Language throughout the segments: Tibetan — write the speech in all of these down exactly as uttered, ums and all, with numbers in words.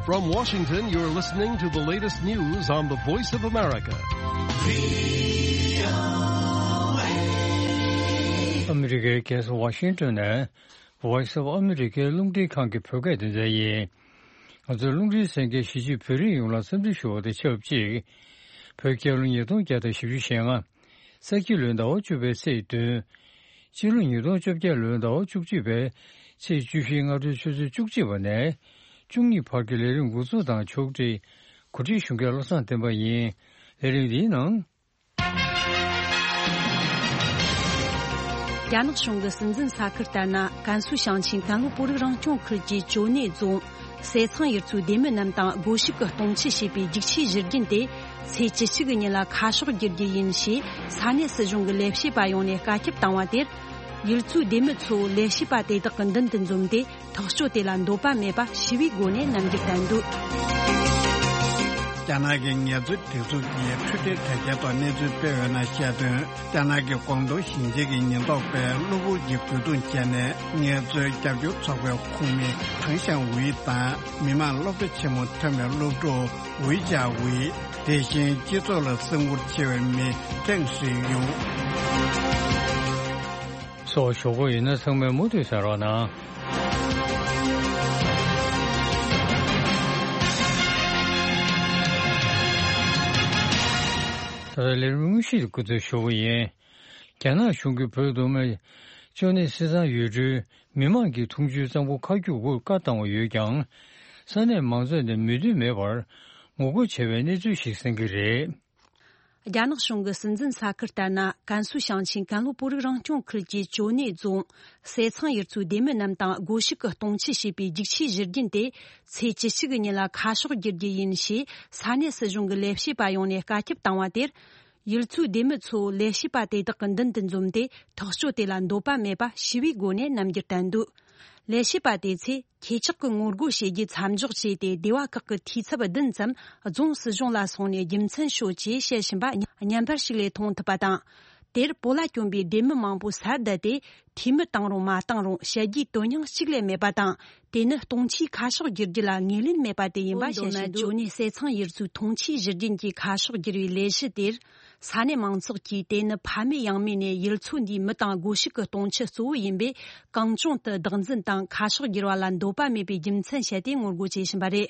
From Washington, you're listening to the latest news on the Voice of America. ཨ་མི་རི་ཀའི་རྒྱལ་ས་ཝ་ཤིང་ཏོན་ནས་Voice of America རླུང་འཕྲིན་ཁང་གི་བོད་སྐད་སྡེ་ཚན་ཡིན། ང་ཚོས་རླུང་འཕྲིན་གསན་མཁན་གཞིས་བྱེས་བོད་རིགས་ཡོངས་ལ་འཚམས་འདྲི་ཞུ་བ་དང་ཆབས་ཅིག་བོད་རྒྱལ་ལོ་ཉིས་སྟོང་བརྒྱ་དང་བཞི་བཅུ་ཞེ་ལྔ། ས་ཁྱི་ལོའི་ཟླ་བ་བཅུ་པའི་ཚེས་བདུན། སྤྱི་ལོ་ཉིས་སྟོང་བཅོ་བརྒྱད་ལོའི་ཟླ་བ་བཅུ་གཅིག་པའི་ཚེས་བཅུ་བཞིའི་སྔ་དྲོའི་ཆུ་ཚོད་བཅུ་གཅིག་པ་ནས་བཅུ་གཉིས་བར་གྱི་ལས་རིམ་འགོ་འཛུགས་དང་ཕྱོགས་སྒྲིག་གོ་སྒྲིག་ཞུ་མཁན་བློ་བཟང་བསྟན་པ་ཡིན། ལས་རིམ་འདིའི་ནང་། རྒྱ་ནག་གཞུང་གིས་སྲིད་འཛིན་ས་ཁུལ་ལྟར་ན་ཀན་སུའུ་ཞིང་ཆེན་ཀན་ལྷོ་བོད་རིགས་རང་སྐྱོང་ཁུལ་གྱི་ཅོ་ནེ་རྫོང་ཟས་ཚང་ཡུལ་ཚོའི་སྡེ་མི་རྣམས་དང་སྒོ་ཕྱུགས་ཀྱི་སྟོང་ཆ་བྱས་པའི་རྒྱུག་ཆའི་གཞི་རྒྱུན་དེ་ཚེས་བཅུ་གཅིག་གི་ཉིན་ལ་ཁ་ཕྱོགས་བསྒྱུར་རྒྱུ་ཡིན་ཞེས་ས་གནས་སྲིད་གཞུང་གི་ལས་བྱེད་པ་ཡོངས་ནས་བཀའ་ཁྱབ་བཏང་བ་དེར། ཡུལ་ཚོའི་སྡེ་མི་ཚོ་ལས་བྱེད་པ་དེ་དག་གི་མདུན་དུ་འཛོམས་ཏེ་ཐག་གཅོད་དེ་ལ་འདོད་པ་མེད་པ་ཞི་བའི་སྒོ་ནས་རྣམ་འགྱུར་བསྟན་འདུག་རྒྱ་ནག་གི་ངལ་རྩོལ་སྒྲིག་འཛུགས་ཀྱིས་འཕྲོད་བསྟེན་དྲ་རྒྱའི་ཐོག་གནས་ཚུལ་སྤེལ་ཡོད་ན་བཤད་དོན། རྒྱ་ནག་གི་ཀོང་ཏུང་ཞིང་ཆེན་གྱི་ཉེན་རྟོག་པས་གློ་བུར་གྱི་རྒོལ་རྡུང་བྱས་ནས་ངལ་རྩོལ་རྒྱབ་སྐྱོར་ཚོགས་པའི་ཁོངས་མི་ཐང་ཞང་ཝུའེ་དང་མི་དམངས་སློབ་གྲྭ་ཆེན་མོ་ཐོན་པའི་སློབ་ཕྲུག་ཝུའེ་ཅཱ་ཝུའེ། དེ་བཞིན་སྤྱི་ཚོགས་ལ་སེམས་ཁུར་ཆེ་བའི་མི་ཀེང་ཧྲི་ཡུང་སོགས་ཞོགས་པ་ཡིན་ན་ཚང་མས་མུ་མཐུད་གསན་རོགས་གནང་། ད་ལྟ་ལས་རིམ་དངོས་གཞི་འགོ་འཛུགས་ཞུ་བ་ཡིན། རྒྱ་ནག་གཞུང་གིས་བོད་མདོ་སྨད་ཅོ་ནེ་སྲིད་གཙང་ཡུལ་གྲུའི་མི་མང་གི་འཐུང་ཆུའི་གཙང་པོ་ཁ་རྒྱུག་དགོས་བཀའ་བཏང་བ་ཡོད་ཀྱང་། ས་གནས་མང་ཚོགས་ནས་མོས་མཐུན་མེད་པར་ངོ་རྒོལ་བྱས་པའི་གནས་ཚུལ་ཞིག་གསན་གྱི་རེད། རྒྱ་ནག་གཞུང་གི་སྲིད་འཛིན་ས་ཁུལ་ལྟར་ན་ཀན་སུའུ་ཞིང་ཆེན་ཀན་ལྷོ་བོད་རིགས་རང་སྐྱོང་ཁུལ་གྱི་ཅོ་ནེ་རྫོང་ཟས་ཚང་ཡུལ་ཚོའི་སྡེ་མི་རྣམས་དང་སྒོ་ཕྱུགས་ཀྱི་སྟོང་ཆ་བྱས་པའི་རྒྱུག་ཆའི་གཞི་རྒྱུན་དེ་ཚེས་བཅུ་གཅིག་གི་ཉིན་ལ་ཁ་ཕྱོགས་བསྒྱུར་རྒྱུ་ཡིན་ཞེས་ས་གནས་སྲིད་གཞུང་གི་ལས་བྱེད་པ་ཡོངས་ནས་བཀའ་ཁྱབ་བཏང་བ་དེར། ཡུལ་ཚོའི་སྡེ་མི་ཚོ་ལས་བྱེད་པ་དེ་དག་གི་མདུན་དུ་འཛོམས་ཏེ་ཐག་གཅོད་དེ་ལ་འདོད་པ་མེད་པ་ཞི་བའི་སྒོ་ནས་རྣམ་འགྱུར་བསྟན་འདུག་ལས་བྱེད་པ་དེ་ཚོས་ཁྱེད་ཅག་གི་ངོ་རྒོལ་བྱེད་རྒྱུ་མཚམས་འཇོག་བྱས་ཏེ་སྡེ་བ་ཁག་གི་འཐུས་ཚབ་བདུན་ཙམ་རྫོང་སྲིད་གཞུང་ལ་སོང་ནས་རྒྱུ་མཚན་ཤོད་ཅེས་བཤད་བཞིན་པ་བརྙན་པར་ཞིག་ལས་མཐོང་ཐུབ་པ་དང་། དེར་བོད་ལ་བསྐྱོན་པའི་སྡེ་མི་མང་པོ་སར་བསྡད་དེ་འཐུས་མི་བཏང་རུང་མ་བཏང་རུང་བཤད་རྒྱུའི་དོན་སྙིང་གཅིག་ལས་མེད་པ་དང་། དེ་ནི་སྟོང་ཆའི་ཁ་ཕྱོགས་བསྒྱུར་རྒྱུ་ལ་ངོས་ལེན་མེད་པ་དེ་ཡིན་པ་བཤད་བཞིན། ཅོ་ནེ་ཟས་ཚང་ཡུལ་ཚོའི་འཐུང་ཆའི་གཞི་རྒྱུན་གྱི་ཁ་ཕྱོགས་བསྒྱུར་བའི་ལས་གཞི་དེར། ས་གནས་མང་ཚོགས་ཀྱིས་དེ་ནི་ཕ་མེས་ཡང་མེས་ནས་ཡུལ་ཚོ་འདིའི་མི་དང་སྒོ་ཕྱུགས་ཀྱི་སྟོང་ཆ་གཙོ་བོ་ཡིན་པས་གང་བྱུང་དུ་བདག་འཛིན་དང་ཁ་ཕྱོགས་བསྒྱུར་བ་ལ་འདོད་པ་མེད་པའི་རྒྱུ་མཚན་བཤད་དེ་ངོ་རྒོལ་བྱེད་བཞིན་པ་རེད།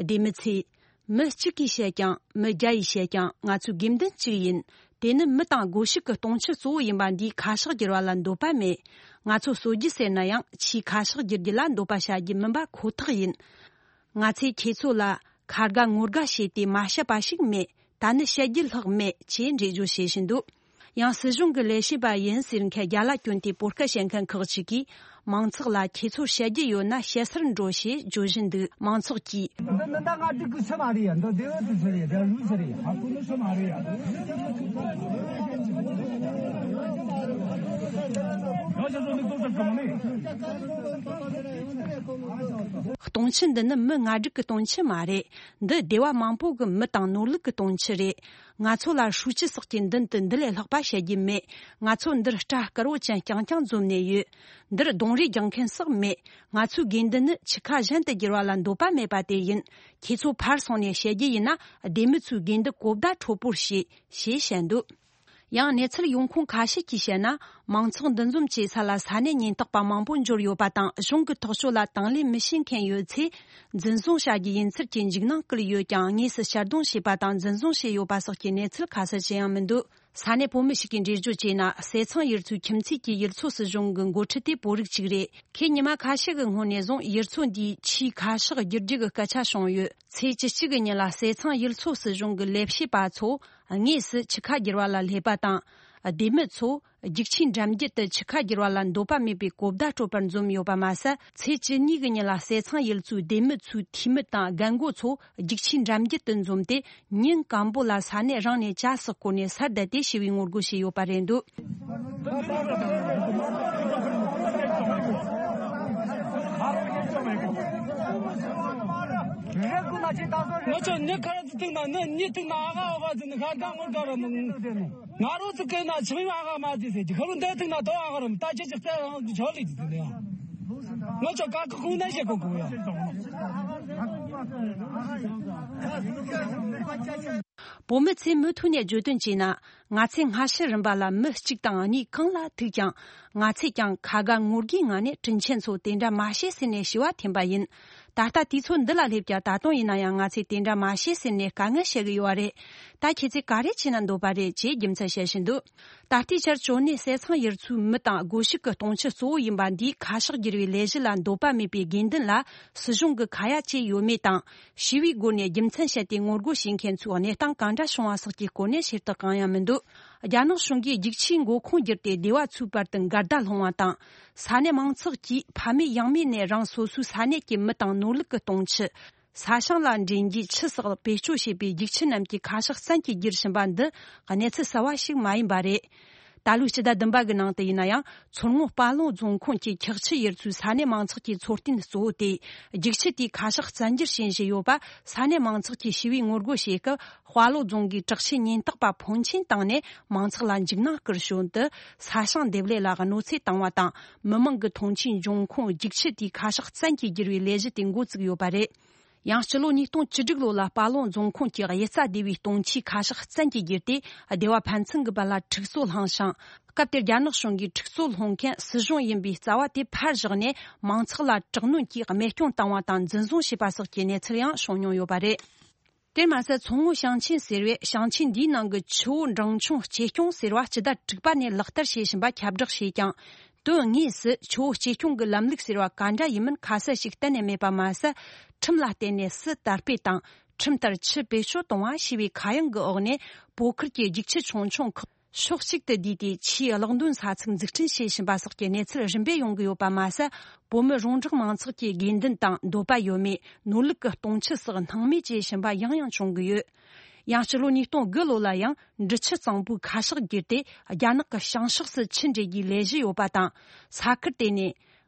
སྡེ་མི་ཚོས་མི་གཅིག་གིས་བཤད་ཀྱང་མི་བརྒྱ་ཡིས་བཤད་ཀྱང་ང་ཚོའི་དགོས་འདུན་གཅིག་ཡིན། དེ་ནི་མི་དང་སྒོ་ཕྱུགས་ཀྱི་སྟོང་ཆ་གཙོ་བོ་ཡིན་པ་འདིའི་ཁ་ཕྱོགས་བསྒྱུར་བ་ལ་འདོད་པ་མེད། ང་ཚོ་གསོད་རྒྱུ་ཟེར་ན་ཡང་ཆེས་ཁ་ཕྱོགས་བསྒྱུར་རྒྱུ་ལ་འདོད་པ་བྱ་རྒྱུ་མིན་པ་ཁོ་ཐག་ཡིན། ང་ཚོས་ཁྱེད་ཚོ་ལ་ཁ་དགའ་ངོ་དགའ་བྱས་ཏེ་མ་བཤད་པ་ཞིག་མེད། ད་ནི་བཤད་རྒྱུ་ལྷག་མེད་ཅེས་འགྲེལ་བརྗོད་བྱེད་བཞིན་འདུག་ཡང་སྲིད་གཞུང་གི་ལས་བྱེད་པ་ཡིན་ཟེར་མཁན་རྒྱ་ལ་བསྐྱོན་ཏེ་བོད་སྐད་བཤད་མཁན་ཁག་ཅིག་གིས་མང་ཚོགས་ལ་ཁྱེད་ཚོར་བཤད་རྒྱུ་ཡོད་ན་བཤད་སར་འགྲོ་ཞེས་བརྗོད་བཞིན་འདུག་མང་ཚོགས་ཀྱིས། འདི་འདི་ད་ང་འགྲིག་གི་ཆི་མ་རེད་ཡ། འདི་སྡེ་བ་དུ་ཆི་རེད། ད་ལུས་ཆི་རེད། ཨ་ཁུ་ནི་ཆི་མ་རེད་ཡ། ང་ཆ་ཚོ་འདི་ཏོག་ཙམ་གང་མེད། སྟོང་ཆ་འདི་ནི་མི་ང་འགྲིག་གི་སྟོང་ཆ་མ་རེད། འདི་སྡེ་བ་མང་པོ་གི་མི་དང་ནོར་ལུག་གི་སྟོང་ཆ་རེད། ང་ཚོ་ལ་ཧྲུའུ་ཅི་སོགས་ཀྱི་མདུན་དུ་འདི་ལས་ལྷག་པ་བཤད་རྒྱུ་མེད། ང་ཚོ་འདིར་སྐྲ་དཀར་བོ་ཅན་རྐྱང་རྐྱང་འཛོམས་ནས་ཡོད། འདིར་གདོང་རིས་རྒྱག་མཁན་སོགས་མེད། ང་ཚོའི་དགོས་འདུན་ནི་ཆུ་ཁ་གཞན་དུ་བསྒྱུར་བ་ལ་འདོད་པ་མེད་པ་དེ་ཡིན། ཁྱེད་ཚོ་ཕར་སོང་ནས་བཤད་རྒྱུ་ཡིན་ན་སྡེ་མི་ཚོའི་དགོས་འདུན་གོ་བརྡ་འཕྲོད་པོར་བྱེད། ཞེས་བཤད་འདུག་ཡང་གནས་ཚུལ་ཡོང་ཁུངས་ཁ་ཤས་ཀྱིས་བཤད་ན། མང་ཚོགས་འདུ་འཛོམས་བྱེད་ས་ལ་ས་གནས་ཉེན་རྟོག་པ་མང་པོ་འབྱོར་ཡོད་པ་དང་། གཞུང་གི་ཐག་གཅོད་ལ་དང་ལེན་མི་བྱེད་མཁན་ཡོད་ཚེ། འཛིན་བཟུང་བྱ་རྒྱུ་ཡིན་ཚུལ་གྱི་འཇིགས་སྣང་བསྐུལ་ཡོད་ཀྱང་། དངོས་སུ་ཕྱིར་བརྡུང་བྱས་པ་དང་འཛིན་བཟུང་བྱས་ཡོད་པ་སོགས་ཀྱི་གནས་ཚུལ་ཁ་གསལ་ཅི་ཡང་མི་འདུག་ས་གནས་བོད་མི་ཞིག་གིས་འགྲེལ་བརྗོད་བྱས་ན། ཟས་ཚང་ཡུལ་ཚོའི་ཁྱིམ་མཚེས་ཀྱི་ཡུལ་ཚོ་སྲིད་གཞུང་གི་འགོ་ཁྲིད་དེ་བོད་རིགས་གཅིག་རེད། ཁོས་ཉི་མ་ཁ་ཤས་ཀྱི་སྔོན་ནས་བཟུང་ཡུལ་ཚོ་འདིའི་ཆུའི་ཁ་ཕྱོགས་བསྒྱུར་རྒྱུ་གི་སྐད་ཆ་བྱུང་ཡོད། ཚེས་བཅུ་གཅིག་གི་ཉིན་ལ་ཟས་ཚང་ཡུལ་ཚོ་སྲིད་གཞུང་གི་ལས་བྱེད་པ་ཚོ་དངོས་སུ་ཆུ་ཁ་བསྒྱུར་བ་ལ་སླེབས་པ་དང་། སྡེ་མི་ཚོ་རྒྱུག་ཆས་འགྲམ་རྒྱུད་དུ་ཆུ་ཁ་བསྒྱུར་བ་ལ་འདོད་པ་མེད་པའི་གོ་བརྡ་སྤྲོད་པར་འཛོམས་ཡོད་པ་མ་ཟད། ཚེས་བཅུ་གཉིས་ཀྱི་ཉིན་ལ་བསེ་ཚང་ཡུལ་ཚོའི་སྡེ་མི་ཚོའི་འཐུས་མི་དང་རྒན་རྒོན་ཚོ་རྒྱུག་ཆས་འགྲམ་རྒྱུད་དུ་འཛོམས་ཏེ། ཉིན་སྐམ་པོ་ལ་ས་གནས་རང་ནས་ཇ་ཟོག་བསྐོལ་ནས་སར་བསྡད་དེ་ཞི་བའི་ངོ་རྒོལ་བྱས་ཡོད་པ་རེད་འདུག། ང་ཚོ་ནི་ཁ་ར་ཚི་ཐུག་ན་ནི་ནི་ཐུག་ན་ཨ་ག་ཨ་ག་ཟི་ནི་ཁ་ག་ངོ་ག་ར་མི་ང་རོ་ཚི་ཀེ་ན་ཆི་ཡོ་ཨ་ག་མ་ཟི་ཟེ་ཁ་རུ་འདི་ཐུག་ན་དོ་ཨ་ག་ར་མི་ད་ཅི་ཅི་ཙེ་རང་ཆོ་ལི་ཟི་ནི་ཡ། ང་ཚོ་ཀ་ཀ་ཁུང་ན་ཤེ་ཀོ་ཀོ་ཡ། བོད་མི་ཚོས་མུ་མཐུད་ནས་བརྗོད་དོན་བྱས་ན། ང་ཚོས་སྔ་ཕྱི་རིམ་པ་ལ་མི་གཅིག་དང་གཉིས་གང་ལ་ཐུག་ཀྱང་། ང་ཚོས་ཀྱང་ཁ་དགའ་ངོ་དགའི་ངང་ནས་དྲིན་ཆེན་ཚོ་དེ་འདྲ་མ་བྱེད་ཟེར་ནས་ཞུ་བ་འཐེན་པ་ཡིན། ད་ལྟ་དུས་ཚོད་འདི་ལ་སླེབས་ཀྱང་ད་དུང་ཡིན་ན་ཡང་ང་ཚོས་དེ་འདྲ་མ་བྱེད་ཟེར་ནས་དཀའ་ངལ་བཤད་གི་ཡོད་པ་རེད། ད་ཁྱེད་ཚོས་ག་རེ་བྱེད་ན་འདོད་པ་རེད་ཅེས་རྒྱུ་མཚན་བཤད་བཞིན་འདུག། ད་ལྟའི་ཆར་ཅོ་ནེ་བསེ་ཚང་ཡུལ་ཚོའི་མི་དང་སྒོ་ཕྱུགས་ཀྱི་སྟོང་ཆུ་གཙོ་བོ་ཡིན་པ་འདིའི་ཁ་ཤགས་བསྒྱུར་བའི་ལས་གཞི་ལ་འདོད་པ་མེད་པའི་དགོས་འདུན་ལ་སྲིད་གཞུང་གི་ཁ་ཡ་བྱས་ཡོད་མེད་དང་། ཞི་བའི་སྒོ་ནས་རྒྱུ་མཚན་བཤད་དེ་ངོ་རྒོལ་བྱེད་མཁན་ཚོའི་གནས་སྟངས་གང་འདྲ་བྱུང་བ་སོགས་ཀྱི་སྐོར་ནས་ཞུ་དག་གང་ཡང་མི་འདུག། རྒྱ་ནག་གཞུང་གིས་རྒྱུག་ཆས་མགོ་ཁུངས་བསྒྱུར་ཏེ་སྡེ་བ་ཚོའི་བར་དུ་འགལ་ཟླ་སློང་བ་དང་། ས་གནས་མང་ཚོགས་ཀྱིས་ཕ་མེས་ཡང་མེས་ནས་རང་སོ་སོའི་ས་གནས་ཀྱི་མི་དང་ནོར་ལུག་གི་སྟོང་ཆུ། ས་ཞིང་ལ་འདྲེན་རྒྱུའི་ཆུ་སོགས་བེད་སྤྱོད་བྱེད་པའི་རྒྱུག་ཆུ་རྣམས་ཀྱི་ཁ་ཤགས་བཙན་གྱིས་བསྒྱུར་བཞིན་པ་འདི་གནས་ཚུལ་གསར་བ་ཞིག་མ་ཡིན་པ་རེད། ད་ལོའི་སྤྱི་ཟླ་བདུན་པ་གི་ནང་དུ་ཡིན་ན་ཡང་། མཚོ་སྔོན་དཔའ་ལུང་རྫོང་ཁོངས་ཀྱི་འཁྱགས་ཆུ་ཡུལ་ཚོའི་ས་གནས་མང་ཚོགས་ཀྱི་འཚོ་རྟེན་གཙོ་བོ་སྟེ། རྒྱུག་ཆུ་དེའི་ཁ་ཤགས་བཙན་སྒྱུར་བྱེད་བཞིན་ཡོད་པ་ས་གནས་མང་ཚོགས་ཀྱིས་ཞི་བའི་ངོ་རྒོལ་བྱེད་སྐབས། དཔའ་ལུང་རྫོང་གི་དྲག་ཆས་ཉེན་རྟོག་པ་ཕོན་ཆེན་བཏང་ནས་མང་ཚོགས་ལ་འཇིགས་སྣང་སྐུལ་ཞོར་དུ། ས་ཞིང་འདེབས་ལས་ལ་གནོད་འཚེ་བཏང་བ་དང་། མི་མང་གི་ཐོན་སྐྱེད་འབྱུང་ཁུངས་རྒྱུག་ཆུ་དེའི་ཁ་ཤགས་བཙན་གྱིས་བསྒྱུར་བའི་ལས་གཞི་དེ་འགོ་བཙུགས་ཡོད་པ་རེད། ཡང་སྤྱི་ལོ་ཉིས་སྟོང་བཅུ་དྲུག་ལོ་ལ་དཔའ་ལུང་རྫོང་ཁོངས་ཀྱི་གཡུལ་རྩྭ་སྡེ་བའི་སྟོང་ཆའི་ཁ་ཤགས་བཙན་གྱིས་བསྒྱུར་ཏེ། སྡེ་བ་ཕན་ཚུན་གྱི་བར་ལ་འཁྲུག་རྩོད་བསླངས་ཤིང་། སྐབས་དེར་རྒྱ་ནག་གཞུང་གིས་འཁྲུག་རྩོད་སློང་མཁན་སྲིད་གཞུང་ཡིན་པའི་རྩ་བ་དེ་ཕར་བཞག་ནས། མང་ཚོགས་ལ་དྲག་གནོན་གྱིས་རྨས་སྐྱོན་བཏང་བ་དང་འཛིན་བཟུང་བྱས་པ་སོགས་ཀྱི་གནས་ཚུལ་ཡང་བྱུང་མྱོང་ཡོད་པ་རེད། དེར་མ་ཟད། མཚོ་སྔོན་ཞིང་ཆེན་ཟེར་བས་ཞིང་ཆེན་འདིའི་ནང་གི་ཆུ་བོ་འབྲིང་ཆུང་གཅེས་སྐྱོང་ཟེར་བ་སྤྱི་ཟླ་དྲུག་པ་ནས་ལག་བསྟར་བྱེད་བཞིན་པ་ཁྱབ་བསྒྲགས་བྱས་ཀྱང་། དོན་དངོས་སུ་ཆུ་བོ་གཅེས་སྐྱོང་གི་ལམ་ལུགས་ཟེར་བ་ག་འདྲ་ཡིན་མིན་ཁ་གསལ་ཞིག་གཏན་ནས་མེད་པ་མ་ཟད། ཁྲིམས་ལ་བརྟེན་ནས་སུ་དར་སྤེལ་དང་། ཁྲིམས་ལྟར་ཆུ་བེད་སྤྱོད་གཏོང་བ་ཞེས་པའི་ཁ་གཡང་གི་འོག་ནས། བོད་ཁུལ་གྱི་རྒྱུག་ཆུ་ཆུང་ཆུང་ཁག་ཕྱོགས་གཅིག་ཏུ་བསྡུས་ཏེ། ཆུའི་གློག་འདོན་ས་ཚིགས་འཛུགས་སྐྲུན་བྱེད་བཞིན་པ་སོགས་ཀྱི་གནས་ཚུལ་རིམ་པས་ཡོང་གི་ཡོད་པ་མ་ཟད། བོད་མི་རོང་འབྲོག་མང་ཚོགས་ཀྱི་དགོས་འདུན་དང་འདོད་པ་ཡོད་མེད། ནོར་ལུག་གི་སྟོང་ཆུ་སོགས་སྣང་མེད་བྱེད་བཞིན་པ་ཡང་ཡང་བྱུང་གི་ཡོད། ཡང་སྤྱི་ལོ་ཉིས་སྟོང་དགུ་ལོ་ལ་ཡང་འབྲི་ཆུ་གཙང་པོའི་ཁ་ཤགས་བསྒྱུར་ཏེ། རྒྱ་ནག་གི་བྱང་ཕྱོགས་སུ་ཆུ་འདྲེན་རྒྱུའི་ལས་གཞི་ཡོད་པ་དང་། ས་ཁུལ་དེ་ནས་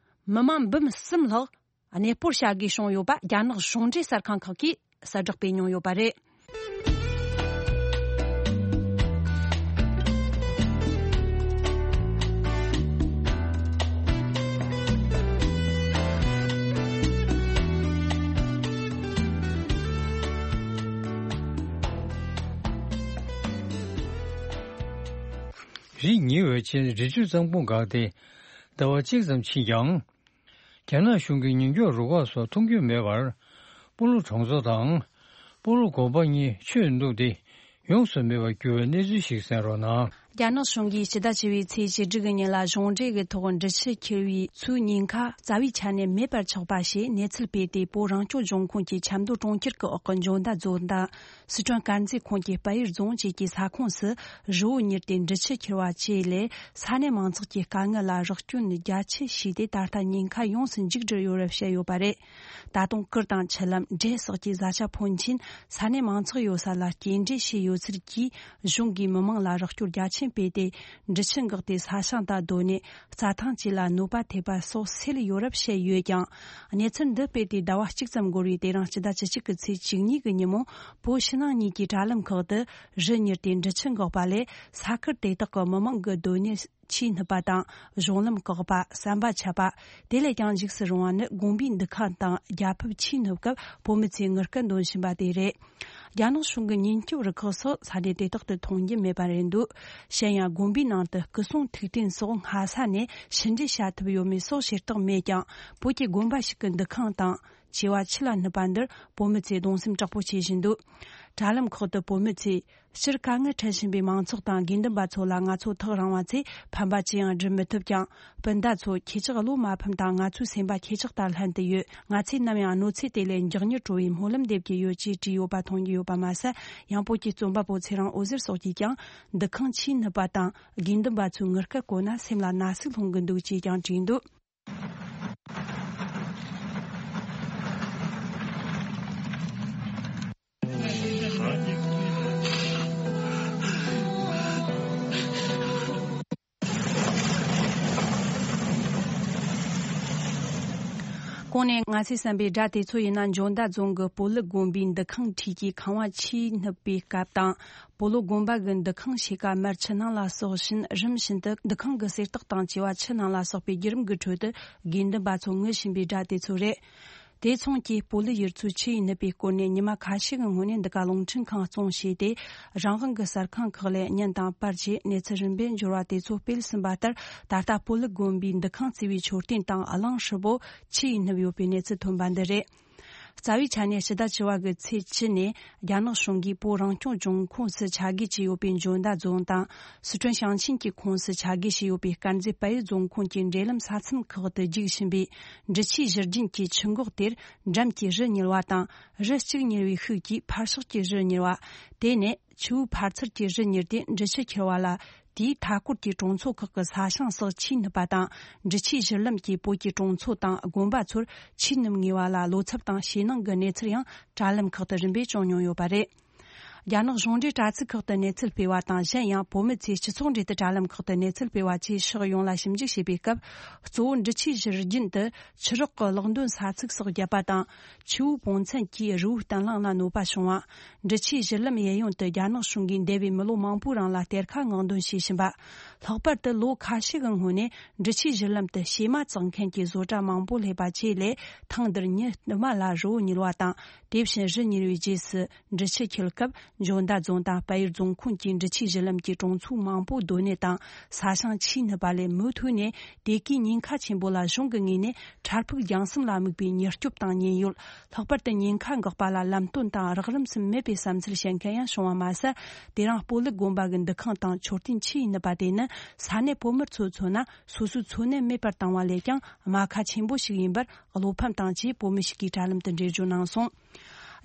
མི་མང་འབུམ་གསུམ་ལྷག་གནས་སྤོར་བྱ་དགོས་བྱུང་ཡོད་པ། རྒྱ་ནག་གཞུང་འབྲེལ་གསར་ཁང་ཁག་གིས་གསལ་བསྒྲགས་སྤེལ་མྱོང་ཡོད་པ་རེད། རི་ཉིལ་བའི་རྐྱེན་རི་ཆུ་གཙང་པོ་འགགས་ཏེ། ཟླ་བ་གཅིག་ཙམ་ཕྱིན་ཀྱང་། རྒྱ་ནག་གཞུང་གི་ཉེན་སྐྱོབ་རུ་ཁག་སོགས་མཐོང་རྒྱུ་མེད་པར། སྤོ་ལོ་གྲོང་ཚོ་དང་། སྤོ་ལོ་དགོན་པ་གཉིས་ཆུས་བདུག་སྟེ་ཡོངས་སུ་མེད་པར་གྱུར་བའི་གནས་ཚུལ་ཞིག་གསན་རོགས་གནང་། རྒྱ་ནག་གཞུང་གིས་སྤྱི་ཟླ་བཅུ་པའི་ཚེས་བཅུ་དྲུག་གི་ཉིན་ལ་གཞུང་འབྲེལ་གྱི་ཐོག་འབྲི་ཆུ་འཁྱེར་བའི་ཚོའི་ཉེན་ཁ་རྩ་བའི་ཆ་ནས་མེད་པར་ཆགས་པ་ཞེས་གནས་ཚུལ་སྤེལ་ཏེ། བོད་རང་སྐྱོང་ལྗོངས་ཁོངས་ཀྱི་ཆབ་མདོ་གྲོང་ཁྱེར་གྱི་འོག་གི་འཇོ་མདའ་རྫོང་དང་། སི་ཁྲོན་དཀར་མཛེས་ཁོངས་ཀྱི་དཔལ་ཡུལ་རྫོང་བཅས་ཀྱི་ས་ཁོངས་སུ་རི་བོ་ཉིལ་ཏེ་འབྲི་ཆུ་འཁྱེར་བ་བཅས་ལས། ས་གནས་མང་ཚོགས་ཀྱི་དཀའ་ངལ་ལ་རོགས་སྐྱོན་རྒྱ་ཆེ་བྱས་ཏེ། ད་ལྟ་ཉེན་ཁ་ཡོངས་སུ་འཇིག་བསྒྲིལ་ཡོད་རབས་བཤད་ཡོད་པ་རེད། ད་དུང་གུར་དང་ཆུ་ལམ། འབྲས་སོགས་ཀྱི་བཟའ་བཅའ་ཕོན་ཆེན་ས་གནས་མང་ཚོགས་ཡོད་ས་ལ་སྐྱེལ་འདྲེན་བྱས་ཡོད་ཚུལ་གྱིས། གཞུང་གིས་མི་མང་ལ་རོགས་སྐྱོར་རྒྱ་ཆེན་སྤེལ་ཏེ། འབྲི་ཆུ་འགགས་ཏེ་ས་ཞིང་དང་སྡོད་གནས། རྩྭ་ཐང་བཅས་ལ་གནོད་པ་ཐེབས་པ་སོགས་སེལ་ཡོད་རབས་བཤད་ཡོད་ཀྱང་། གནས་ཚུལ་འདི་སྤེལ་ཏེ་ཟླ་བ་གཅིག་ཙམ་འགོར་བའི་དེ་རིང་སྤྱི་ཟླ་བཅུ་གཅིག་གི་ཚེས་བཅུ་གཉིས་ཀྱི་ཉིན་མོ། བོད་ཕྱི་ནང་གཉིས་ཀྱི་དྲ་ལམ་ཁག་ཏུ་རི་ཉིལ་ཏེ་འབྲི་ཆུ་འགགས་པ་ལས། ས་ཁུལ་དེ་དག་གི་མི་མང་གི་སྡོད་གནས་ཆུས་སྣུབས་པ་དང་། གཞུང་ལམ་བཀག་པ། ཟམ་པ་ཆད་པ། དེ་ལས་ཀྱང་འཇིགས་སུ་རུང་བ་ནི། དགོན་པའི་འདུ་ཁང་དང་རྒྱ་ཕིབས་ཆུས་སྣུབས་སྐབས། བོད་མི་ཚོས་ངུ་སྐད་འདོན་བཞིན་པ་དེ་རེད། རྒྱ་ནག་གཞུང་གི་ཉེན་སྐྱོབ་རུ་ཁག་སོགས་ས་གནས་དེ་དག་ཏུ་མཐོང་རྒྱུ་མེད་པ་རེད་འདུག། གཞན་ཡང་། དགོན་པའི་ནང་དུ་སྐུ་སྲུང་ཐུགས་རྟེན་སོགས་སྔ་ས་ནས་ཕྱི་འབྲེལ་བྱ་ཐུབ་ཡོད་མེད་སོགས་བྱེད་རྟགས་མེད་ཀྱང་། བོད་ཀྱི་དགོན་པ་ཞིག་གི་འདུ་ཁང་དང་། བྱེ་བ་ཆུ་ལ་སྣུབས་པ་འདིར་བོད་མི་ཚོས་གདུང་སེམས་དྲག་པོ་བྱེད་བཞིན་འདུག། དྲ་ལམ་ཁག་ཏུ་བོད་མི་ཚོས། སྤྱིར་དཀའ་ངལ་འཕྲད་བཞིན་པའི་མང་ཚོགས་དང་དགེ་འདུན་པ་ཚོ་ལ་ང་ཚོ་ཐག་རིང་བ་ཚོས་ཕན་པ་ཅི་ཡང་སྒྲུབ་མི་ཐུབ་ཀྱང་། སྤུན་ཟླ་ཚོ། ཁྱེད་ཅག་བློ་མ་ཕམ་དང་། ང་ཚོའི་སེམས་པ་ཁྱེད་ཅག་དང་ལྷན་དུ་ཡོད། ང་ཚོས་ནམ་ཡང་གནོད་འཚེ་དེ་ལས་མགྱོགས་མྱུར་གྲོལ་བའི་སྨོན་ལམ་འདེབས་ཀྱི་ཡོད་ཅེས་བྲིས་ཡོད་པ་མཐོང་རྒྱུ་ཡོད། པ་མ་ཟད། ཡང་བོད་ཀྱི་རྩོམ་པ་པོ་ཚེ་རིང་འོད་ཟེར་སོགས་ཀྱིས་ཀྱང་འདུ་ཁང་ཆུས་ནུབ་པ་དང་། དགེ་འདུན་པ་ཚོའི་ངུ་སྐད་གོ་ན་སེམས་ལ་ན་ཟུག་ལྷུང་གི་འདུག་ཅེས་ཀྱང་བྲིས་འདུག། གོང་ནས་ང་ཚོས་གསན་པའི་སྒྲ་དེ་ཚོ་ཡིན་ན་འཇོ་མདའ་རྫོང་གི་སྤོ་ལུ་དགོན་པའི་འདུ་ཁང་འཁྲིས་ཀྱི་ཁང་བ་ཆུས་ནུབ་པའི་སྐབས་དང་། སྤོ་ལོ་དགོན་པ་གི་འདུ་ཁང་ཕྱེད་ཀ་མར་ཆུ་ནང་ལ་ཟགས་བཞིན། རིམ་བཞིན་དུ་འདུ་ཁང་གི་གསེར་ཏོག་དང་བཅས་པ་ཆུ་ནང་ལ་ཟགས་པའི་བརྒྱུད་རིམ་གྱི་ཁྲོད་དུ་དགེ་འདུན་པ་ཚོ་ངུ་བཞིན་པའི་སྒྲ་དེ་ཚོ་རེད། དེ་མཚུངས་ཀྱིས་སྤོ་ལོ་ཡུལ་ཚོའི་ཆུ་ཡིས་ནུབ་པའི་སྐོར་ནས་ཉི་མ་ཁ་ཤས་ཀྱི་སྔོན་ནས་འདི་ག་རླུང་འཕྲིན་ཁང་བཙོང་བྱས་ཏེ། རང་དབང་གི་གསར་ཁང་ཁག་ལས་བརྙན་དང་པར་བཅས་གནས་ཚུལ་རིམ་པས་འབྱོར་བ་དེ་ཚོ་སྤེལ་ཟིན་པ་ལྟར། ད་ལྟ་སྤོ་ལོ་དགོན་པའི་འདུ་ཁང་བརྩིགས་པའི་མཆོད་རྟེན་དང་གླིང་ཧྲིལ་པོ་ཆུ་ཡིས་ནུབ་ཡོད་པའི་གནས་ཚུལ་ཐོན་པ་འདི་རེད། རྩ་བའི་ཆ་ནས་ཕྱི་ཟླ་བཅུ་བ་གི་ཚེས་བཅུ་ནས་རྒྱ་ནག་གཞུང་གིས་བོད་རང་སྐྱོང་ལྗོངས་ཁོངས་སུ་ཆ་བགོས་བྱས་ཡོད་པའི་འཇོ་མདའ་རྫོང་དང་། སི་ཁྲོན་ཞིང་ཆེན་གྱི་ཁོངས་སུ་ཆ་བགོས་བྱས་ཡོད་པའི་དཀར་མཛེས་དཔལ་ཡུལ་རྫོང་ཁོངས་ཀྱི་འབྲེལ་ལམ་ས་མཚམས་ཁག་ཏུ་རྒྱུག་བཞིན་པའི་འབྲི་ཆུའི་བཞུར་རྒྱུན་གྱི་ཆུ་འགག་དེར་འགྲམ་གྱི་རི་ཉིལ་བ་དང་། རི་གཅིག་ཉིལ་བའི་ཤུགས་ཀྱིས་ཕར་ཕྱོགས་ཀྱི་རི་ཉིལ་བ། དེ་ནས་ཆུ་བོའི་ཕར་ཚུར་གྱི་རི་ཉིལ་ཏེ་འབྲི་ཆུ་འཁྱིལ་བ་ལ། དེའི་མཐའ་སྐོར་གྱི་གྲོང་ཚོ་ཁག་གི་ས་ཞིང་སོགས་ཆུས་ནུབ་པ་དང་། འབྲི་ཆུའི་བཞུར་ལམ་གྱིས་བོད་ཀྱི་གྲོང་ཚོ་དང་དགོན་པ་ཚོར་ཆུས་ནུབ་ངེས་པ་ལ་བློ་འཚབ་དང་ཞེད་སྣང་གི་གནས་ཚུལ་ཡང་དྲ་ལམ་ཁག་ཏུ་རིམ་པས་བྱུང་མྱོང་ཡོད་པ་རེད། རྒྱ་ནག་གཞུང་འབྲེལ་དྲ་ཚིགས་ཁག་ཏུ་གནས་ཚུལ་སྤེལ་བ་དང་། གཞན་ཡང་བོད་མི་ཚོས་སྤྱི་ཚོགས་འབྲེལ་དུ་དྲ་ལམ་ཁག་ཏུ་གནས་ཚུལ་སྤེལ་བ་བཅས་ཕྱོགས་ཡོངས་ལ་ཞིབ་འཇུག་བྱས་པའི་སྐབས། གཙོ་བོ་འབྲི་ཆུའི་བཞུར་རྒྱུན་དུ་ཆུ་རགས་ཀྱི་གློག་འདོན་ས་ཚིགས་སོགས་བརྒྱབ་པ་དང་། ཆུ་བོའི་དཔུང་ཚན་གྱིས་རི་བོའི་བརྟན་ལྷིང་ལ་གནོད་པ་བྱུང་བ། འབྲི་ཆུའི་བཞུར་ལམ་གཡས་གཡོན་དུ་རྒྱ་ནག་གཞུང་གིས་འདས་པའི་མི་ལོ་མང་པོའི་རིང་ལ་གཏེར་ཁ་སྔོག་འདོན་བྱས་བཞིན་པ། ལྷག་པར་དུ་ལོ་ཁ་ཤས་ཀྱི་སྔོན་ནས་འབྲི་ཆུའི་བཞུར་ལམ་དུ་བྱེ་མ་བཙག་མཁན་གྱི་བཟོ་གྲྭ་མང་པོ་སླེབས་པ་བཅས་ལས། ཐེངས་འདིར་ཉིན་དུ་མ་ལ་རི་བོ་ཉིལ་བ་དང་། དེ་བཞིན་རི་ཉིལ་བའི་རྗེས་སུ་འབྲི་ཆུ་འཁྱིལ་སྐབས། འཇོ་མདའ་རྫོང་དང་དཔལ་ཡུལ་རྫོང་ཁོངས་ཀྱི་འབྲི་ཆུའི་བཞུར་ལམ་གྱི་གྲོང་ཚོ་མང་པོ་སྡོད་གནས་དང་ས་ཞིང་ཆུས་ནུབ་པ་ལས། མུ་མཐུད་ནས་དེ་གའི་ཉེན་ཁ་ཆེན་པོ་ལ་གཞུང་གི་ངོས་ནས་འཕྲལ་ཕུགས་རྒྱང་གསུམ་ལ་དམིགས་པའི་མྱུར་སྐྱོབ་དང་མཉན་ཡོད། ལྷག་པར་དུ་ཉེན་ཁ་འགག་པ་ལ་ལམ་སྟོན་དང་རགས་རིམ་སུ་མེད་པའི་བསམ་ཚུལ་བཤད་མཁན་ཡང་བྱུང་བ་མ་ཟད། དེ་རིང་སྤོ་ལོ་དགོན་པ་གི་འདུ་ཁང་དང་མཆོད་རྟེན་ཆུས་ནུབ་པ་དེ་ནི་ས་གནས་བོད་མི་ཚོས་མཚོན་ན་སོ་སོའི་འཚོ་གནས་མེད་པར་བཏང་བ་ལས་ཀྱང་རྨ་ཁ་ཆེན་པོ་ཞིག་ཡིན་པར། བློ་ཕམ་དང་བཅས་བོད་མི་ཞིག་གིས་དྲ་ལམ་དུ་འགྲེལ་བརྗོད་གནང་སོང་།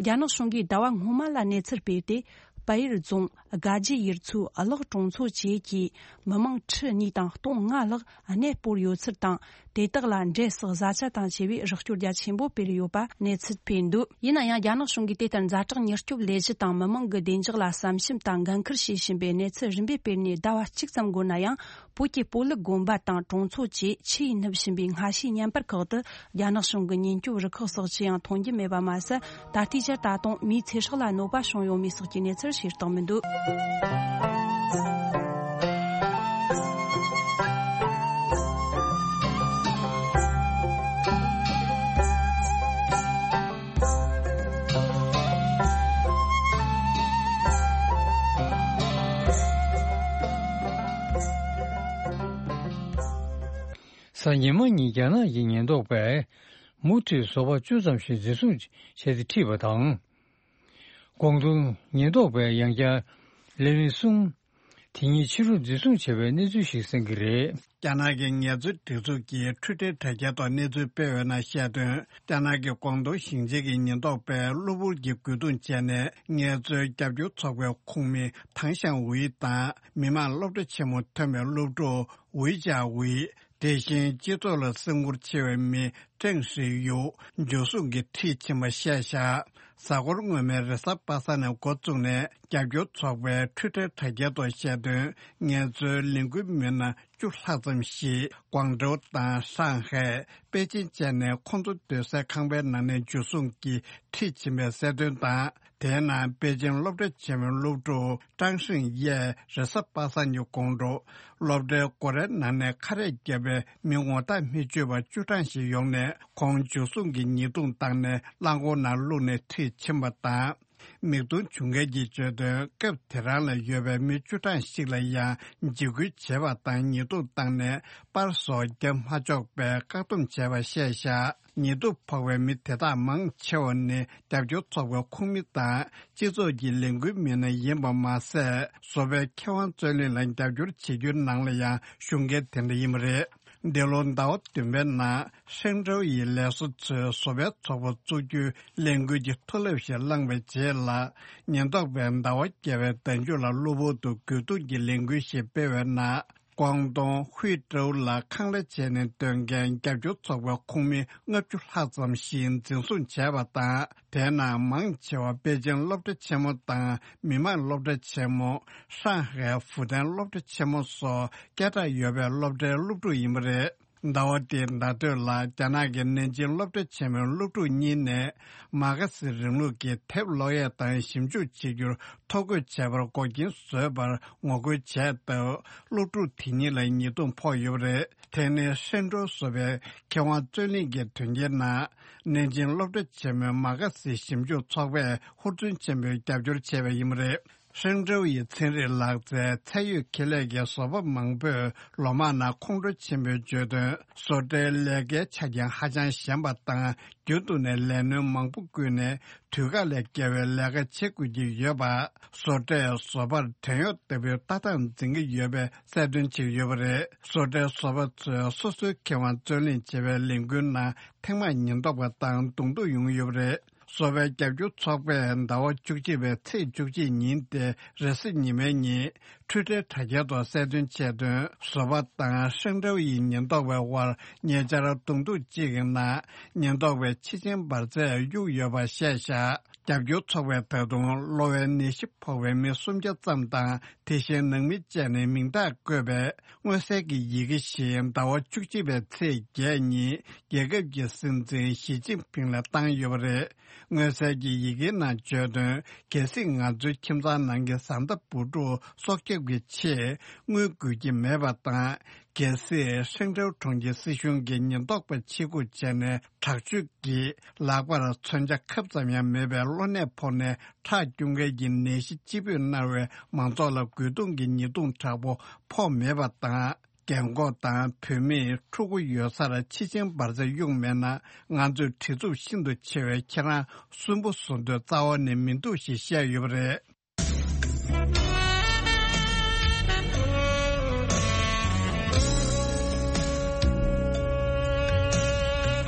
རྒྱ་ནག་གཞུང་གིས་ཟླ་བ་སྔོན་མ་ལ་གནས་ཚུལ་སྤེལ་ཏེ། དཔལ་ཡུལ་རྫོང་དགའ་རྒྱལ་ཡུལ་ཚོའི་གླགས་གྲོང་ཚོ་བཅས་ཀྱི་མི་མང་ཁྲི་གཉིས་དང་སྟོང་ལྔ་ལྷག་གནས་སྤོར་ཡོད་ཚུལ་དང་། དེ་དག་ལ་འབྲས་བསགས་བཟའ་བཅའ་དང་བཅས་པའི་རོགས་སྐྱོར་རྒྱ་ཆེན་པོ་སྤེལ་ཡོད་པ་གནས་ཚུལ་སྤེལ་འདུག། ཡིན་ན་ཡང་རྒྱ་ནག་གཞུང་གིས་དེ་ལྟར་ཛ་དྲག་མྱུར་སྐྱོབ་ལས་གཞི་དང་མི་མང་གི་བདེ་འཇགས་ལ་བསམ་ཞིབ་དང་འགན་འཁུར་བྱེད་བཞིན་པའི་གནས་ཚུལ་རིམ་པས་སྤེལ་ནས་ཟླ་བ་གཅིག་ཙམ་འགོར་ན་ཡང་། བོད་ཀྱི་སྤོ་ལོ་དགོན་པ་དང་གྲོང་ཚོ་བཅས་ཆུ་ཡིས་ནུབ་བཞིན་པའི་སྔ་ཕྱིའི་བརྙན་པར་ཁག་ཏུ་རྒྱ་ནག་གཞུང་གི་ཉེན་སྐྱོབ་རུ་ཁག་སོགས་ཅི་ཡང་མཐོང་རྒྱུ་མེད་པ་མ་ཟད། ད་ལྟའི་ཆར་ད་དུང་མིའི་ཚེ་སྲོག་ལ་གནོད་པ་བྱུང་ཡོད་མེད་སོགས་ཀྱི་གནས་ཚུལ་ཤེས་རྟོགས་མི་འདུག། གཟའ་ཉི་མ་ཉིན་རྒྱ་ནག་གི་ཉེན་རྟོག་པས་མུ་མཐུད་ཟོག་པ་བཅུ་ཙམ་ཞིག་འཛིན་བཟུང་བྱས་ཏེ་ཁྲིད་པ་དང་། ཀོང་ཏུང་ཉེན་རྟོག་པས་ཡང་བསྐྱར་ལས་མི་གསུམ་དེ་ཉིད་ཕྱི་རུ་འཛིན་བཟུང་བྱས་པའི་གནས་ཚུལ་ཞིག་གསན་གྱི་རེད། རྒྱ་ནག་གི་ངལ་རྩོལ་སྒྲིག་འཛུགས་ཀྱིས་ཊུའི་ཊར་དྲ་རྒྱ་ཐོག་གནས་ཚུལ་སྤེལ་བའི་ནང་བཤད་དོན། རྒྱ་ནག་གི་ཀོང་ཏུང་ཞིང་ཆེན་གྱི་ཉེན་རྟོག་པས་གློ་བུར་གྱི་རྒོལ་རྡུང་བྱས་ནས་ངལ་རྩོལ་རྒྱབ་སྐྱོར་ཚོགས་པའི་ཁོངས་མི་ཐང་ཞང་ཝུའེ་དང་མི་དམངས་སློབ་གྲྭ་ཆེན་མོ་ཐོན་པའི་སློབ་ཕྲུག་ཝུའེ་ཅཱ་ཝུའེ། དེ་བཞིན་སྤྱི་ཚོགས་ལ་སེམས་ཁུར་ཆེ་བའི་མི་ཀྲེང་ཧྲི་ཡུ་འཇུ་བཟུང་གིས་ཁྲིད་ཕྱིན་པ་བཤད་བཞག། གཟའ་འཁོར་སྔོན་མའི་རེས་གཟའ་པ་སངས་ནས་འགོ་བཙུགས་ནས་རྒྱབ་སྐྱོར་ཚོགས་པའི་ཊུའི་ཊར་དྲ་རྒྱ་ཐོག་བཤད་དོན། ངལ་རྩོལ་ལས་འགུལ་མི་སྣ་བཅུ་ལྷག་ཙམ་ཞིག་ཀོང་ཀྲོའུ་དང་ཧྲང་ཧའེ། པེ་ཅིན་བཅས་ནས་ཁོང་ཚོ་སྡོད་སའི་ཁང་པའི་ནང་ནས་འཇུ་བཟུང་གིས་ཁྲིད་ཕྱིན་པའི་གསལ་སྟོན་དང་། དེའི་ནང་པེ་ཅིན་སློབ་གྲྭ་ཆེན་མོའི་སློབ་ཕྲུག་ཀྲང་ཧྲིང་ཡས་རེས་གཟའ་པ་སངས་ཉིན་དགོང་དྲོ་སློབ་གྲྭའི་སྒོ་རའི་ནང་ནས་ཁ་རས་བརྒྱབ་པའི་མི་ངོ་རྟགས་མི་ཆོད་པ་བཅུ་གྲངས་ཤིག་ཡོང་ནས་ཁོང་འཇུ་བཟུང་གིས་ཉེས་རྡུང་བཏང་ནས་རླངས་འཁོར་ནང་བླུགས་ནས་ཁྲིད་ཕྱིན་པ་དང་། མིག་མཐོང་བྱུང་མཁན་གྱིས་བརྗོད་དོན། སྐབས་དེ་རང་ལ་ཡོད་པའི་མི་བཅུ་གྲངས་ཤིག་ལ་ཡང་འཇིགས་སྐུལ་བྱས་པ་དང་ཉེས་རྡུང་བཏང་ནས་པར་སོགས་བརྒྱབ་མ་ཆོག་པའི་བཀག་སྡོམ་བྱས་པ་བཤད་བཞག། ཉེས་རྡུང་ཕོག་པའི་མི་དེ་དག་མང་ཆེ་བ་ནི་རྒྱབ་སྐྱོར་ཚོགས་པའི་ཁོངས་མི་དང་སྤྱི་ཚོགས་ཀྱི་ལས་འགུལ་མི་སྣ་ཡིན་པ་མ་ཟད། བཟོ་པའི་ཁེ་དབང་རྩོད་ལེན་ལ་རྒྱབ་སྐྱོར་བྱེད་རྒྱུའི་ནང་ལ་ཡང་ཞུགས་མཁན་དེ་འདྲ་ཡིན་པ་རེད། འདི་ལོ་ཟླ་བ་བདུན་པའི་ནང་ཧྲེང་ཀྲོའུ་ཡི་ལས་བཟོ་ཚོས་བཟོ་པའི་ཚོགས་པ་བཙུགས་རྒྱུའི་ལས་འགུལ་གྱི་མཐོ་རླབས་ཤིག་བསླངས་པའི་རྗེས་ལ། ཉེན་རྟོག་པས་ཟླ་བ་བརྒྱད་པའི་ཟླ་མཇུག་ལ་གློ་བུར་དུ་རྒོལ་རྡུང་གི་ལས་འགུལ་ཞིག་སྤེལ་བའི་ནང་། ཀོང་ཏུང་ཧུའེ་ཀྲོའུ་ལ་ཁང་གླ་བྱས་ནས་སྡོད་མཁན་རྒྱབ་སྐྱོར་ཚོགས་པའི་ཁོངས་མི་ལྔ་བཅུ་ལྷག་ཙམ་ཞིག་འཛིན་བཟུང་བྱས་པ་དང་། དེའི་ནང་མང་ཆེ་བ་པེ་ཅིང་སློབ་གྲྭ་ཆེན་མོ་དང་མི་དམངས་སློབ་གྲྭ་ཆེན་མོ། ཧྲང་ཧའེ་ཧྥུ་ཏན་སློབ་གྲྭ་ཆེན་མོ་སོགས་སྐད་གྲགས་ཡོད་པའི་སློབ་གྲྭའི་སློབ་ཕྲུག་ཡིན་པ་རེད། ཟླ་བ་འདིའི་ཟླ་སྟོད་ལ་རྒྱ་ནག་གི་ནན་ཅིང་སློབ་གྲྭ་ཆེན་མོའི་སློབ་ཕྲུག་གཉིས་ནས་མ་ཁ་སི་རིང་ལུགས་ཀྱི་དེབ་ཀློག་ཡས་དང་ཞིབ་འཇུག་བྱེད་རྒྱུར་ཐོ་འགོད་བྱས་པར་འགོག་རྐྱེན་བཟོས་པར་ངོ་རྒོལ་བྱས་སྟབས། སློབ་ཕྲུག་དེ་གཉིས་ལ་ཉེས་རྡུང་ཕོག་ཡོད་པ་རེད། དེ་ནི་ཧྲེང་ཀྲོའུ་བཟོ་པའི་མཁས་དབང་རྩོད་གླེང་གི་དོན་རྐྱེན་ནང་། ནན་ཅིང་སློབ་གྲྭ་ཆེན་མོའི་མ་ཁ་སི་ཞིབ་འཇུག་ཚོགས་པས་ཧུར་བརྩོན་ཆེན་པོས་རྒྱབ་སྐྱོར་བྱས་པ་ཡིན་པ་རེད། ཧྲེང་ཀྲོའུ་ཡི་ཚན་རིག་ལག་རྩལ་ཚད་ཡོད་ཁེ་ལས་ཀྱི་བཟོ་པ་མང་པོས་ལོ་མང་ནང་ཁོང་ཁྲོ་ཆེན་པོས་བརྗོད་དོན། བཟོ་གྲྭའི་ལས་ཀའི་ཆ་རྐྱེན་ཧ་ཅང་ཞན་པ་དང་། རྒྱུན་དུ་ནས་ལས་སྣོན་མང་པོ་བསྐུལ་ནས་དུས་བཀག་ལས་བརྒལ་བའི་ལས་ཀ་བྱེད་དགོས་ཀྱི་ཡོད་པ། བཟོ་གྲྭས་བཟོ་པར་བྲན་གཡོག་ལྟ་བུའི་ལྟ་སྟངས་འཛིན་གྱི་ཡོད་པའི་གསལ་སྟོན་བྱས་ཡོད་པ་རེད། བཟོ་གྲྭའི་བཟོ་པ་ཚོས་སོ་སོའི་ཁེ་དབང་རྩོད་གླེང་བྱེད་པའི་ལས་འགུལ་ནང་ཐེངས་མང་ཉེན་རྟོག་པ་དང་གདོང་ཐུག་ཡོང་ཡོད་པ་རེད། བཟོ་པའི་རྒྱབ་སྐྱོར་ཚོགས་པས་ཟླ་བ་བཅུ་གཅིག་པའི་ཚེས་བཅུ་གཅིག་ཉིན་ཏེ་རེས་གཟའ་ཉི་མའི་ཉིན་ཊུའི་ཊར་དྲ་རྒྱའི་ཐོག་གསལ་སྟོན་བྱས་དོན། བཟོ་པ་དང་ཧྲེང་ཀྲོའུ་ཡི་ཉེན་རྟོག་པའི་དབར་ཉེ་ཆར་གདོང་ཐུག་ཅིག་གི་ནང་ཉེན་རྟོག་པས་ཕྱི་ཆེན་འབར་རྫས་གཡུགས་ཡོད་པ་བཤད་བཞག་རྒྱབ་སྐྱོར་ཚོགས་པས་ད་དུང་གློ་བའི་ནད་གཞི་ཕོག་པའི་མི་སུམ་བརྒྱ་ཙམ་དང་དེ་བཞིན་ནང་མི་བཅས་ནས་མིང་རྟགས་བཀོད་པའི་མངོན་གསལ་གྱི་ཡི་གེ་ཞིག་ཟླ་བ་བཅུ་གཅིག་པའི་ཚེས་བརྒྱད་ཉིན་རྒྱལ་ཁབ་ཀྱི་སྲིད་འཛིན་ཞི་ཅིན་ཕིང་ལ་བཏང་ཡོད་པ་རེད། མངོན་གསལ་གྱི་ཡི་གེའི་ནང་བརྗོད་དོན། གལ་སྲིད་ང་ཚོའི་ཁྱིམ་ཚང་ནང་གི་བཟའ་ཟླ་བུ་ཕྲུག་སྲོག་སྐྱོབ་ཀྱི་ཆེད་དངུལ་དགོས་ཀྱི་མེད་པ་དང་། གལ་སྲིད་ཧྲེང་ཀྲོའུ་གྲོང་ཁྱེར་སྲིད་གཞུང་གིས་ཉེན་རྟོག་པ་ཆེད་བསྐོས་བྱས་ནས་དྲག་སྤྱོད་ཀྱིས་ལག་པར་མཚོན་ཆ་ཁབ་ཙམ་ཡང་མེད་པའི་གློ་ནད་ཕོག་ནས་ཁྲག་སྐྱུག་མཁན་གྱི་ནད་གཞི་ལྕི་སྤོས་མནར་བའི་མང་ཚོགས་ལ་རྒོལ་རྡུང་གི་ཉེས་རྡུང་དྲག་པོ་ཕོག་མེད་པ་དང་། རྒན་འཁོགས་དང་བུད་མེད་ཕྲུ་གུ་ཡོད་སར་ཕྱི་ཆེན་འབར་རྫས་གཡུགས་མེད་ན། ང་ཚོས་བྲེལ་འཚུབ་ཤིན་ཏུ་ཆེ་བས་ཁྱེད་རང་སུན་པོ་བཟོ་འདོད་རྩ་བ་ནས་མི་འདུག་ཞེས་བཤད་ཡོད་པ་རེད།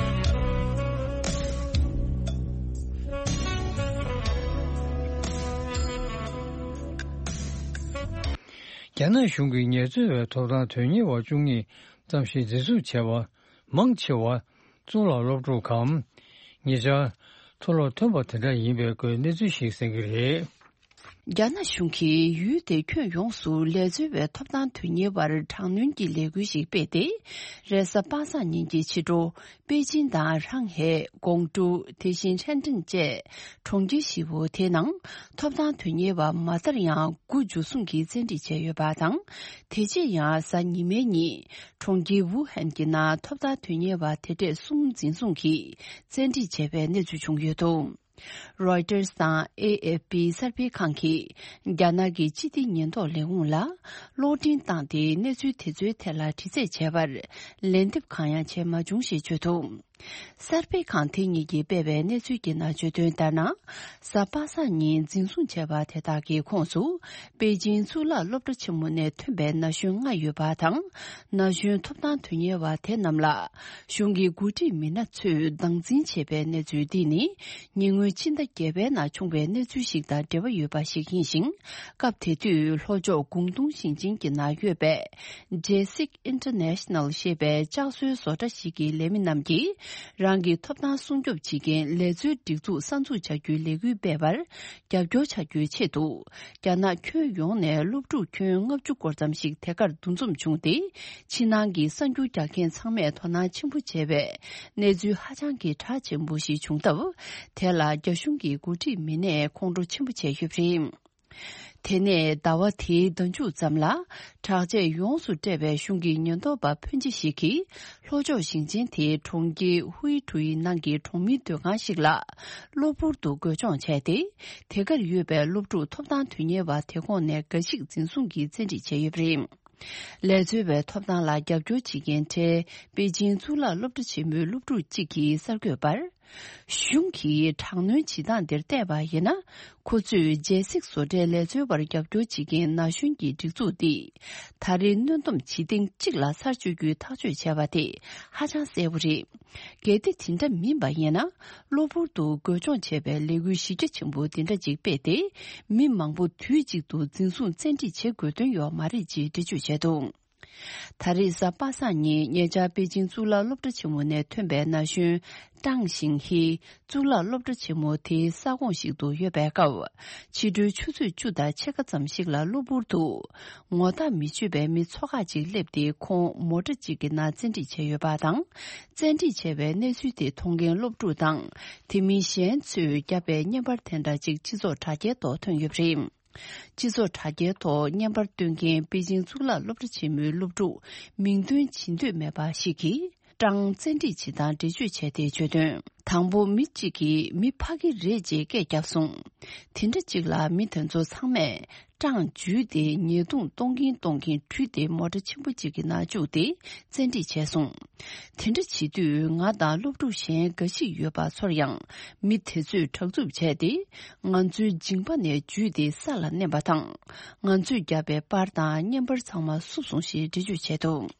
རྒྱ་ནག་གཞུང་གིས་ངལ་རྩོལ་བའི་ཐོབ་ཐང་དོན་གཉེར་བ་བཅུ་གཉིས་ཙམ་ཞིག་འཛིན་བཟུང་བྱས་པ། མང་ཆེ་བ་གཙུག་ལག་སློབ་ཕྲུག་གམ། ཉེ་ཆར་མཐོ་སློབ་ཐོན་པ་དེ་འདྲ་ཡིན་པའི་སྐོར་གནས་ཚུལ་ཞིག་གསན་གྱི་རེད། རྒྱ་ནག་གཞུང་གིས་ཡུལ་དེའི་ཁྱོན་ཡོངས་སུ་ལས་འཛོལ་བའི་ཐོབ་ཐང་དོན་གཉེར་བར་དྲག་གནོན་གྱི་ལས་འགུལ་ཞིག་སྤེལ་ཏེ། རེས་གཟའ་པ་སངས་ཉིན་གྱི་ཕྱི་དྲོ། པེ་ཅིན་དང་ཧྲང་ཧའེ། ཀོང་ཀྲོའུ། དེ་བཞིན་ཧྲེན་ཀྲེན་བཅས་གྲོང་ཁྱེར་བཞི་པོ་དེའི་ནང་ཐོབ་ཐང་དོན་གཉེར་བ་མ་མཐར་ཡང་དགུ་འཇུ་བཟུང་གིས་བཙན་ཁྲིད་བྱས་ཡོད་པ་དང་། དེ་རྗེས་ཡང་གཟའ་ཉི་མའི་ཉིན་གྲོང་ཁྱེར་ཝུ་ཧན་གྱི་ནང་ཐོབ་ཐང་དོན་གཉེར་བ་དེ་གྲས་གསུམ་འཛིན་བཟུང་གིས་བཙན་ཁྲིད་བྱས་པའི་གནས་ཚུལ་བྱུང་ཡོད་འདུག་རོའི་ཊར་སི་དང་ཨེ་ཨེཕ་པི་གསར་སྤེལ་ཁང་གིས་རྒྱ་ནག་གི་སྤྱི་བདེ་ཉེན་རྟོག་ལས་ཁུངས་ལ་གློག་འཕྲིན་བཏང་སྟེ་གནས་ཚུལ་དེ་ཚོའི་ཐད་ལ་དྲི་རྩད་བྱས་པར་ལན་འདེབས་གང་ཡང་བྱས་མ་བྱུང་ཞེས་བརྗོད་འདུག་གསར་སྤེལ་ཁང་དེ་གཉིས་ཀྱིས་སྤེལ་བའི་གནས་ཚུལ་གྱི་ནང་བརྗོད་དོན་ལྟར་ན། གཟའ་པ་སངས་ཉིན་འཛིན་བཟུང་བྱས་པ་དེ་དག་གི་ཁོངས་སུ་པེ་ཅིན་གཙུག་ལག་སློབ་གྲྭ་ཆེན་མོ་ནས་ཐོན་པའི་ན་གཞོན་ལྔ་ཡོད་པ་དང་། ན་གཞོན་ཐོབ་ཐང་དོན་གཉེར་བ་དེ་རྣམས་ལ་གཞུང་གི་འགོ་ཁྲིད་མི་སྣ་ཚོས་སྟངས་འཛིན་བྱས་པའི་གནས་ཚུལ་འདི་ནི། ཉེ་སྔོན་ཕྱི་ཟླ་བརྒྱད་པའི་ནང་བྱུང་བའི་གནས་ཚུལ་ཞིག་དང་འབྲེལ་བ་ཡོད་པ་ཞིག་ཡིན་ཞིང་། སྐབས་དེ་དུས་ལྷོ་ཕྱོགས་ཀོང་ཏུང་ཞིང་ཆེན་གྱི་ནང་ཡོད་པའི་Jasik International ཞེས་པའི་ལྕགས་བཟོའི་བཟོ་གྲྭ་ཞིག་གི་ལས་མི་རྣམས་ཀྱིས། རང་གི་ཐོབ་ཐང་སྲུང་སྐྱོབ་བྱེད་མཁན་ལས་བཟོའི་སྒྲིག་འཛུགས་གསར་འཛུགས་བྱ་རྒྱུའི་ལས་འགུལ་སྤེལ་བར་རྒྱབ་སྐྱོར་བྱ་རྒྱུའི་ཆེད་དུ། རྒྱ་ནག་ཁྱོན་ཡོངས་ནས་སློབ་ཕྲུག་ཁྱོན་ལྔ་བཅུ་སྐོར་ཙམ་ཞིག་དེ་གར་འདུ་འཛོམས་བྱུང་སྟེ། ཕྱི་ནང་གི་གསར་འགྱུར་རྒྱག་མཁན་ཚང་མས་དོ་སྣང་ཆེན་པོ་བྱས་པའི་གནས་ཚུལ་ཧ་ཅང་གི་གྲགས་ཆེན་པོ་ཞིག་བྱུང་སྟབས། དེ་ལ་རྒྱ་གཞུང་གི་འགོ་ཁྲིད་མི་སྣས་ཁོང་ཁྲོ་ཆེན་པོ་བྱས་ཡོད་པ་རེད། དེ་ནས་ཟླ་བ་དེའི་ཟླ་མཇུག་ཙམ་ལ། དྲག་ཆས་ཡོངས་སུ་སྤྲས་པའི་གཞུང་གི་ཉེན་རྟོག་པ་ཕོན་ཆེ་ཞིག་གིས། ལྷོ་ཕྱོགས་ཞིང་ཆེན་དེའི་གྲོང་ཁྱེར་ཧུའེ་ཀྲུའུ་ནང་གི་གྲོང་མིའི་སྡོད་ཁང་ཞིག་ལ། གློ་བུར་དུ་རྒོལ་མཆོང་བྱས་ཏེ། དེ་གར་ཡོད་པའི་སློབ་ཕྲུག་ཐོབ་ཐང་དོན་གཉེར་བ་དེ་ཁོངས་ནས་འགའ་ཞིག་འཛིན་བཟུང་གིས་བཙན་ཁྲིད་བྱས་ཡོད་པ་རེད། ལས་འཛོལ་བའི་ཐོབ་ཐང་ལ་རྒྱབ་སྐྱོར་བྱེད་མཁན་གྲས་པེ་ཅིང་གཙུག་ལག་སློབ་གྲྭ་ཆེན་མོའི་སློབ་ཕྲུག་ཅིག་གིས་གསར་འགོད་པར། གཞུང་གིས་དྲག་གནོན་བྱེད་སྟངས་འདིར་བལྟས་པ་ཡིན་ན། ཁོ་ཚོས་རྒྱལ་སྲིད་བཟོ་གྲྭའི་ལས་བཟོའི་བར་རྒྱབ་སྐྱོར་བྱེད་མཁན་ན་གཞོན་གྱི་སྒྲིག་འཛུགས་འདིས། ད་རེས་གནོན་སྡོམ་བྱེད་ཐེངས་གཅིག་ལ་ཚར་གཅོད་རྒྱུའི་ཐག་གཅོད་བྱས་པ་དེ་ཧ་ཅང་གསལ་པོ་རེད། གལ་ཏེ་དེ་འདྲ་མིན་པ་ཡིན་ན། གློ་བུར་དུ་རྒོལ་སྐྱོང་བྱས་པའི་ལས་འགུལ་གཞི་རྒྱ་ཆེན་པོ་འདི་འདྲ་ཅིག་སྤེལ་ཏེ། མི་མང་པོ་དུས་གཅིག་ཏུ་འཛིན་བཟུང་བཙན་ཁྲིད་བྱེད་དགོས་དོན་ཡོད་མ་རེད་ཅེས་འགྲེལ་བརྗོད་བྱས་འདུག་ད་རེས་གཟའ་པ་སངས་ཉིན་ཉེ་ཆར་པེ་ཅིང་གཙུག་ལག་སློབ་གྲྭ་ཆེན་མོ་ནས་ཐོན་པའི་ན་གཞོན་ཀྲང་ཞིང་ཧི་གཙུག་ལག་སློབ་གྲྭ་ཆེན་མོ་དེའི་ས་ཁོངས་ཤིག་ཏུ་ཡོད་པའི་སྐབས། ཕྱི་དྲོའི་ཆུ་ཚོད་བཅུ་དང་ཕྱེད་ཀ་ཙམ་ཞིག་ལ་གློ་བུར་དུ་ངོ་རྟགས་མི་ཆོད་པའི་མི་ཚོ་ཁག་ཅིག་སླེབས་ཏེ་ཁོང་མོ་ཊ་གཅིག་གི་ནང་བཙན་ཁྲིད་བྱས་ཡོད་པ་དང་། བཙན་ཁྲིད་བྱས་པའི་གནས་ཚུལ་དེ་མཐོང་མཁན་སློབ་ཕྲུག་དང་དེ་མིན་གཞན་ཚོས་བརྒྱབ་པའི་བརྙན་པར་དེ་འདྲ་ཅིག་སྤྱི་ཚོགས་དྲ་རྒྱའི་ཐོག་ཐོན་ཡོད་པ་རེད། སྤྱི་ཚོགས་དྲ་རྒྱའི་ཐོག་བརྙན་པར་སྟོན་མཁན་པེ་ཅིང་གཙུག་ལག་སློབ་གྲྭ་ཆེན་མོའི་སློབ་ཕྲུག་མིང་འདོན་བྱེད་འདོད་མེད་པ་ཞིག་གིས། ཀྲང་བཙན་ཁྲིད་བྱེད་སྟངས་འགྲེལ་བརྗོད་བྱས་ཏེ་བརྗོད་དོན། དང་པོ་མི་གཅིག་གིས་མི་ཕ་གི་རེད་ཅེས་སྐད་བརྒྱབ་སོང་། དེ་འདྲ་གཅིག་ལ་མི་དེ་ཚོ་ཚང་མས་ཀྲང་འཇུས་ཏེ་ཉེས་རྡུང་གཏོང་གིན་གཏོང་གིན་བྲུས་ཏེ་མོ་ཊ་ཆེན་པོ་གཅིག་གི་ནང་བཅུག་སྟེ་བཙན་ཁྲིད་བྱས་སོང་། དེ་འདྲ་བྱེད་དུས་ང་དང་སློབ་ཕྲུག་གཞན་འགའ་ཞིག་ཡོད་པ་ཚོར་ཡང་མི་དེ་ཚོས་དྲག་རྩུབ་བྱས་ཏེ། ང་ཚོའི་མཇིང་པ་ནས་འཇུས་ཏེ་ས་ལ་མནན་པ་དང་། ང་ཚོས་བརྒྱབ་པའི་པར་དང་བརྙན་པར་ཚང་མ་བསུབས་སོང་ཞེས་འགྲེལ་བརྗོད་བྱས་འདུག་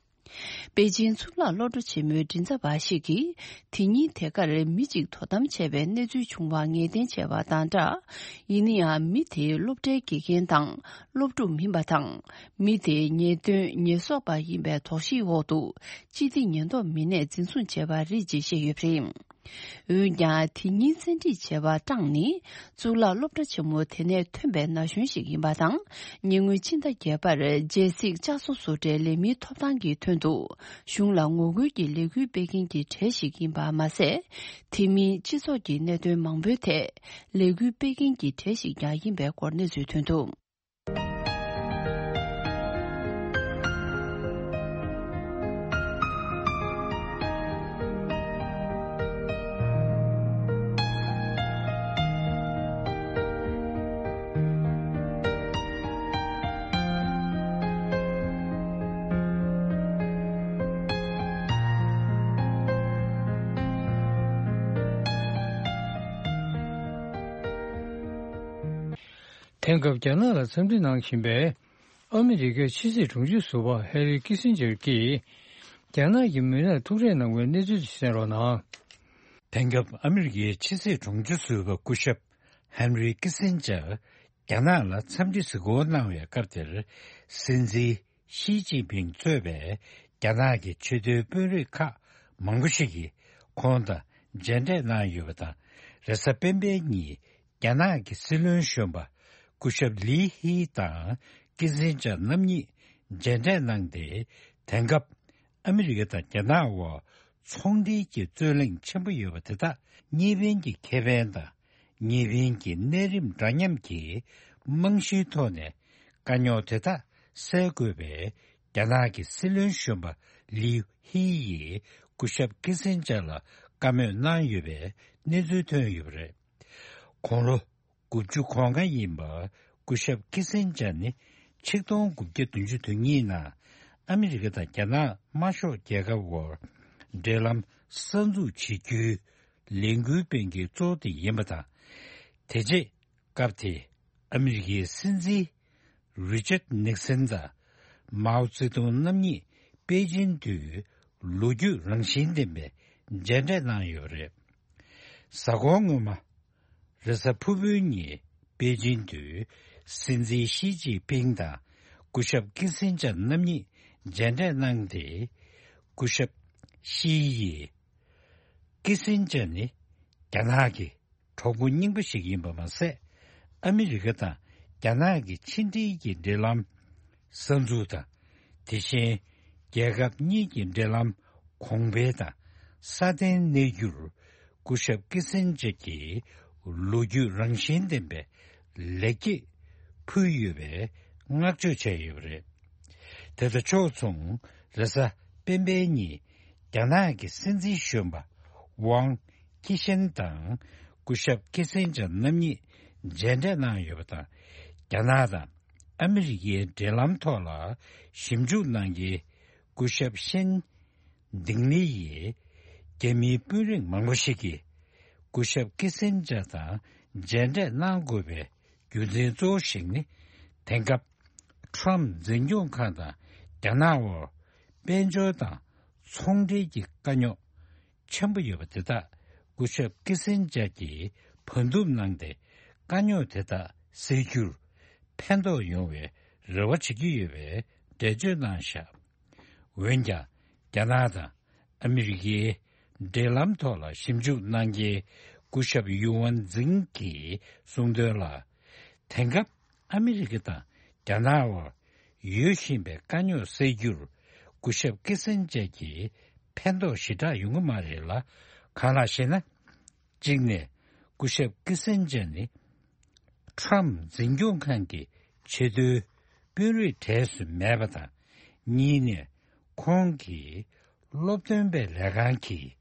པེ་ཅིན་གཙུག་ལག་སློབ་གྲྭ་ཆེན་མོའི་མགྲིན་ཚབ་པ་ཞིག་གིས། དེ་ཉིན་དེ་གར་མི་གཅིག་དོ་དམ་བྱས་པའི་གནས་ཚུལ་བྱུང་བ་ངེས་གཏན་བྱས་པ་དང་སྦྲགས། ཡིན་ན་ཡང་མི་དེ་སློབ་གྲྭའི་དགེ་རྒན་དང་སློབ་ཕྲུག་མིན་པ་དང་། མི་དེ་ཉེས་དོན་ཉེས་གསོག་པ་ཡིན་པའི་དོགས་གཞིའི་འོག་ཏུ། སྤྱི་བདེ་ཉེན་རྟོག་མི་སྣས་འཛིན་བཟུང་བྱས་པ་རེད་ཅེས་བཤད་ཡོད་པ་རེད། འོན་ཀྱང་དེ་ཉིན་བཙན་ཁྲིད་བྱས་པ་ཀྲང་ནི་གཙུག་ལག་སློབ་གྲྭ་ཆེན་མོ་དེ་ནས་ཐོན་པའི་ན་གཞོན་ཞིག་ཡིན་པ་དང་། ཉེ་སྔོན་ཕྱི་ཟླ་བརྒྱད་པར་རྒྱལ་སྲིད་བསྐྱར་གསོ་བཟོ་གྲྭའི་ལས་མིའི་ཐོབ་ཐང་གི་དོན་དུ་གཞུང་ལ་ངོ་རྒོལ་གྱི་ལས་འགུལ་སྤེལ་མཁན་གྱི་གྲས་ཤིག་ཡིན་པ་མ་ཟད། དེ་མིན་སྤྱི་ཚོགས་ཀྱི་གནད་དོན་མང་པོའི་ཐད་ལས་འགུལ་སྤེལ་མཁན་གྱི་གྲས་ཤིག་ཀྱང་ཡིན་པའི་སྐོར་གནས་ཚུལ་ཐོན་འདུག་དེང་སྐབས་རྒྱ་ནག་ལ་འཚམས་འདྲི་གནང་བཞིན་པའི་ཨ་མི་རི་ཀའི་ཕྱི་སྲིད་དྲུང་ཆེ་ཟུར་པ་ཧེ་རི་ཀི་སིན་ཇར་གྱིས། རྒྱ་ནག་གི་མི་སྣར་ཐུག་འཕྲད་གནང་བའི་གནས་ཚུལ་གསན་རོགས་གནང་། དེང་སྐབས་ཨ་མི་རི་ཀའི་ཕྱི་སྲིད་དྲུང་ཆེ་ཟུར་པ་སྐུ་ཞབས་ཧན་རི་ཀི་སིན་ཇར་རྒྱ་ནག་ལ་འཚམས་འདྲི་གཟིགས་སྐོར་གནང་བའི་སྐབས་དེར། སྲིད་འཛིན་ཞི་ཅིན་ཕིང་གཙོས་པའི་རྒྱ་ནག་གི་ཆེས་མཐོའི་དཔོན་རིགས་ཁག་མང་པོ་ཞིག་གིས་ཁོང་དང་མཇལ་འཕྲད་གནང་ཡོད་པ་དང་། རེས་གཟའ་སྤེན་པའི་ཉིན། རྒྱ་ནག་གི་སྲིད་བློན་གཞོན་པ་སྐུ་ཞབས་ལི་ཧི་དང་ཀི་སིན་ཇར་རྣམ་གཉིས་མཇལ་འཕྲད་གནང་སྟེ། དེང་སྐབས་ཨ་མི་རི་ཀ་དང་རྒྱ་ནག་དབར་ཚོང་འབྲེལ་གྱི་རྩོད་གླེང་ཆེན་པོ་ཡོད་པ་དེ་དག་གཉིས་ཕན་གྱི་ཁེ་ཕན་དང་གཉིས་ཕན་གྱི་གནས་རིམ་འདྲ་མཉམ་གྱི་རྨང་གཞིའི་ཐོག་ནས་དཀའ་རྙོག་དེ་དག་སེལ་དགོས་པའི་རྒྱ་ནག་གི་སྲིད་བློན་གཞོན་པ་ལིའུ་ཧི་ཡིས་སྐུ་ཞབས་ཀི་སིན་ཇར་ལ་བཀའ་མོལ་གནང་ཡོད་པའི་གནས་ཚུལ་ཐོན་ཡོད་པ་རེད། དགུང་ལོ་དགུ་བཅུ་གོ་ལྔ་ཡིན་པ་སྐུ་ཞབས་ཀི་སིན་ཇར་ནི་ཆིག་སྟོང་དགུ་བརྒྱ་བདུན་ཅུ་དོན་གཉིས་ནང་ཨ་མི་རི་ཀ་དང་རྒྱ་ནག་དམར་ཤོག་རྒྱལ་ཁབ་དབར་འབྲེལ་ལམ་གསར་འཛུགས་བྱེད་རྒྱུའི་ལས་འགུལ་སྤེལ་མཁན་གཙོ་བོ་དེ་ཡིན་པ་དང་། དེ་རྗེས་སྐབས་དེའི་ཨ་མི་རི་ཀའི་སྲིད་འཛིན་རི་ཅར་ནིག་སན་དང་མའོ་ཙེ་ཏུང་རྣམ་གཉིས་པེ་ཅིན་དུ་ལོ་རྒྱུས་རང་བཞིན་ལྡན་པའི་མཇལ་འཕྲད་གནང་ཡོད་པ་རེད། གཟའ་འཁོར་སྔོན་མ། རེས་གཟའ་ཕུར་བུའི་ཉིན་པེ་ཅིན་དུ་སྲིད་འཛིན་ཞི་ཅིན་ཕིང་དང་སྐུ་ཞབས་ཀི་སིན་ཇར་རྣམ་གཉིས་མཇལ་འཕྲད་གནང་སྟེ། སྐུ་ཞབས་ཞི་ཡིས་ཀི་སིན་ཇར་ནི་རྒྱ་ནག་གི་གྲོགས་པོ་རྙིང་པ་ཞིག་ཡིན་པ་མ་ཟད། ཨ་མི་རི་ཀ་དང་རྒྱ་ནག་གི་ཕྱི་འབྲེལ་གྱི་འབྲེལ་ལམ་གསར་འཛུགས་དང་། དེ་བཞིན་རྒྱལ་ཁབ་གཉིས་ཀྱི་འབྲེལ་ལམ་གོང་འཕེལ་དང་སྲ་བརྟན་གནས་རྒྱུར་སྐུ་ཞབས་ཀི་སིན་ཇར་གྱིས་ལོ་རྒྱུས་རང་བཞིན་ལྡན་པའི་ལེགས་སྐྱེས་ཕུལ་ཡོད་པའི་བསྔགས་བརྗོད་བྱས་ཡོད་པ་རེད། དེ་དང་ཕྱོགས་མཚུངས་རེས་གཟའ་སྤེན་པའི་ཉིན་རྒྱ་ནག་གི་སྲིད་འཛིན་གཞོན་པ་ཝང་ཁི་ཤན་དང་སྐུ་ཞབས་ཀི་སིན་ཇར་རྣམ་གཉིས་མཇལ་འཕྲད་གནང་ཡོད་པ་དང་། རྒྱ་ནག་དང་ཨ་མི་རི་ཀའི་འབྲེལ་ལམ་ཐོག་ལ་ཞིབ་འཇུག་གནང་མཁན་སྐུ་ཞབས་ཤན་ལྡིང་ལི་ཡིས་རྒྱ་མིའི་དཔོན་རིགས་མང་པོ་ཞིག་གིས་ སྐུ་ཞབས་ཀི་སིན་ཇར་དང་མཇལ་འཕྲད་གནང་དགོས་པའི་རྒྱུ་མཚན་གཙོ་བོ་ཞིག་ནི། དེང་སྐབས་ཁྲོམ་འཛིན་སྐྱོང་ཁང་དང་རྒྱ་ནག་དབར་དཔལ་འབྱོར་དང་ཚོང་འབྲེལ་གྱི་དཀའ་རྙོག་ཆེན་པོ་ཡོད་པ་དེ་དག་སྐུ་ཞབས་ཀི་སིན་ཇར་གྱིས་བར་འདུམ་གནང་སྟེ། དཀའ་རྙོག་དེ་དག་སེལ་རྒྱུར་ཕན་ཐོགས་ཡོང་བའི་རེ་བ་བྱེད་ཀྱི་ཡོད་པའི་འགྲེལ་བརྗོད་གནང་བཞག་འོན་ཀྱང་། རྒྱ་ནག་དང་ཨ་མི་རི་ཀའི་འབྲེལ་ལམ་ཐོག་ལ་ཞིབ་འཇུག་གནང་མཁན་སྐུ་ཞབས་ཡུ་ཝན་ཛིང་གིས་གསུངས་དོན་ལ། དེང་སྐབས་ཨ་མི་རི་ཀ་དང་རྒྱ་ནག་དབར་ཡོད་བཞིན་པའི་དཀའ་རྙོག་སེལ་རྒྱུར་སྐུ་ཞབས་ཀི་སན་ཇར་གྱིས་ཕན་ཐོགས་ཞེ་དྲག་ཡོང་གི་མ་རེད་ལ། གང་ལགས་ཤེ་ན། གཅིག་ནས་སྐུ་ཞབས་ཀི་སན་ཇར་ནི་ཁྲམ་འཛིན་སྐྱོང་ཁང་གི་ཆེས་མཐོའི་དཔོན་རིགས་གྲས་སུ་མེད་པ་དང་། གཉིས་ནས་ཁོང་གིས་སློབ་སྟོན་པའི་ལས་ཁང་གིས་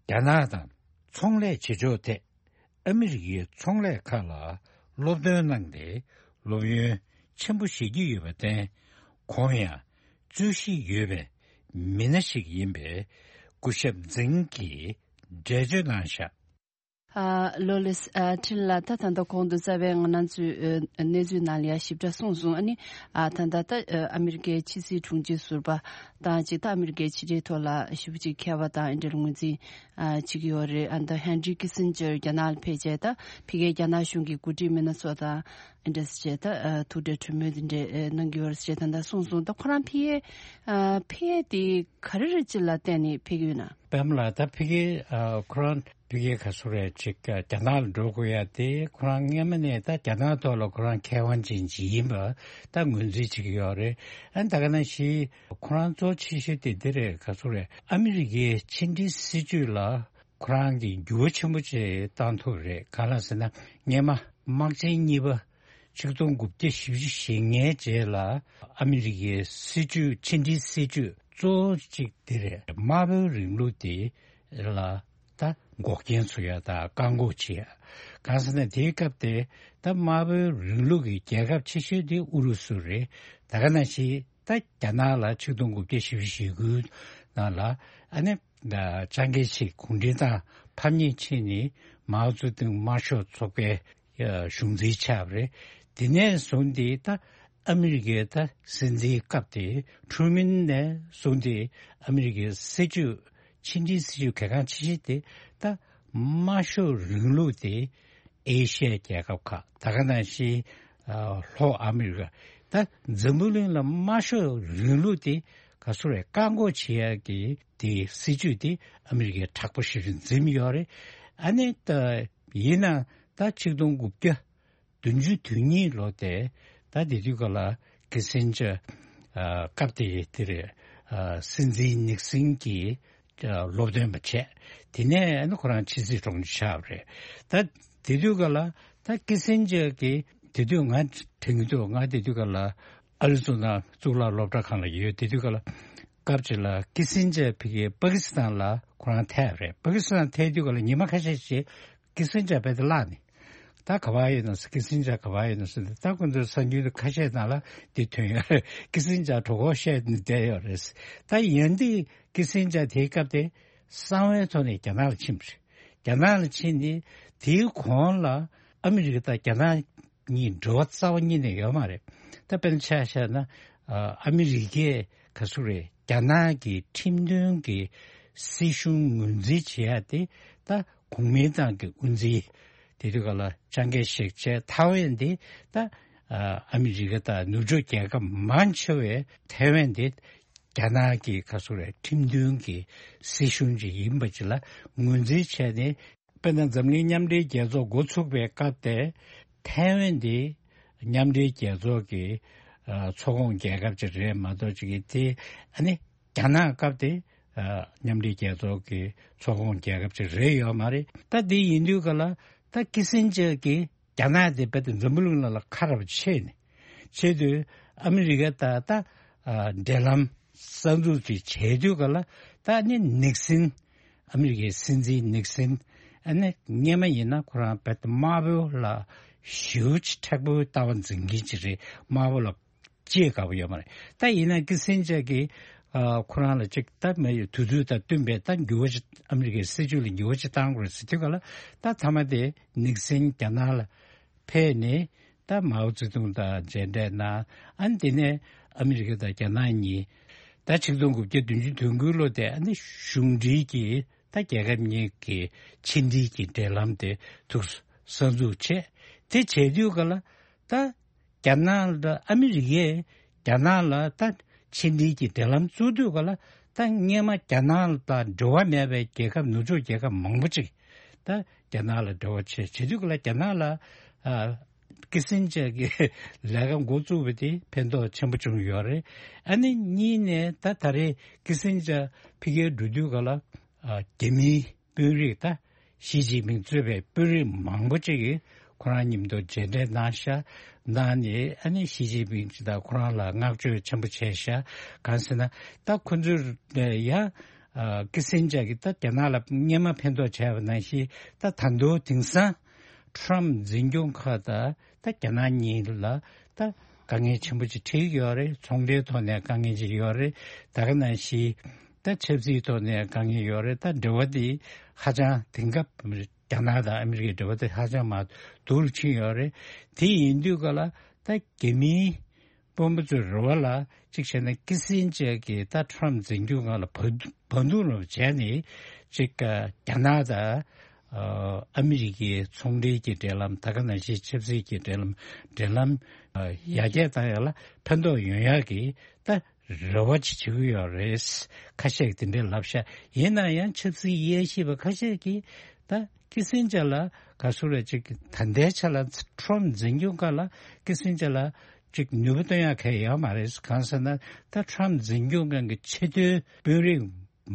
རྒྱ་ནག་དང་ཚོང་ལས་བྱེད་ཕྱོགས་ཐད་ཨ་མི་རི་ཀའི་ཚོང་ལས་ཁག་ལ་སློབ་སྟོན་གནང་སྟེ། སློབ་ཡོན་ཆེན་པོ་བཞེས་ཀྱི་ཡོད་པར་བརྟེན། ཁོང་ཡང་རྩོད་གཞི་ཡོད་པའི་མི་སྣ་ཞིག་ཡིན་པའི་སྐུ་ཞབས་ཛིང་གིས་འགྲེལ་བརྗོད་གནང་བཞག་ཨ། ལོ་ལེགས། ཨ། ཕྲིན་ལ། ད་ད་ལྟ་གོང་དུ་རྩ་བའི་ང་རང་ཚོའི་ཨ་གནས་ཚུལ་ནང་ལ་ཡང་ཞིབ་ཕྲ་གསུངས་སོང་། ཨ་ནི། ཨ། ད་ལྟ་ད་ཨ་ཨ་མི་རི་ཀའི་ཕྱི་སྲིད་དྲུང་ཆེ་ཟུར་པ་དང་གཅིག་ད་ཨ་མི་རི་ཀའི་ཕྱི་འབྲེལ་ཐོག་ལ་ཞེ་པོ་ཅིག་མཁས་པ་དང་ཨ་འདྲ་ལ་ངོས་འཛིན་ཨ་བྱེད་ཀྱི་ཡོད་རེད། ཨ་ད་ཧན་རི་ཀི་སིན་ཇར་རྒྱ་ནག་ལ་ཕེབས་བྱས། ད་ཕ་གིའི་རྒྱ་ནག་གཞུང་གི་འགོ་ཁྲིད་མི་སྣ་ཚོ་དང་ཨ་འདྲ་བྱས། ད་ཨ་ཐུག་འཕྲད་གྲོས་མོལ་འདི་འདྲ་ཨ་གནང་གི་ཡོད་རེད་ཅེས་ད་ལྟ་གསུངས་སོང་། ད་ཁོ་རང་ཕ་གིའི་ཨ་ཕ་གི་དེ་ག་རེ་རེད་ཅེས་ལ་བརྟེན་ནས་ཕེབས་ཀྱི་ཡོད་ན། པད་མ་ལགས། ད་ཕ་གི་ཨ་ཁོ་རང་ཕ་གི་ག་ཚོད་རེད་ཅིག་རྒྱ་ནག་ལ་འགྲོ་དགོས་ཡ་དེ། ཁོ་རང་སྔོན་མ་ནས་ད་རྒྱ་ནག་ཐོག་ལ་ཁོ་རང་མཁས་དབང་ཅན་ཅིག་ཡིན་པ་ད་ངོས་འཛིན་བྱེད་ཀྱི་ཡོད་རེད། ཨ་ད་ག་ནང་བཞིན་ཁོ་རང་གཙོ་ཆེ་ཤོས་དེ་འདི་རེད། ག་ཚོད་རེད། ཨ་མི་རི་ཀའི་ཕྱི་འབྲེལ་སྲིད་ཇུས་ལ་ཁོ་རང་གིས་འགྱུར་བ་ཆེན་པོ་ཅིག་བཏང་ཐུབ་རེད། གང་ལགས་ཟེར་ན། སྔོན་མ་དམག་ཆེན་གཉིས་པ་ཆིག་སྟོང་དགུ་བརྒྱ་བཞི་བཅུ་ཞེ་ལྔའི་རྗེས་ལ་ཨ་མི་རི་ཀའི་སྲིད་ཇུས། ཕྱི་འབྲེལ་སྲིད་ཇུས་གཙོ་བོ་གཅིག་དེ་རེད། དམར་པོའི་རིང་ལུགས་དེ་ལ་ད་འགོག་རྐྱེན་བཟོ་ཡ་དང་བཀག་འགོག་བྱེད་ཡ། གང་ཟེར་ན་དེའི་སྐབས་དེ་ད་དམར་པོའི་རིང་ལུགས་ཀྱི་རྒྱལ་ཁབ་ཆེ་ཤོས་དེ་ཨུ་རུ་སུ་རེད། ད་ག་ནང་བཞིན་ད་རྒྱ་ནག་ལ་ཆིག་སྟོང་དགུ་བརྒྱ་བཞི་བཅུ་ཞེ་དགུ་ནང་ལ་ཨ་ནི་ཅང་ཀེ་ཤེག་གུང་ཁྲན་ཏང་ཕམ་ཉེས་ཕྱིན་ནས་མའོ་ཙེ་ཏུང་དམར་ཤོག་ཚོགས་པའི་གཞུང་འཛིན་ཆགས་པ་རེད། དེ་ནས་བཟུང་སྟེ་ད་ཨ་མི་རི་ཀའི་ད་སྲིད་འཛིན་སྐབས་དེ་ཁྲུ་མིན་ནས་བཟུང་སྟེ་ཨ་མི་རི་ཀའི་སྲིད་ཇུས། ཕྱི་འབྲེལ་སྲིད་ཇུས་གལ་འགངས་ཆེ་ཤོས་དེ་ད་དམར་ཤོག་རིང་ལུགས་དེ་ཨེ་ཤི་ཡའི་རྒྱལ་ཁབ་ཁག། ད་ག་ནང་བཞིན་ཨ་ལྷོ་ཨ་མི་རི་ཀ། ད་འཛམ་བུ་གླིང་ལ་དམར་ཤོག་རིང་ལུགས་དེ་ག་ཚོད་རེད། བཀག་འགོག་བྱེད་ཡག་གི་དེ་སྲིད་ཇུས་དེ་ཨ་མི་རི་ཀས་དྲག་པོ་ཞེ་པོ་འཛིན་ཡོད་རེད། ཨ་ནི་ད་ཡིན་ན་ད་ཆིག་སྟོང་དགུ་བརྒྱ་བདུན་ཅུ་དོན་གཉིས་ལོ་དེ་ད་དེ་དུས་སྐབས་ལ་ཀི་སིན་ཇར་ཨ་སྐབས་དེ་དེ་རེད། ཨ་སྲིད་འཛིན་ནིག་སིན་གྱི་ཨ་སློབ་སྟོན་པ་བྱས། དེ་ནས་ཨ་ནི་ཁོ་རང་ཕྱི་སྲིད་དྲུང་ཆེ་ཆགས་པ་རེད། ད་དེ་དུས་སྐབས་ལ་ད་ཀི་སིན་ཇར་གྱིས། དེ་དུས་ང་དྲན་གྱི་འདུག་ང་དེ་དུས་སྐབས་ལ་ཨ་རི་ཛོ་ན་གཙུག་ལག་སློབ་གྲྭ་ཁང་ལ་ཡོད། དེ་དུས་སྐབས་ལ་སྐབས་ཅིག་ལ་ཀི་སིན་ཇར་ཕ་གིའི་པ་ཀི་སི་ཐན་ལ་ཁོ་རང་ཐད་རེད། པ་ཀི་སི་ཐན་ཐད་དུས་སྐབས་ལ་ཉི་མ་ཁ་ཤས་ཤིག་ཀི་སིན་ཇར་རྦད་དེ་བརླག་ནས། ད་ག་པར་ཡོད་ནམ་ཟེར། ཀི་སིན་ཇར་ག་པར་ཡོད་ནམ་ཟེར་ནས། ད་ཁོ་ཚོའི་གསར་འགྱུར་ཁ་ཤས་ནང་ལ་འདི་ཐོན་ཡོད་རེད། ཀི་སིན་ཇར་གྲོད་ཁོག་བཤལ་ནས་བསྡད་ཡོད་རེད། ད་ཡང་དེ་ཀི་སིན་ཇར་དེའི་སྐབས་དེ་གསང་བའི་ཐོག་ནས་རྒྱ་ནག་ལ་ཕྱིན་པ་རེད། རྒྱ་ནག་ལ་ཕྱིན་ནས་དེའི་གོང་ལ་ཨ་མི་རི་ཀ་དང་རྒྱ་ནག་གཉིས་འབྲེལ་བ་རྩ་བ་ཉིད་ནས་ཡོད་མ་རེད། ད་དཔེར་ན་ཆ་བཞག་ན་ཨ་ཨ་མི་རི་ཀས་ག་ཚོད་རེད། རྒྱ་ནག་གི་ཁྲིམས་མཐུན་གྱི་སྲིད་གཞུང་ངོས་འཛིན་བྱེད་ཡ་དེ་ད་གོང་མའི་ཏང་གི་དབུ་འཛིན། དེ་དུས་སྐབས་ལ་ཅང་ཀེ་ཤེག་བྱས། ཐའེ་ཝན་དེ་ད་ཨ་ཨ་མི་རི་ཀ་དང་ནུབ་ཕྱོགས་རྒྱལ་ཁབ་མང་ཆེ་བས་ཐའེ་ཝན་དེ་རྒྱ་ནག་གི་ག་ཚོད་རེད། ཁྲིམས་མཐུན་གྱི་སྲིད་གཞུང་ཅིག་ཡིན་པ་ཅིག་ལ་ངོས་འཛིན་བྱས་ནས། དཔེར་ན་འཛམ་གླིང་མཉམ་འབྲེལ་རྒྱལ་ཚོགས་འགོ་ཚུགས་པའི་སྐབས་དེ་ཐའེ་ཝན་དེ་མཉམ་འབྲེལ་རྒྱལ་ཚོགས་ཀྱི་ཨ་ཚོགས་ཁོངས་རྒྱལ་ཁབ་ཅིག་རེད་མ་གཏོགས་ཅིག་གི་དེ་ཨ་ནི་རྒྱ་ནག་སྐབས་དེ་ཨ་མཉམ་འབྲེལ་རྒྱལ་ཚོགས་ཀྱི་ཚོགས་ཁོངས་རྒྱལ་ཁབ་ཅིག་རེད་ཡོད་མ་རེད། ད་དེ་ཡིན་དུས་ག་ལ་ད་ཀི་སིན་ཇར་གྱིས་རྒྱ་ནག་དེ་རྦད་དེ་འཛམ་བུ་གླིང་ནང་ལ་ཁ་ར་བ་ཕྱེ་ནས་བྱས་དུས། ཨ་མི་རི་ཀ་དང་ད་ཨ་འབྲེལ་ལམ་གསར་འཛུགས་ཅིག་བྱས་དུས་ག་ལ་ད་ནི་ནིག་སིན། ཨ་མི་རི་ཀའི་སྲིད་འཛིན་ནིག་སིན། ཨ་ནི་སྔོན་མ་ཡིན་ན་ཁོ་རང་རྦད་དེ་དམར་པོ་ལ་ཞེ་པོ་ཅིག་མཁྲེགས་པོའི་ལྟ་བ་འཛིན་མཁན་ཅིག་རེད། དམར་པོ་ལ་ཅིག་དགའ་པོ་ཡོད་མ་རེད། ད་ཡིན་ན་ཀི་སིན་ཇར་གྱིས་ ཨ་ཁོ་རང་ལ་ཅིག་ད་མ་ཡི་དུས་ཚོད་དང་བསྟུན་པའི་ད་འགྱུར་བ་ཅིག་ཨ་མི་རི་ཀའི་སྲིད་བྱུས་ལ་འགྱུར་བ་ཅིག་བཏང་དགོས་ཟེར་དུས་ག་ལ། ད་མཐའ་མ་དེ་ནིག་སན་རྒྱ་ནག་ལ་ཕེབས་ནས། ད་མའོ་ཙེ་ཏུང་དང་མཇལ་འཕྲད་གནང་། ཨ་ནི་དེ་ནས་ཨ་མི་རི་ཀ་དང་རྒྱ་ནག་གཉིས་ད་ཆིག་སྟོང་དགུ་བརྒྱ་བདུན་ཅུ་དོན་དགུའི་ལོ་དེ་ཨ་ནི་གཞུང་འབྲེལ་གྱི་ད་རྒྱལ་ཁབ་གཉིས་ཀྱི་ཕྱི་འབྲེལ་གྱི་འབྲེལ་ལམ་དེ་ཐུགས་གསར་འཛུགས་བྱས། དེ་བྱས་དུས་ག་ལ་ད་རྒྱ་ནག་ལ་ཨ་མི་རི་ཀས་རྒྱ་ནག་ལ་ད་ཕྱི་འབྲེལ་གྱི་འབྲེལ་ལམ་བཙུགས་དུས་ག་ལ། ད་སྔོན་མ་རྒྱ་ནག་དང་འབྲེལ་བ་མེད་པའི་རྒྱལ་ཁབ་ནུབ་ཕྱོགས་རྒྱལ་ཁབ་མང་པོ་ཅིག་ད་རྒྱ་ནག་ལ་འབྲེལ་བ་བྱས་བྱེད་དུས་ག་ལ་རྒྱ་ནག་ལ་ཨ་ཀི་སིན་ཇར་གྱི་ལས་ཀ་འགོ་བཙུགས་པ་དེ་ཕན་ཐོགས་ཆེན་པོ་བྱུང་ཡོད་རེད། ཨ་ནི་གཉིས་ནས་ད་ད་རེས་ཀི་སིན་ཇར་ཕ་གིར་འགྲོ་དུས་ག་ལ་ཨ་རྒྱ་མིའི་དཔོན་རིགས་ད་ཞི་ཅིན་ཕིང་གཙོས་པའི་དཔོན་རིགས་མང་པོ་ཅིག་གིས་ཁོ་རང་མཉམ་དུ་མཇལ་འཕྲད་གནང་ཤག་གནང་ནས་ཨ་ནི་ཞི་ཅིན་ཕིང་ཅིག་དང་ཁོ་རང་ལ་བསྔགས་བརྗོད་ཆེན་པོ་བྱས་ཤག་གང་ཟེར་ན་ད་ཁོ་ཚོས་ཡང་ཀི་སིན་ཇར་གྱིས་ད་རྒྱ་ནག་ལ་སྔོན་མ་ཕན་ཐོགས་བྱས་པ་ནང་བཞིན་ད་ད་དུང་དེང་སང་ཁྲོམ་འཛིན་སྐྱོང་ཁག་དང་ད་རྒྱ་ནག་གཉིས་ལ་ད་དཀའ་ངལ་ཆེན་པོ་ཅིག་འཕྲད་ཀྱི་ཡོད་རེད། ཚོང་འབྲེལ་ཐོག་ནས་དཀའ་ངལ་ཅིག་ཡོད་རེད། ད་ག་ནང་བཞིན་ད་ཆབ་སྲིད་ཐོག་ནས་དཀའ་ངལ་ཡོད་རེད། ད་འབྲེལ་བ་འདི་ཧ་ཅང་དེང་སྐབས་རྒྱ་ནག་དང་ཨ་མི་རི་ཀའི་འབྲེལ་བ་དེ་ཧ་ཅང་མར་སྡུག་རུ་ཕྱིན་ཡོད་རེད། དེ་ཡིན་དུས་ག་ལ་ད་རྒྱ་མིའི་དཔོན་པོ་ཚོའི་རེ་བ་ལ་གཅིག་བྱས་ན་ཀི་སིན་ཇར་གྱིས་ད་ཁྲོམ་འཛིན་སྐྱོང་ཁང་ལ་བར་བར་འདུམ་རོགས་བྱས་ནས་གཅིག་རྒྱ་ནག་དང་ཨ་མི་རི་ཀའི་ཚོང་འབྲེལ་གྱི་འབྲེལ་ལམ། ད་ག་ནང་བཞིན་ཆབ་སྲིད་ཀྱི་འབྲེལ་ལམ། འབྲེལ་ལམ་ཡར་རྒྱས་བཏང་ཡག་ལ་ཕན་ཐོགས་ཡོང་ཡག་གི་ད་རེ་བ་ཅིག་བྱེད་ཀྱི་ཡོད་རེད། ཁ་ཤས་ཀྱིས་དེ་འདྲའི་ལབ་ཤག་ཡིན་ན་ཡང་ཆབ་སྲིད་དབྱེ་ཞིབ་པ་ཁ་ཤས་ཀྱིས་ད་ཀི་སིན་ཇར་ལ་ག་ཚོད་རེད་ཅིག་ད་ལྟའི་ཆ་ལ་ཁྲོམ་འཛིན་སྐྱོང་ཁང་ལ་ཀི་སིན་ཇར་ལ་ཅིག་ནུས་པ་བཏོན་ཡག་གང་ཡང་ཡོད་མ་རེད། གང་ཟེར་ན་ད་ཁྲོམ་འཛིན་སྐྱོང་ཁང་གི་ཆེས་མཐོའི་དཔོན་རིགས་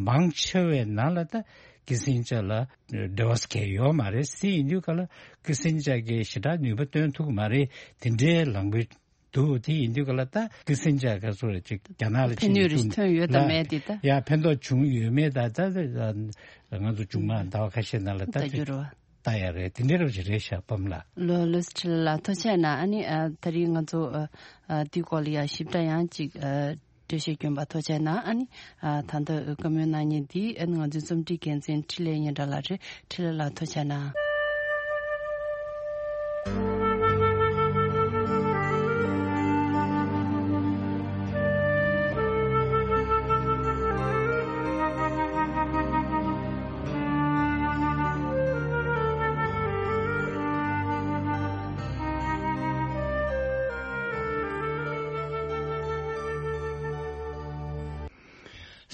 མང་ཆེ་བའི་ནང་ལ་ད་ཀི་སིན་ཇར་ལ་འབྲེལ་བ་གང་ཡང་ཡོད་མ་རེད། དེ་ཡིན་དུས་ག་ལ་ཀི་སིན་ཇར་གྱིས་ཞེ་དྲག་ནུས་པ་བཏོན་ཐུབ་ཀྱི་མ་རེད། དེ་འདྲའི་ལངས་པའི་འདུག་དེ་ཡིན་དུས་ག་ལ་ད་ཀི་སིན་ཇར་ག་ཚོད་རེད་ཅིག་རྒྱ་ནག་ལ་ཕན་ནུས་རེ་ཐོན་ཡོད་དམ་མེད་དེ་ད། ཡ་ཕན་ཐོགས་བྱུང་ཡོད་མེད་ད་ད་ང་ཚོ་མཇུག་མ་ཟླ་བ་ཁ་ཤས་ནང་ལ་ད་ད་འགྱུར་བ། ལྟ་ཡ་རེད། དེ་འདྲའི་རབ་ཞིག་རེད་ཤག་པམ་ལགས། ལོ་ལོ་སི་ཁྲི་ལ་ཐུགས་རྗེ་གནང་། ཨ་ནི་ཨ་ད་རིང་ང་ཚོ་ཨ་ཨ་དེའི་སྐོར་ལ་ཡ་ཞིབ་ཕྲ་ཡང་ཅིག་ཨ་འགྲེལ་བཤད་བསྐྱོན་པ་ཐུགས་རྗེ་གནང་། ཨ་ནི་ཨ་ད་ལྟ་བཀའ་མོལ་གནང་མཁན་འདི་ཨ་ནི་ང་ཚོའི་རྩོམ་སྒྲིག་འགན་འཛིན་འཕྲིན་ལས་སྙན་གྲགས་ལགས་རེད། འཕྲིན་ལས་ལགས་ཐུགས་རྗེ་གནང་།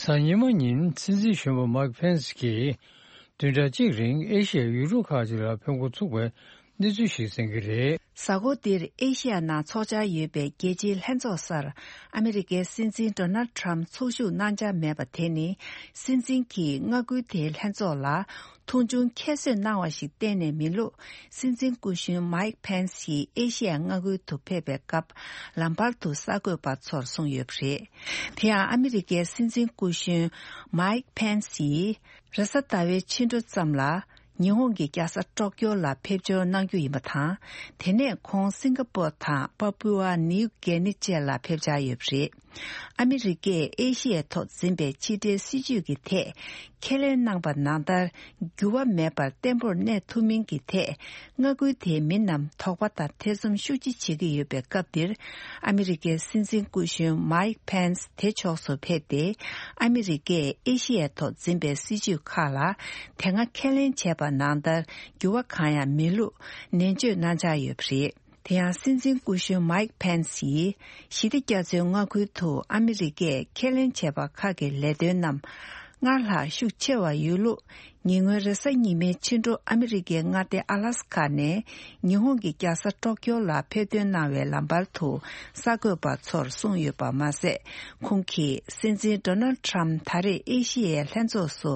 གཟའ་ཉི་མ་ཉིན་སྲིད་འཛིན་གཞོན་པ་མཱིག་ཕེན་སི་གིས་བདུན་ཕྲག་གཅིག་རིང་ཨེ་ཤི་ཡའི་ཡུལ་གྲུ་ཁག་ཅིག་ལ་ཕེབས་འགོ་ཚུགས་པའི་གནས་ཚུལ་ཞིག་གསན་གྱི་རེད། གཟའ་འཁོར་འདིར་ཨེ་ཤི་ཡ་ནང་འཚོགས་འཆར་ཡོད་པའི་རྒྱལ་སྤྱིའི་ལྷན་ཚོགས་སར་ཨ་མི་རི་ཀའི་སྲིད་འཛིན་ཌོ་ནལ་ཊམ་ཚོགས་ཞུགས་གནང་འཆར་མེད་པ་དེ་ནི། སྲིད་འཛིན་གྱིས་མངའ་ཁུལ་དེའི་ལྷན་ཚོགས་ལ་མཐོང་ཆུང་ཁྱད་གསོད་གནང་བ་ཞིག་གཏན་ནས་མིན་ལུགས། སྲིད་འཛིན་སྐུ་གཞོན་མཱིག་ཕེན་སི་ཡིས་ཨེ་ཤི་ཡའི་མངའ་ཁུལ་དུ་ཕེབས་པའི་སྐབས་ལམ་བར་དུ་གསར་འགོད་པ་ཚོར་གསུངས་ཡོད་པ་རེད། དེ་ཡང་ཨ་མི་རི་ཀའི་སྲིད་འཛིན་སྐུ་གཞོན་མཱིག་ཕེན་སི་ཡིས་རེས་གཟའ་ཟླ་བའི་ཕྱི་དྲོ་ཙམ་ལ་ཉི་ཧོང་གི་རྒྱལ་ས་ཊོ་ཀྱོ་ལ་ཕེབས་འབྱོར་གནང་རྒྱུ་ཡིན་པ་དང་། དེ་ནས་ཁོང་སིང་ག་པོར་དང་པ་པུ་ཨ་ནིའུ་གེ་ནི་བཅས་ལ་ཕེབས་འཆར་ཡོད་པ་རེད། ཨ་མི་རི་ཀས་ཨེ་ཤི་ཡའི་ཐོག་འཛིན་པའི་ཕྱི་འབྲེལ་སྲིད་ཇུས་ཀྱི་ཐད་ཁས་ལེན་གནང་པ་ནང་ལྟར་འགྱུར་བ་མེད་པར་བརྟན་པོར་གནས་ཐུབ་མིན་གྱི་ཐད་མངའ་ཁུལ་དེའི་མི་རྣམས་དོགས་པ་དང་ཐེ་ཚོམ་ཤུགས་ཆེ་བྱེད་ཀྱི་ཡོད་པའི་སྐབས་འདིར། ཨ་མི་རི་ཀའི་སྲིད་འཛིན་སྐུ་གཞོན་མཱིག་ཕེན་སི་དེ་ཕྱོགས་སུ་ཕེབས་ཏེ། ཨ་མི་རི་ཀས་ཨེ་ཤི་ཡའི་ཐོག་འཛིན་པའི་སྲིད་ཇུས་ཁག་ལ་དེ་སྔ་ཁས་ལེན་བྱས་པ་ནང་ལྟར་འགྱུར་བ་གང་ཡང་མེད་ལུགས་ནན་བརྗོད་གནང་འཆར་ཡོད་པ་རེད། དེ་ཡང་སྲིད་འཛིན་སྐུ་གཞོན་མཱིག་ཕེན་སི་ཡིས་ཞི་བདེ་རྒྱ་མཚོའི་མངའ་ཁུལ་དུ་ཨ་མི་རི་ཀས་ཁས་ལེན་བྱས་པ་ཁག་གི་ལས་དོན་རྣམས་སྔར་ལྷག་ཤུགས་ཆེ་བ་ཡོད་ལུགས། ཉེ་སྔོན་རེས་གཟའ་ཉི་མའི་ཕྱི་དྲོ་ཨ་མི་རི་ཀའི་མངའ་སྡེ་ཨ་ལ་སི་ཁ་ནས་ཉི་ཧོང་གི་རྒྱལ་ས་ཊོ་ཀྱོ་ལ་ཕེབས་ཐོན་གནང་བའི་ལམ་བར་དུ་གསར་འགོད་པ་ཚོར་གསུངས་ཡོད་པ་མ་ཟད། ཁོང་གིས་སྲིད་འཛིན་ཌོ་ནལ་ཊམ་ད་རེས་ཨེ་ཤི་ཡའི་ལྷན་ཚོགས་སུ་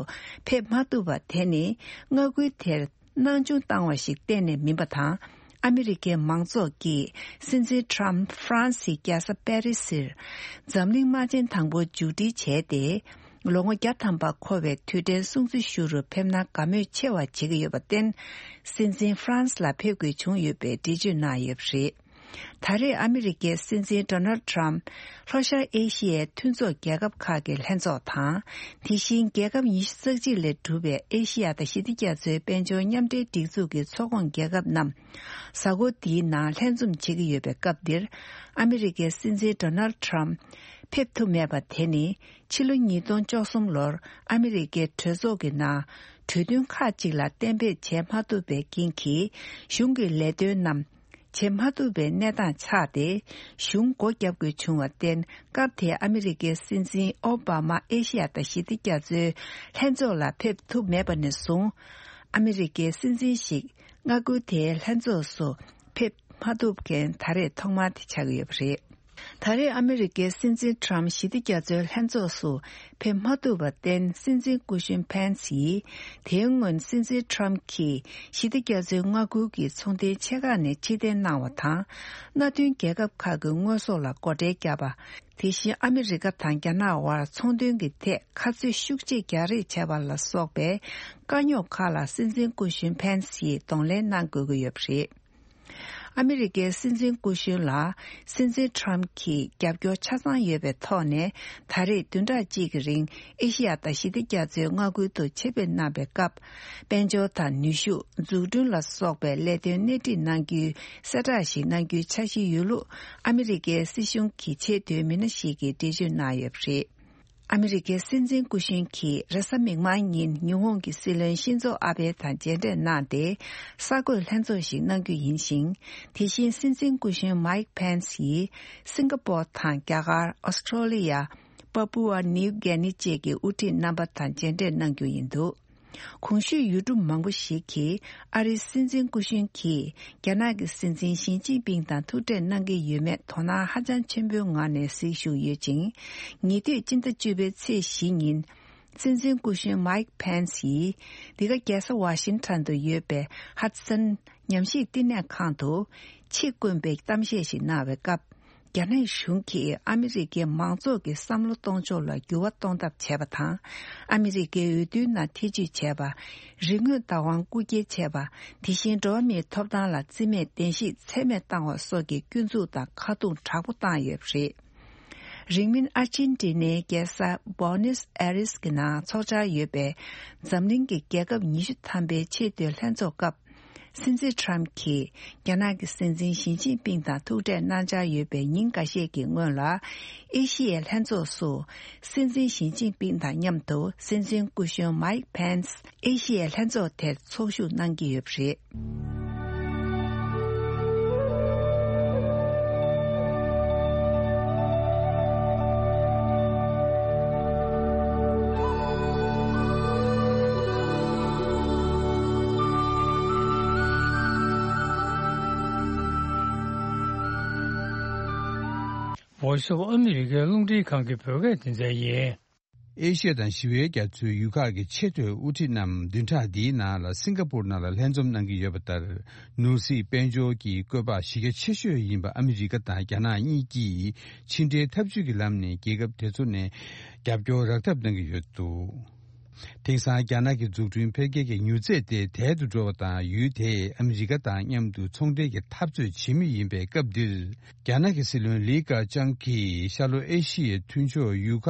ཕེབས་མ་ཐུབ་པ་དེ་ནི་མངའ་ཁུལ་དེར། སྣང་ཆུང་བཏང་བ་ཞིག་གཏན་ནས་མིན་པ་དང་། ཨ་མི་རི་ཀའི་མང་ཚོགས་ཀྱིས་སྲིད་འཛིན་ཊམ་ཧྥ་རན་སིའི་རྒྱལ་ས་པེ་རི་སིར་འཛམ་གླིང་དམག་ཆེན་དང་པོ་མཇུག་སྒྲིལ་བྱས་ཏེ། ལོ་ངོ་བརྒྱ་ཐམ་པ་འཁོར་བའི་དུས་དྲན་སྲུང་བརྩི་ཞུ་རུ་ཕེབས་ན་དགའ་མོས་ཆེ་བ་བྱེད་ཀྱི་ཡོད་པར་བརྟེན། སྲིད་འཛིན་ཧྥ་རན་སི་ལ་ཕེབས་དགོས་བྱུང་ཡོད་པའི་འགྲེལ་བརྗོད་གནང་ཡོད་པ་རེད། ད་རེས་ཨ་མི་རི་ཀའི་སྲིད་འཛིན་ཌོ་ནལ་ཌི་ཊརམ་ལྷོ་ཤར་ཨེ་ཤི་ཡའི་མཐུན་ཚོགས་རྒྱལ་ཁབ་ཁག་གི་ལྷན་ཚོགས་དང་། དེ་བཞིན་རྒྱལ་ཁབ་ཉི་ཤུ་རྩ་གཅིག་ལས་གྲུབ་པའི་ཨེ་ཤི་ཡ་དང་ཞི་བདེ་རྒྱ་མཚོའི་དཔལ་འབྱོར་མཉམ་འབྲེལ་སྒྲིག་འཛུགས་ཀྱི་ཚོགས་ཁོངས་རྒྱལ་ཁབ་རྣམས་གཟའ་འཁོར་འདིའི་ནང་ལྷན་འཛོམས་བྱེད་ཀྱི་ཡོད་པའི་སྐབས་འདིར། ཨ་མི་རི་ཀའི་སྲིད་འཛིན་ཌོ་ནལ་ཌི་ཊརམ་ཕེབས་ཐུབ་མེད་པ་དེ་ནི། ཕྱི་ལོ་ཉིས་སྟོང་བཅུ་གསུམ་ལོར་ཨ་མི་རི་ཀའི་གྲོས་ཚོགས་ཀྱི་ནང་གྲོས་མཐུན་ཁག་ཅིག་ལ་གཏན་འབེབས་བྱེད་མ་ཐུབ་པའི་རྐྱེན་གྱིས། གཞུང་གི་ལས་དོན་རྣམས་བྱེད་མ་ཐུབ་པའི་གནས་སྟངས་ཆགས་ཏེ། གཞུང་སྒོ་བརྒྱབ་དགོས་བྱུང་བར་བརྟེན། སྐབས་དེའི་ཨ་མི་རི་ཀའི་སྲིད་འཛིན་ཨོ་བྷ་མ་ཨེ་ཤི་ཡ་དང་ཞི་བདེ་རྒྱ་མཚོའི་ལྷན་ཚོགས་ལ་ཕེབས་ཐུབ་མེད་པ་ནས་བཟུང་། ཨ་མི་རི་ཀའི་སྲིད་འཛིན་ཞིག་མངའ་ཁུལ་དེའི་ལྷན་ཚོགས་སུ་ཕེབས་མ་ཐུབ་མཁན་ད་རེས་ཐོག་མ་དེ་ཆགས་ཀྱི་ཡོད་པ་རེད། ད་རེས་ཨ་མི་རི་ཀའི་སྲིད་འཛིན་ཊརམ་ཞི་བདེ་རྒྱ་མཚོའི་ལྷན་ཚོགས་སུ་ཕེབས་མ་ཐུབ་པར་བརྟེན། སྲིད་འཛིན་སྐུ་གཞོན་ཕན་སི་ཡིས་དེའི་སྔོན་སྲིད་འཛིན་ཊརམ་གྱིས་ཞི་བདེ་རྒྱ་མཚོའི་མངའ་ཁུལ་གྱི་ཚོང་དོན་ཆེ་ཁག་ནས་ཕྱིར་འཐེན་གནང་བ་དང་། མནའ་མཐུན་རྒྱལ་ཁབ་ཁག་གི་དངོས་ཟོག་ལ་སྒོ་ཁྲལ་བརྒྱབ་པ། དེ་བཞིན་ཨ་མི་རི་ཀ་དང་རྒྱ་ནག་དབར་ཚོང་དོན་གྱི་ཐད་ཁ་ཚོད་ཤུགས་ཆེ་རྒྱག་རེས་བྱས་པ་ལ་སོགས་པའི་དཀའ་རྙོག་ཁག་ལ་སྲིད་འཛིན་སྐུ་གཞོན་ཕན་སི་ཡིས་གདོང་ལེན་གནང་དགོས་ཀྱི་ཡོད་པ་རེད། ཨ་མི་རི་ཀའི་སྲིད་འཛིན་སྐུ་གཞོན་ལ་སྲིད་འཛིན་ཊརམ་གྱིས་རྒྱབ་སྐྱོར་ཆ་ཚང་ཡོད་པའི་ཐོག་ནས། ད་རེས་བདུན་ཕྲག་གཅིག་གི་རིང་ཨེ་ཤི་ཡ་དང་ཞི་བདེ་རྒྱ་མཚོའི་མངའ་ཁུལ་དུ་ཆེད་ཕེབས་གནང་བའི་སྐབས། དཔལ་འབྱོར་དང་ནུས་ཤུགས། འཛུགས་སྐྲུན་ལ་སོགས་པའི་ལས་དོན་སྣེ་ཁྲིད་གནང་རྒྱུའི་གསལ་བསྒྲགས་ཤིག་གནང་རྒྱུའི་འཆར་གཞི་ཡོད་ལུགས། ཨ་མི་རི་ཀའི་སྲིད་གཞུང་གི་ཆེས་མཐོའི་མི་སྣ་ཞིག་གིས་འགྲེལ་བརྗོད་གནང་ཡོད་པ་རེད། ཨ་མི་རི་ཀའི་སྲིད་འཛིན་སྐུ་གཞོན་གྱིས་རེས་གཟའ་མིག་དམར་ཉིན་ཉི་ཧོང་གི་སྲིད་བློན་ཤིན་ཛོ་ཨ་བྷེ་དང་མཇལ་འཕྲད་གནང་སྟེ། གསར་འགོད་ལྷན་ཚོགས་ཤིག་གནང་རྒྱུ་ཡིན་ཞིང་། དེ་བཞིན་སྲིད་འཛིན་སྐུ་གཞོན་མའིག་ཕན་སི་ཡིས་སིང་ག་པོར་དང་རྒྱ་གར། ཨོ་སི་ཁྲོ་ལི་ཡ། པ་པུ་ཨ་ནིའུ་གྷི་ནི་བཅས་ཀྱི་དབུ་ཁྲིད་རྣམ་པ་དང་མཇལ་འཕྲད་གནང་རྒྱུ་ཡིན་འདུག་གོང་ཞུས་ཡུལ་གྲུ་མང་པོ་ཞིག་གིས་ཨ་རིའི་སྲིད་འཛིན་སྐུ་གཞོན་གྱིས་རྒྱ་ནག་གི་སྲིད་འཛིན་ཞི་ཅིན་ཕིང་དང་ཐུག་འཕྲད་གནང་གི་ཡོད་མེད་དོ་སྣང་ཧ་ཅང་ཆེན་པོའི་ངང་ནས་གཟིགས་བཞུགས་ཡོད་ཅིང་། ཉེ་དུས་སྤྱི་ཟླ་བཅུ་པའི་ཚེས་བཞི་ཉིན། སྲིད་འཛིན་སྐུ་གཞོན་མའིག་ཕན་སི་ཡིས་འདི་ག་རྒྱལ་ས་ཝ་ཤིང་ཊོན་དུ་ཡོད་པའི་ཧ་ཏི་སན་ཉམས་ཞིབ་བསྟི་གནས་ཁང་དུ་ཆེད་བསྐོས་པའི་གཏམ་བཤད་ཞིག་གནང་བའི་སྐབས། རྒྱ་ནག་གཞུང་གིས་ཨ་མི་རི་ཀའི་མང་ཚོགས་ཀྱི་བསམ་བློ་གཏོང་ཕྱོགས་ལ་འགྱུར་བ་གཏོང་ཐབས་བྱས་པ་དང་། ཨ་མི་རི་ཀའི་འོས་བསྡུའི་ནང་ཐེ་བྱུས་བྱས་པ། རིག་དངོས་བདག་དབང་རྐུ་འཁྱེར་བྱས་པ། དེ་བཞིན་འགྲོ་བ་མིའི་ཐོབ་ཐང་ལ་བརྩི་མེད་གདན་ཞུས་ཚད་མེད་བཏང་བ་སོགས་ཀྱི་སྐྱོན་འཛུགས་དང་ཁ་རྡུང་དྲག་པོ་བཏང་ཡོད་པ་རེད། རིང་མིན་ཨར་ཅན་ཏི་ནའི་རྒྱལ་ས་བོ་ནེས་ཨེ་རེས་ཀྱི་ནང་འཚོགས་འཆར་ཡོད་པའི་འཛམ་གླིང་གི་རྒྱལ་ཁབ་ཉི་ཤུ་ཐམ་པའི་ཆེས་མཐོའི་ལྷན་ཚོགས་སྐབས། སྲིད་འཛིན་ཊརམ་གྱིས་རྒྱ་ནག་གི་སྲིད་འཛིན་ཞི་ཅིན་ཕིང་དང་ཐུག་འཕྲད་གནང་འཆར་ཡོད་པའི་ཉིན་འགའ་ཤས་ཀྱི་སྔོན་ལ། ཨེ་ཤི་ཡའི་ལྷན་ཚོགས་སུ་སྲིད་འཛིན་ཞི་ཅིན་ཕིང་དང་མཉམ་དུ་སྲིད་འཛིན་སྐུ་གཞོན་མའིག་ཕན་སི་ཨེ་ཤི་ཡའི་ལྷན་ཚོགས་དེར་ཚོགས་ཞུགས་གནང་གི་ཡོད་པ་རེད། Voice of America རླུང་འཕྲིན་ཁང་གི་བོད་སྐད་སྡེ་ཚན་ཡིན། ཨེ་ཤི་ཡ་དང་ཞི་བའི་རྒྱ་མཚོའི་ཡུལ་ཁག་གི་ཆེས་མཐོའི་དབུ་ཁྲིད་རྣམས་བདུན་ཕྲག་འདིའི་ནང་ལ་སིང་ག་པུར་ནང་ལ་ལྷན་འཛོམས་གནང་གི་ཡོད་པ་ལྟར། ནོར་སྲིད་དཔལ་འབྱོར་གྱི་བཀོད་པ་གཞི་རྒྱ་ཆེ་ཤོས་ཡིན་པ་ཨ་མི་རི་ཀ་དང་རྒྱ་ནག་གཉིས་ཀྱིས་ཕྱི་འབྲེལ་འཐབ་ཇུས་ཀྱི་ལམ་ནས་རྒྱལ་ཁབ་དེ་ཚོ་ནས་རྒྱབ་སྐྱོར་རག་ཐབས་གནང་གི་ཡོད་འདུག་དེང་སང་རྒྱ་ནག་གི་འཛུགས་སྐྲུན་འཕེལ་རྒྱས་ཀྱི་མྱུར་ཚད་དེ་དལ་དུ་འགྲོ་བ་དང་། ཡུལ་དེས་ཨ་མི་རི་ཀ་དང་མཉམ་དུ་ཚོང་འབྲེལ་གྱི་འཐབ་རྩོད་བྱེད་མུས་ཡིན་པའི་སྐབས་འདིར། རྒྱ་ནག་གི་སྲིད་བློན་ལི་ཁེ་ཆང་གིས་ཤར་ལྷོ་ཨེ་ཤི་ཡའི་མཐུན་ཕྱོགས་ཡུལ་ཁག་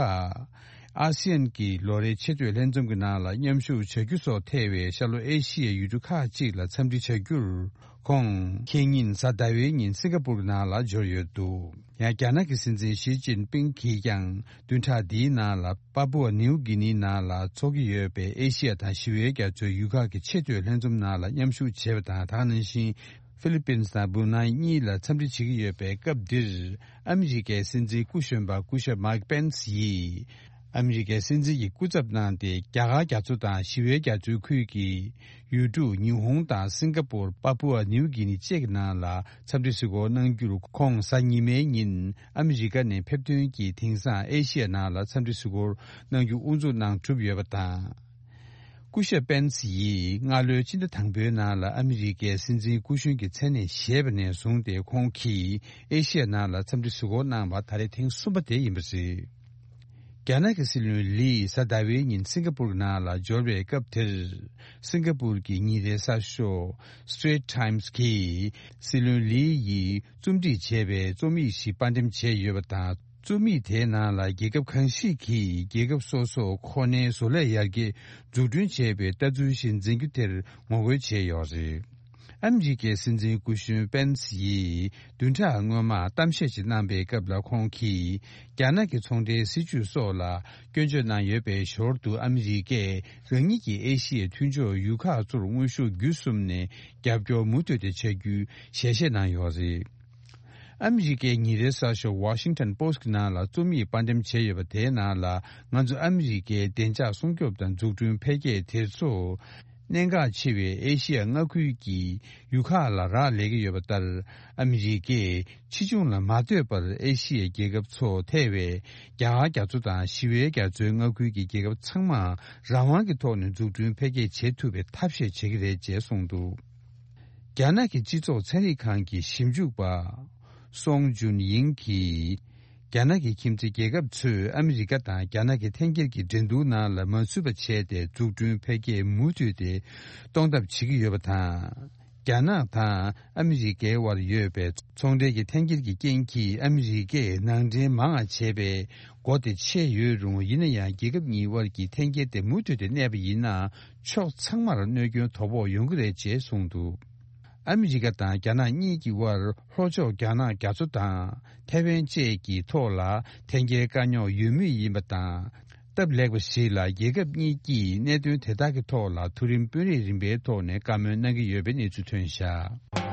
ཨ་སི་ཡན་གྱི་ལོ་རེའི་ཆེས་མཐོའི་ལྷན་འཛོམས་ཀྱི་ནང་ལ་མཉམ་ཞུགས་བྱ་རྒྱུ་སོགས་ཐེ་བའི་ཤར་ལྷོ་ཨེ་ཤི་ཡའི་ཡུལ་གྲུ་ཁག་ཅིག་ལ་འཚམས་འདྲི་བྱ་རྒྱུར། ཁོང་ཁེ་ཉིན་གཟའ་ཟླ་བའི་ཉིན་སིང་ག་པུར་ནང་ལ་འབྱོར་ཡོད་འདུག་ཡང་རྒྱ་ནག་གི་སྲིད་འཛིན་ཞི་ཅིན་ཕིང་གིས་ཀྱང་བདུན་ཕྲག་འདིའི་ནང་ལ་པ་པུ་ཨ་ནིའུ་གི་ནི་ནང་ལ་འཚོགས་ཀྱི་ཡོད་པའི་ཨེ་ཤི་ཡ་དང་ཞི་བའི་རྒྱ་མཚོའི་ཡུལ་ཁག་གི་ཆེས་མཐོའི་ལྷན་འཛོམས་ནང་ལ་མཉམ་ཞུགས་བྱས་པ་དང་། དེ་ནང་བཞིན་ཧྥི་ལི་པིན་དང་སྦུ་ནའི་གཉིས་ལ་འཚམས་འདྲི་བྱེད་ཀྱི་ཡོད་པའི་སྐབས་འདིར། ཨ་མི་རི་ཀའི་སྲིད་འཛིན་སྐུ་གཞོན་པ་སྐུ་ཞབས་མའིག་པེན་སི་ཡིས། ཨ་མི་རི་ཀའི་སྲིད་འཛིན་གྱི་སྐུ་ཚབ་གནང་སྟེ། རྒྱ་གར་རྒྱ་མཚོ་དང་ཞི་བའི་རྒྱ་མཚོའི་ཁུལ་གྱི་ཡུལ་གྲུ་ཉི་ཧོང་དང་སིང་ག་པུར། པ་པུ་ཨ་ནིའུ་གི་ནི་བཅས་ཀྱི་ནང་ལ་འཚམས་འདྲི་གཟིགས་སྐོར་གནང་རྒྱུར། ཁོང་གཟའ་ཉི་མའི་ཉིན་ཨ་མི་རི་ཀ་ནས་ཕེབས་ཐོན་གྱིས་དེང་སང་ཨེ་ཤི་ཡ་ནང་ལ་འཚམས་འདྲི་གཟིགས་སྐོར་གནང་རྒྱུ་དབུ་འཛུགས་གནང་གྲུབ་ཡོད་པ་དང་། སྐུ་ཞབས་པེན་སི་ཡིས་སྔ་ལོའི་སྤྱི་ཟླ་དང་པོའི་ནང་ལ་ཨ་མི་རི་ཀའི་སྲིད་འཛིན་སྐུ་གཞོན་གྱི་མཚན་གནས་བཞེས་པ་ནས་བཟུང་སྟེ། ཁོང་གིས་ཨེ་ཤི་ཡ་ནང་ལ་འཚམས་འདྲི་གཟིགས་སྐོར་གནང་བ་ད་རེས་ཐེངས་གསུམ་པ་དེ་ཡིན་པ་རེད། རྒྱ་ནག་གི་སྲིད་བློན་ལི་གཟའ་ཟླ་བའི་ཉིན་སིང་ག་པུར་ནང་ལ་འབྱོར་བའི་སྐབས་དེར། སིང་ག་པུར་གྱི་ཉིན་རེའི་གསར་ཤོག་Straits Times གིས་སྲིད་བློན་ལི་ཡིས་རྩོམ་སྒྲིག་བྱས་པའི་རྩོམ་ཡིག་ཞིག་དཔར་འགྲེམས་བྱས་ཡོད་པ་དང་། རྩོམ་ཡིག་དེའི་ནང་ལ་རྒྱལ་ཁབ་གང་ཞིག་གིས་རྒྱལ་ཁབ་སོ་སོར་ཁོ་ནའི་བཟོ་ལས་ཡར་རྒྱས་འཛུགས་སྐྲུན་བྱས་པའི་ལྟ་ཚུལ་ཞིག་འཛིན་རྒྱུ་དེར་ངོ་རྒོལ་བྱས་ཡོད་རེད། ཨ་མི་རི་ཀའི་སྲིད་འཛིན་སྐུ་གཞོན་པེན་སི་ཡིས་བདུན་ཕྲག་སྔོན་མ་གཏམ་བཤད་ཅིག་གནང་པའི་སྐབས་ལ། ཁོང་གིས་རྒྱ་ནག་གི་ཚོང་འབྲེལ་སྲིད་ཇུས་སོགས་ལ་སྐྱོན་བརྗོད་གནང་ཡོད་པའི་ཞོར་དུ། ཨ་མི་རི་ཀས་རང་ཉིད་ཀྱི་ཨེ་ཤི་ཡའི་མཐུན་ཕྱོགས་ཡུལ་ཁག་ཚོར་དངོས་ཤུགས་བརྒྱུད་གསུམ་ནས་རྒྱབ་སྐྱོར་མུ་མཐུད་དེ་བྱ་རྒྱུའི་ཞལ་བཞེས་གནང་ཡོད་རེད། ཨ་མི་རི་ཀའི་ཉིན་རེའི་གསར་ཤོག་Washington Post གི་ནང་ལ་རྩོམ་ཡིག་དཔར་འགྲེམས་བྱས་ཡོད་པ་དེའི་ནང་ལ། ང་ཚོ་ཨ་མི་རི་ཀའི་བདེ་འཇགས་སྲུང་སྐྱོབ་དང་འཛུགས་སྐྲུན་འཕེལ་རྒྱས་དེ་ཚོ་གནད་འགག་ཆེ་བའི་ཨེ་ཤི་ཡ་མངའ་ཁུལ་གྱི་ཡུལ་ཁག་ལ་རག་ལས་ཀྱི་ཡོད་པ་ལྟར། ཨ་མི་རི་ཀས་ཕྱིས་འབྱུང་ལ་མ་ལྟོས་པར་ཨེ་ཤི་ཡའི་རྒྱལ་ཁབ་ཚོ་ཐེ་བའི་རྒྱ་གར་རྒྱ་མཚོ་དང་ཞི་བའི་རྒྱ་མཚོའི་མངའ་ཁུལ་གྱི་རྒྱལ་ཁབ་ཚང་མ་རང་དབང་གི་ཐོག་ནས་འཛུགས་སྐྲུན་འཕེལ་རྒྱས་བྱེད་ཐུབ་པའི་ཐབས་ཤེས་བྱེད་ཀྱི་རེད་ཅེས་གསུངས་འདུག་རྒྱ་ནག་གི་སྤྱི་ཚོགས་ཚན་རིག་ཁང་གི་ཞིབ་འཇུག་པ་སོང་ཇུན་ཡིང་གིས། རྒྱ་ནག་གི་ཁྱིམ་མཚེས་རྒྱལ་ཁབ་ཚོས་ཨ་མི་རི་ཀ་དང་རྒྱ་ནག་གི་འཐེན་འཁྱེར་གྱི་འགྲན་བསྡུར་ནང་ལ་མ་ཚུད་པ་བྱས་ཏེ། འཛུགས་སྐྲུན་འཕེལ་རྒྱས་མུ་མཐུད་དེ་གཏོང་ཐབས་བྱེད་ཀྱི་ཡོད་པ་དང་། རྒྱ་ནག་དང་ཨ་མི་རི་ཀའི་དབར་ཡོད་པའི་ཚོང་འབྲེལ་གྱི་འཐེན་འཁྱེར་གྱི་རྐྱེན་གྱིས། ཨ་མི་རི་ཀས་ནང་འདྲེན་མང་བ་བྱས་པའི་སྒོ་དེ་ཕྱེ་ཡོད་རུང་། ཡིན་ན་ཡང་རྒྱལ་ཁབ་གཉིས་དབར་གྱི་འཐེན་འཁྱེར་དེ་མུ་མཐུད་དེ་གནས་པ་ཡིན་ན། ཕྱོགས་ཚང་མར་གནོད་སྐྱོན་དོ་ཕོག་ཡོང་གི་རེད་ཅེས་གསུངས་འདུག་ཨ་མི་རི་ཀ་དང་རྒྱ་ནག་གཉིས་ཀྱི་དབར་ལྷོ་ཕྱོགས་རྒྱ་ནག་རྒྱ་མཚོ་དང་ཐའེ་ཝན་བཅས་ཀྱི་ཐོག་ལ་འཐེན་འཁྱེར་དཀའ་རྙོག་ཡོད་མུས་ཡིན་པ་དང་། སྟབས་ལེགས་པ་ཞིག་ལ་རྒྱལ་ཁབ་གཉིས་ཀྱིས་གནད་དོན་དེ་དག་གི་ཐོག་ལ་མཐོ་རིམ་དཔོན་རིགས་རིམ་པའི་ཐོག་ནས་བཀའ་མོལ་གནང་གི་ཡོད་པའི་གནས་ཚུལ་ཐོན་བཞག་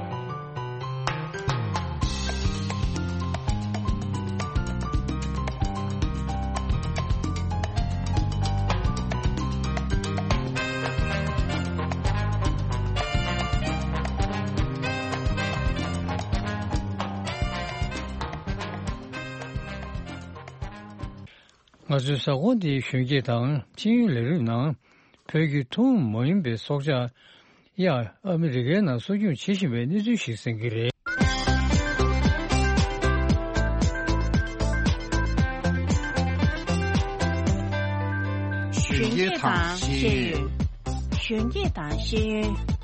ང་ཚོའི་གཟའ་འཁོར་འདིའི་གཞོན་སྐྱེས་དང་ཤེས་ཡོན་ལས་རིམ་ནང་། བོད་ཀྱི་ཐུན་མོང་མ་ཡིན་པའི་སྲོག་ཆགས་གཡག་ཨ་མི་རི་ཀའི་ནང་གསོ་སྐྱོང་བྱེད་བཞིན་པའི་གནས་ཚུལ་ཞིག་གསན་གྱི་རེད། གཞོན་སྐྱེས་དང་ཤེས་ཡོན། གཞོན་སྐྱེས་དང་ཤེས་ཡོན།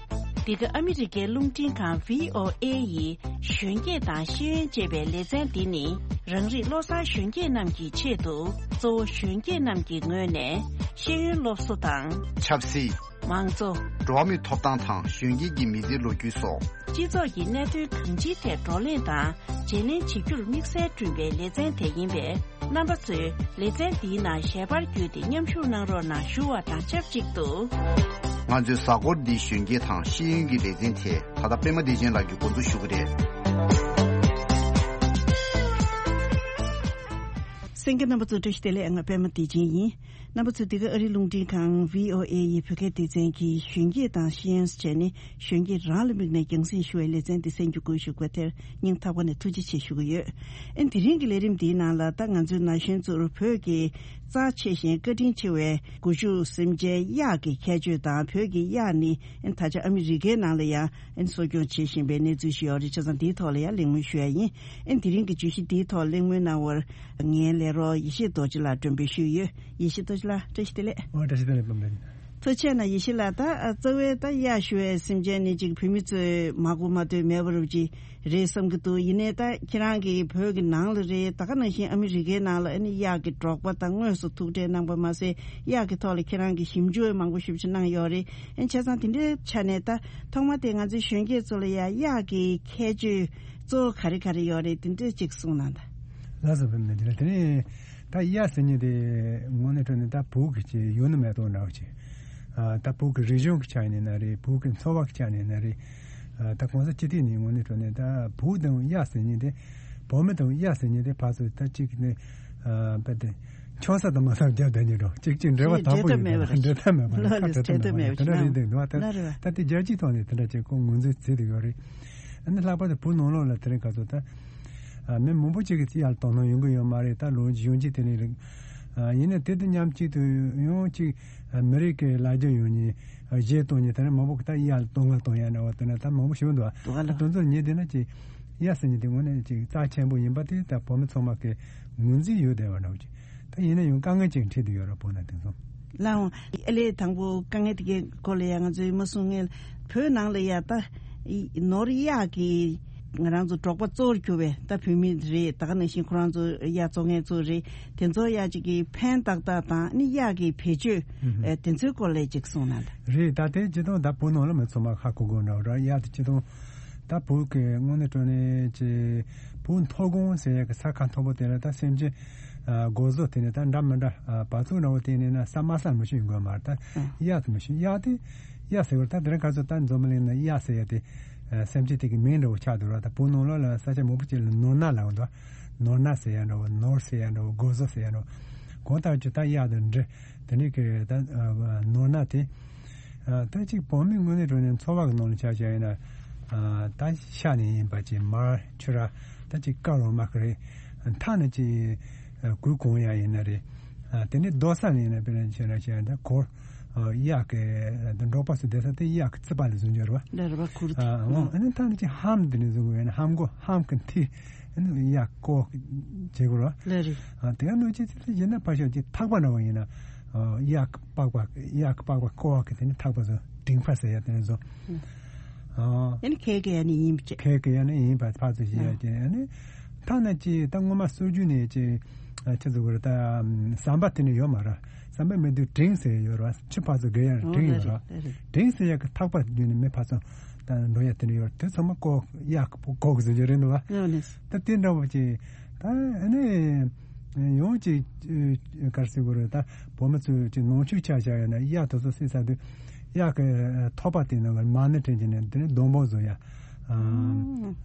འདི་ག་ཨ་མི་རི་ཀའི་རླུང་འཕྲིན་ཁང་བྷི་ཨོ་ཨེ་ཡི་གཞོན་སྐྱེས་དང་ཤེས་ཡོན་ཅེས་པའི་ལེ་ཚན་འདི་ནི། རང་རིགས་བློ་བཟང་གཞོན་སྐྱེས་རྣམས་ཀྱི་ཆེད་དུ། གཙོ་བོ་གཞོན་སྐྱེས་རྣམས་ཀྱི་ངོས་ནས་ཤེས་ཡོན་སློབ་གསོ་དང་། ཆབ་སྲིད། མང་གཙོ། འགྲོ་བ་མིའི་ཐོབ་ཐང་དང་གཞོན་སྐྱེས་ཀྱི་མི་ཚེའི་ལོ་རྒྱུས་སོགས། སྤྱི་ཚོགས་ཀྱི་གནད་དོན་གང་ཅིའི་ཐད་བགྲོ་གླེང་དང་བརྗེ་ལེན་བྱེད་རྒྱུར་དམིགས་བསལ་བསྐྲུན་པའི་ལེ་ཚན་དེ་ཡིན་པས། རྣམ་པ་ཚོས་ལེ་ཚན་འདིའི་ནང་ཞལ་པར་བརྒྱུད་དེ་མཉམ་ཞུགས་གནང་རོགས་གནང་ཞུ་བ་དང་ཆབས་ཅིག་ཏུ། ང་ཚོའི་གཟའ་འཁོར་འདིའི་གཞོན་སྐྱེས་དང་ཤེས་ཡོན་གྱི་ལེ་ཚན་དེ་ད་ལྟ་པད་མ་བདེ་ཆེན་ལགས་ཀྱིས་འགོ་འཛུགས་ཞུ་གི་རེད། གསན་མཁན་རྣམ་པ་ཚོ་བཀྲ་ཤིས་བདེ་ལེགས། ང་པད་མ་བདེ་ཆེན་ཡིན། རྣམ་པ་ཚོ་འདི་ག་ཨ་རིའི་རླུང་འཕྲིན་ཁང་བྷི་ཨོ་ཨེ་ཡི་བོད་སྐད་སྡེ་ཚན་གྱི་གཞོན་སྐྱེས་དང་ཤེས་ཡོན་ཟེར་བྱས་ནས། གཞོན་སྐྱེས་རང་ལ་དམིགས་ནས་རྒྱང་སྲིང་ཞུ་བའི་ལེ་ཚན་འདི་གསན་རྒྱུ་དགོས་ཞུ་དགོས་དེར་སྙིང་ཐག་པ་ནས་ཐུགས་རྗེ་ཆེ་ཞུ་གི་ཡོད། ཨེ་དེ་རིང་གི་ལས་རིམ་འདིའི་ནང་ལ་ད་ང་ཚོའི་ན་གཞོན་ཚོར་བོད་ཀྱི་རྩ་ཆེ་ཞིང་བཀའ་དྲིན་ཆེ་བའི་སྒོ་ཕྱུགས་སེམས་ཅན་གཡག་གི་ཁྱད་ཆོས་དང་། བོད་ཀྱི་གཡག་ནི་ཨེ་ད་ཆ་ཨ་མི་རི་ཀའི་ནང་ལ་ཡང་ཨེ་གསོ་སྐྱོང་བྱེད་བཞིན་པའི་གནས་ཚུལ་ཞིག་ཡོད་རེད། བྱས་ཙང་འདིའི་ཐོག་ལ་ཡང་གླེང་མོལ་ཞུ་ཡ་ཡིན། ཨེ་དེ་རིང་གི་བརྗོད་གཞི་འདིའི་ཐོག་གླེང་མོལ་གནང་བར་ངའི་ལས་རོགས་ཡེ་ཤེས་རྡོ་རྗེ་ལགས་མགྲོན་འབོད་ཞུས་ཡོད། ཡེ་ཤེས་རྡོ་རྗེ་ལགས་བཀྲ་ཤིས་བདེ་ལེགས། ཨོ་བཀྲ་ཤིས་བདེ་ལེགས་པད་མ་བདེ་ཆེན། ཐུགས་རྗེ་གནང་ཡེ་ཤེས་ལགས། ད་ཨ་རྩ་བའི་ད་གཡག་ཞུ་བའི་སེམས་ཅན་ནི་ཅིག་བོད་མི་ཚོས་མ་གོ་མ་ཐོས་མེད་པ་རུ་ཅིག་རེད་བསམ་གྱི་འདུག་ཡིན་ནའི་ད་ཁྱེད་རང་གིས་བོད་ཀྱི་ནང་ལ་རེད། ད་ག་ནང་བཞིན་ཨ་མི་རི་ཀའི་ནང་ལ་ཨ་ནི་གཡག་གི་འབྲོག་པ་དང་དངོས་སུ་ཐུག་འཕྲད་གནང་པ་མ་ཟད། གཡག་གི་ཐོག་ལ་ཁྱེད་རང་གིས་ཞིབ་འཇུག་མང་པོ་ཞེ་པོ་ཅིག་གནང་ཡོད་རེད། ཨ་ནི་བྱས་ཙང་དེ་འདྲའི་ཆ་ནས་ད་ཐོག་མ་དེ་ང་ཚོའི་གཞོན་སྐྱེས་ཚོ་ལ་ཡ་གཡག་གི་ཁྱད་ཆོས་གཙོ་བོ་ག་རེ་ག་རེ་ཡོད་རེད། དེ་འདྲ་ཅིག་གསུངས་གནང་དང་། ལགས་སོ། བུད་མེད་འདི་ལ་དེ་ནས་ད་གཡག་ཟེར་མཁན་དེ་དངོས་གནས་དྲང་གནས་ད་བོད་ཀྱི་ཆེས་ཡུལ་ནི་མེ་ཏོག་འདྲ་བོ་ཅིག་ཨ་ད་བོད་ཀྱི་རིག་གཞུང་གི་ཆ་ནས་ན་རེད། བོད་ཀྱི་འཚོ་བ་གི་ཆ་ནས་ན་རེད། ཨ་ད་གོང་ས་སྤྱི་འཐུས་ནས་དངོས་གནས་དྲང་གནས་ད་བོད་དང་གཡག་ཟེར་མཁན་དེ། བོད་མི་དང་གཡག་ཟེར་མཁན་དེ་ཕར་ཚུར་ད་གཅིག་ནས་ཨ་བས་ཏེ་ཆོག་ས་དང་མ་ས་རྒྱབ་བསྡད་ཉེ་འགྲོ། གཅིག་གཅིག་འབྲེལ་བ་དམ་པོ་ཡོད་ན་འབྲེལ་ཐབས་མེད་པ་རེད། ཁ་བྲལ་ཐབས་མེད་པ་རེད། དེ་འདྲ་རེད་འདུག་བ། ད་ད་དེ་རྒྱལ་སྤྱིའི་ཐོག་ནས་དེ་འདྲ་ཅིག་ཁོ་ངོས་འཛིན་བྱེད་དུ་ཡོད་རེད། ཨ་ནི་ལྷག་པར་དུ་བོད་ནང་ལོགས་ལ་དེ་རིང་ག་ཚོད་ད་ཨ་མི་མང་པོ་ཅིག་གིས་གཡག་ལ་དོ་སྣང་ཡོང་གི་ཡོད་མ་རེད། ད་ལོ་གཞོན་སྐྱེས་དེ་ནས་རེད། ཨ་ཡིན་ན་དེ་དང་མཉམ་གཅིག་ཏུ་ཡང་ཅིག་ཨ་མི་རིགས་ཀྱི་ལ་རྒྱ་ཡོད་མཁན་གཞས་གཏོང་མཁན་དེ་འདྲ་མང་པོ་གིས་ད་གཡག་ལ་དོ་སྣང་གཏོང་ཡ་འདྲ་བ་དེ་འདྲ་ད་མང་པོ་ཞིག་འདུག་བ། དེ་ཚོ་ངས་བལྟས་ན་ཅིག་གཡག་ཟེར་མཁན་དེ་དངོས་གནས་ཅིག་རྩ་ཆེན་པོ་ཡིན་པ་དེ་ད་བོད་མི་ཚང་མ་གིས་ངོས་འཛིན་ཡོད་བསྡད་པ་འདྲ་བོ་ཅིག་ད་ཡིན་ན་ཡང་དཀའ་ངལ་ཅིག་འཕྲད་དུ་ཡོད་ར། བོད་ནང་དེང་སང་། ལའང་ཨ་ལས་དང་པོ་དཀའ་ངལ་དེ་གའི་སྐོར་ལ་ཡང་ང་ཚོས་མ་གསུང་ངེས། བོད་ནང་ལ་ཡ་ད་ནོར་གཡག་གི་ང་རང་ཚོ་འབྲོག་པ་གཙོ་བོར་གྱུར་བའི་ད་བོད་མི་རེད། ད་ག་ནང་བཞིན་ཁོ་རང་ཚོ་གཡག་བཙོང་མཁན་ཚོ་རེད། དེ་ཚོ་ཡ་གཅིག་གི་ཕན་ཏག་ཏག་དང་ནི་གཡག་གི་བེད་སྤྱོད་ཨ་དེ་ཚོའི་སྐོར་ལ་ཅིག་གསུངས་ན་ད། རེད། ད་དེ་སྤྱི་དང་ད་བོད་ནང་ལ་མི་ཚང་མ་ཧ་གོ་དགོས་འདྲ་བོ་ར། གཡག་དེ་སྤྱི་དང་ད་བོད་ཀྱི་དངོས་གནས་དྲང་གནས་ཀྱི་བོད་མཐོ་སྒང་ཟེར་ཡག་གི་ས་ཁ་མཐོ་པོ་དེ་ལ་ད་སེམས་ཅན་ཨ་སྒོ་ཟོག་དེ་ནས་ད་འདྲ་མི་འདྲ་ཨ་བ་ཚུགས་འདྲ་བོ་དེ་ནས་ན་ས་དམའ་ས་མི་ཤེས་དགོས་མ་རེད། ད་ཨ་གཡག་དེ་མི་ཤེས། གཡག་དེ་གཡག་ཟེར་བར་ད་དེ་རིང་ཁ་སང་ད་འཛམ་བུ་གླིང་ན་གཡག་ཟེར་ཡག་དེ་ཨ་སེམས་ཅན་དེ་གི་མིང་འདྲ་བོ་ཆགས་འདུག་ར། ད་བོད་ནང་ལོགས་ལ་ས་ཆ་མང་པོ་ཅིག་ལ་ནོར་ནག་ལབ་འདུག་ནོར་ནག་ཟེར་ཡག་འདྲ་བོ། ནོར་ཟེར་ཡག་འདྲ་བོ། སྒོ་ཟོག་ཟེར་ཡག་འདྲ་བོ། གང་ལྟར་ཀྱི་ད་གཡག་དང་འདྲ། དེ་ནས་ཀྱི་ད་ཨ་ནོར་ནག་དེ་ཨ་ད་ཅིག་བོད་མི་དངོས་གནས་དྲང་གནས་འཚོ་བ་གི་ནང་ལ་ཆ་བཞག་ཡིན་ན་ཨ་ད་ཤ་ནས་ཡིན་པ་ཅིག་མར་ཕྱུར་ར། ད་ཅིག་ཀ་རོ་མ་ཀི་རེད། མཐའ་ནས་ཅིག་ཨ་གོས་གོན་ཡག་ཡིན་ན་རེད། ཨ་དེ་ནས་སྡོད་ས་ནས་ཡིན་ན་དཔེར་ན་བྱས་ན་བྱས་ན་ད་གོར་ཨ་གཡག་གི་ད་འབྲོག་པ་ཚོ་བསྡད་ས་དེ་གཡག་གི་རྩིག་པ་ལ་བཟོ་རྒྱུ་རེད་བ། ལ་རེད་བ། གུར་དེ། ཨ་འོ་ཨ་ནི་མཐའ་ནས་ཅིག་ལྷམ་དེ་ནས་བཟོ་དགོས་ཡིན་ན་ལྷམ་གོ་ལྷམ་གི་མཐིལ་ཨ་ནི་གཡག་ཀོ་བྱེད་དགོས་རེད་བ། ལ་རེད། ཨ་དེ་ག་ནང་བཞིན་ཅིག་ཡིན་ན་ཕར་ཞོག་ཅིག་ཐག་པ་འདྲ་བོ་ཡིན་ན་ཨ་གཡག་གི་པགས་པ་གཡག་གི་པགས་པ་ཀོ་བ་གི་དེ་ནས་ཐག་པ་བཟོ། འབྲིང་པ་ཟེར་ཡག་དེ་ནས་བཟོ། ཨ་ཨ་ནི་ཁལ་གི་ཡ་ནི་ཡིན་པ་བྱས། ཁལ་གི་ཡ་ནི་ཡིན་པ་ཕར་ཚུར་བྱེད་ཡག་ཅིག་ཨ་ནི་ཐ་ན་ཅིག་ད་སྔོན་མ་སྲོལ་རྒྱུན་ནས་ཅིག་ཨ་ཅི་ཟེར་དགོས་རེད། ད་ཟམ་པ་དེ་ནས་ཡོད་མ་རེད། ཟམ་པ་མེད་དུས་འབྲིང་ཟེར་ཡོད་རེད་བ། ཆུ་ཕར་ཚུར་བརྒལ་ཡག་འབྲིང་ཡོད་རེད་བ། འབྲིང་ཟེར་ཡག་གི་ཐག་པ་བརྒྱུད་ནས་མི་ཕར་ཚུར་ད་འགྲོ་ཡག་དེ་འདྲ་ཡོད་རེད། དེ་ཚང་མ་ཀོ་གཡག་ཀོ་གི་བཟོ་རྒྱུ་རེད་འདུག་བ། ད་དེ་འདྲ་བོ་ཅིག་ད་ཨ་ནི་ཡང་ཅིག་ག་རེ་ཟེར་དགོས་རེད། ད་བོད་མི་ཚོས་ཅིག་ནང་ཆོས་ཆ་བཞག་ཡོད་ན་གཡག་དེ་ཚོ་བསད་ཚར་དུས་གཡག་གི་ཐོག་པ་དེ་ནང་གི་མ་ཎི་བྲན་གྱི་ནས་དེ་ནས་སྡོང་པོ་བཟོ་ཡག་ཨ་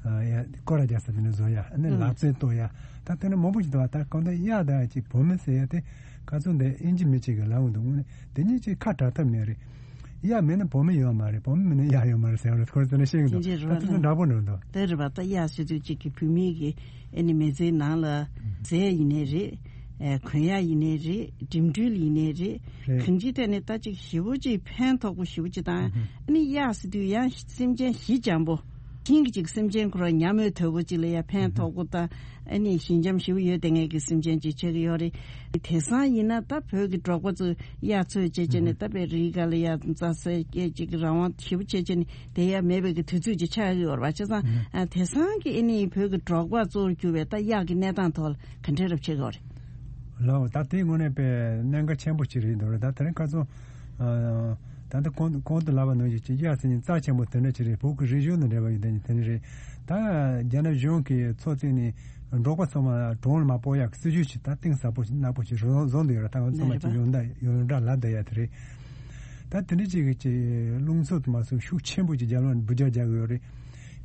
ཨ་ཡ་སྐོར་ར་རྒྱག་ས་དེ་ནས་བཟོ་ཡག་ཨ་ནི་ལག་རྩལ་གཏོད་ཡག་ད་དེ་ནས་མང་པོ་ཞིག་འདུག་བ། ད་གང་ལྟར་གཡག་ད་ཅིག་བོད་མི་ཟེར་ཡག་དེ་ག་ཚོད་འདི་ཨིན་ཇི་མི་གཅིག་གི་ལབ་འདུག་དངོས་གནས་དེ་གཉིས་ཅིག་ཁ་བྲལ་ཐབས་མེད་རེད། གཡག་མེད་ན་བོད་མི་ཡོད་མ་རེད། བོད་མི་མེད་ན་གཡག་ཡོད་མ་རེད་ཟེར་བ་རེད། ཁོ་རང་ཚོ་ནས་ཤེས་ཀྱི་འདུག་ད་དེ་ཚོ་འདྲ་པོ་འགྲོ་འདུག་དེ་རེད་པ། ད་གཡག་ཟེར་དུས་གཅིག་གི་བོད་མི་གི་ཨ་ནི་མི་ཚེའི་ནང་ལ་ཟས་ཡིན་ནའི་རེད། ཨ་གོན་ཡག་ཡིན་ནའི་རེད། འགྲིམ་འགྲུལ་ཡིན་ནའི་རེད། རེད། གང་ཅིའི་ཐད་ནས་ད་ཅིག་ཞེ་པོ་ཅིག་ཕན་ཐོགས་པོ་ཞེ་པོ་ཅིག་དང་། ཨ་ནི་གཡག་ཟེར་དུས་ཡང་སེམས་ཅན་ཞི་འཇམ་པོ། ཤིང་གི་ཅིག་སེམས་ཅན་ཁོ་རང་ཉམས་མྱོང་དོད་པོ་ཅིག་ལ་ཡང་ཕན་ཐོགས་པོ་དང་། ཨ་ནི་ཞི་འཇམ་ཞེ་པོ་ཡོད་བསྡད་མཁན་གྱི་སེམས་ཅན་ཅིག་ཆགས་ཀྱི་ཡོད་རེད། དེང་སང་ཡིན་ན་ད་བོད་ཀྱི་འབྲོག་པ་ཚོས་གཡག་འཚོ་བྱས་བྱས་ནས་ད་དཔེ་རི་ག་ལ་ཡ་རྩྭ་ཟས་སྐྱེད་ཅིག་རང་དབང་ཞེ་པོ་བྱས་བྱས་ནས་བསྡད་ཡ་མེད་པའི་གི་དུས་ཚོད་ཅིག་ཆགས་ཀྱི་ཡོད་རེད་པ། བྱས་ཙང་ཨ་དེང་སང་གི་ཨ་ནི་བོད་ཀྱི་འབྲོག་པ་གཙོ་བོར་གྱུར་བའི་ད་གཡག་གི་གནས་སྟངས་ཐོག་ལ་ག་འདྲས་རབ་བྱེད་དགོས་རེད། ལགས་ད་དེ་དངོས་གནས་དཔེ་གནད་འགག་ཆེན་པོ་ཅིག་རེད་འདུག་རེད། ད་དེ་རིང་ཁ་སང་ཨ་ད་ལྟ་གོང་གོང་དུ་ལབ་པ་ནང་བཞིན་གྱི་གཡག་ཟེར་མཁན་རྩ་ཆེན་པོ་དེ་འདྲ་ཅིག་རེད། བོད་ཀྱི་རིག་གཞུང་དང་འབྲེལ་བ་ཡོད་མཁན་དེ་འདྲ་རེད། ད་རྒྱ་ནག་གཞུང་གིས་ཚོགས་བཙུགས་ནས་འབྲོག་པ་ཚང་མ་གྲོང་ལ་མ་སྤོ་ཡག་སྲིད་ཇུས་ཅིག་ད་གཏིང་ཟབ་པོ་ཞིག་ནག་པོ་ཞིག་བཟོ་བཟོ་འདོད་ཡོད་རེད། ད་ང་ཚང་མ་ཅིག་ཡོངས་གྲགས་ཡོངས་གྲགས་ལབ་བསྡད་ཡ་དེ་རེད། ད་དེ་འདྲ་ཅིག་གི་ཅིག་རླུང་འཚུབ་དུ་མ་སོང་ཤུགས་ཆེན་པོ་ཅིག་རྒྱབ་ལོགས་ནས་འབུད་རྒྱག་རྒྱག་གི་ཡོད་རེད།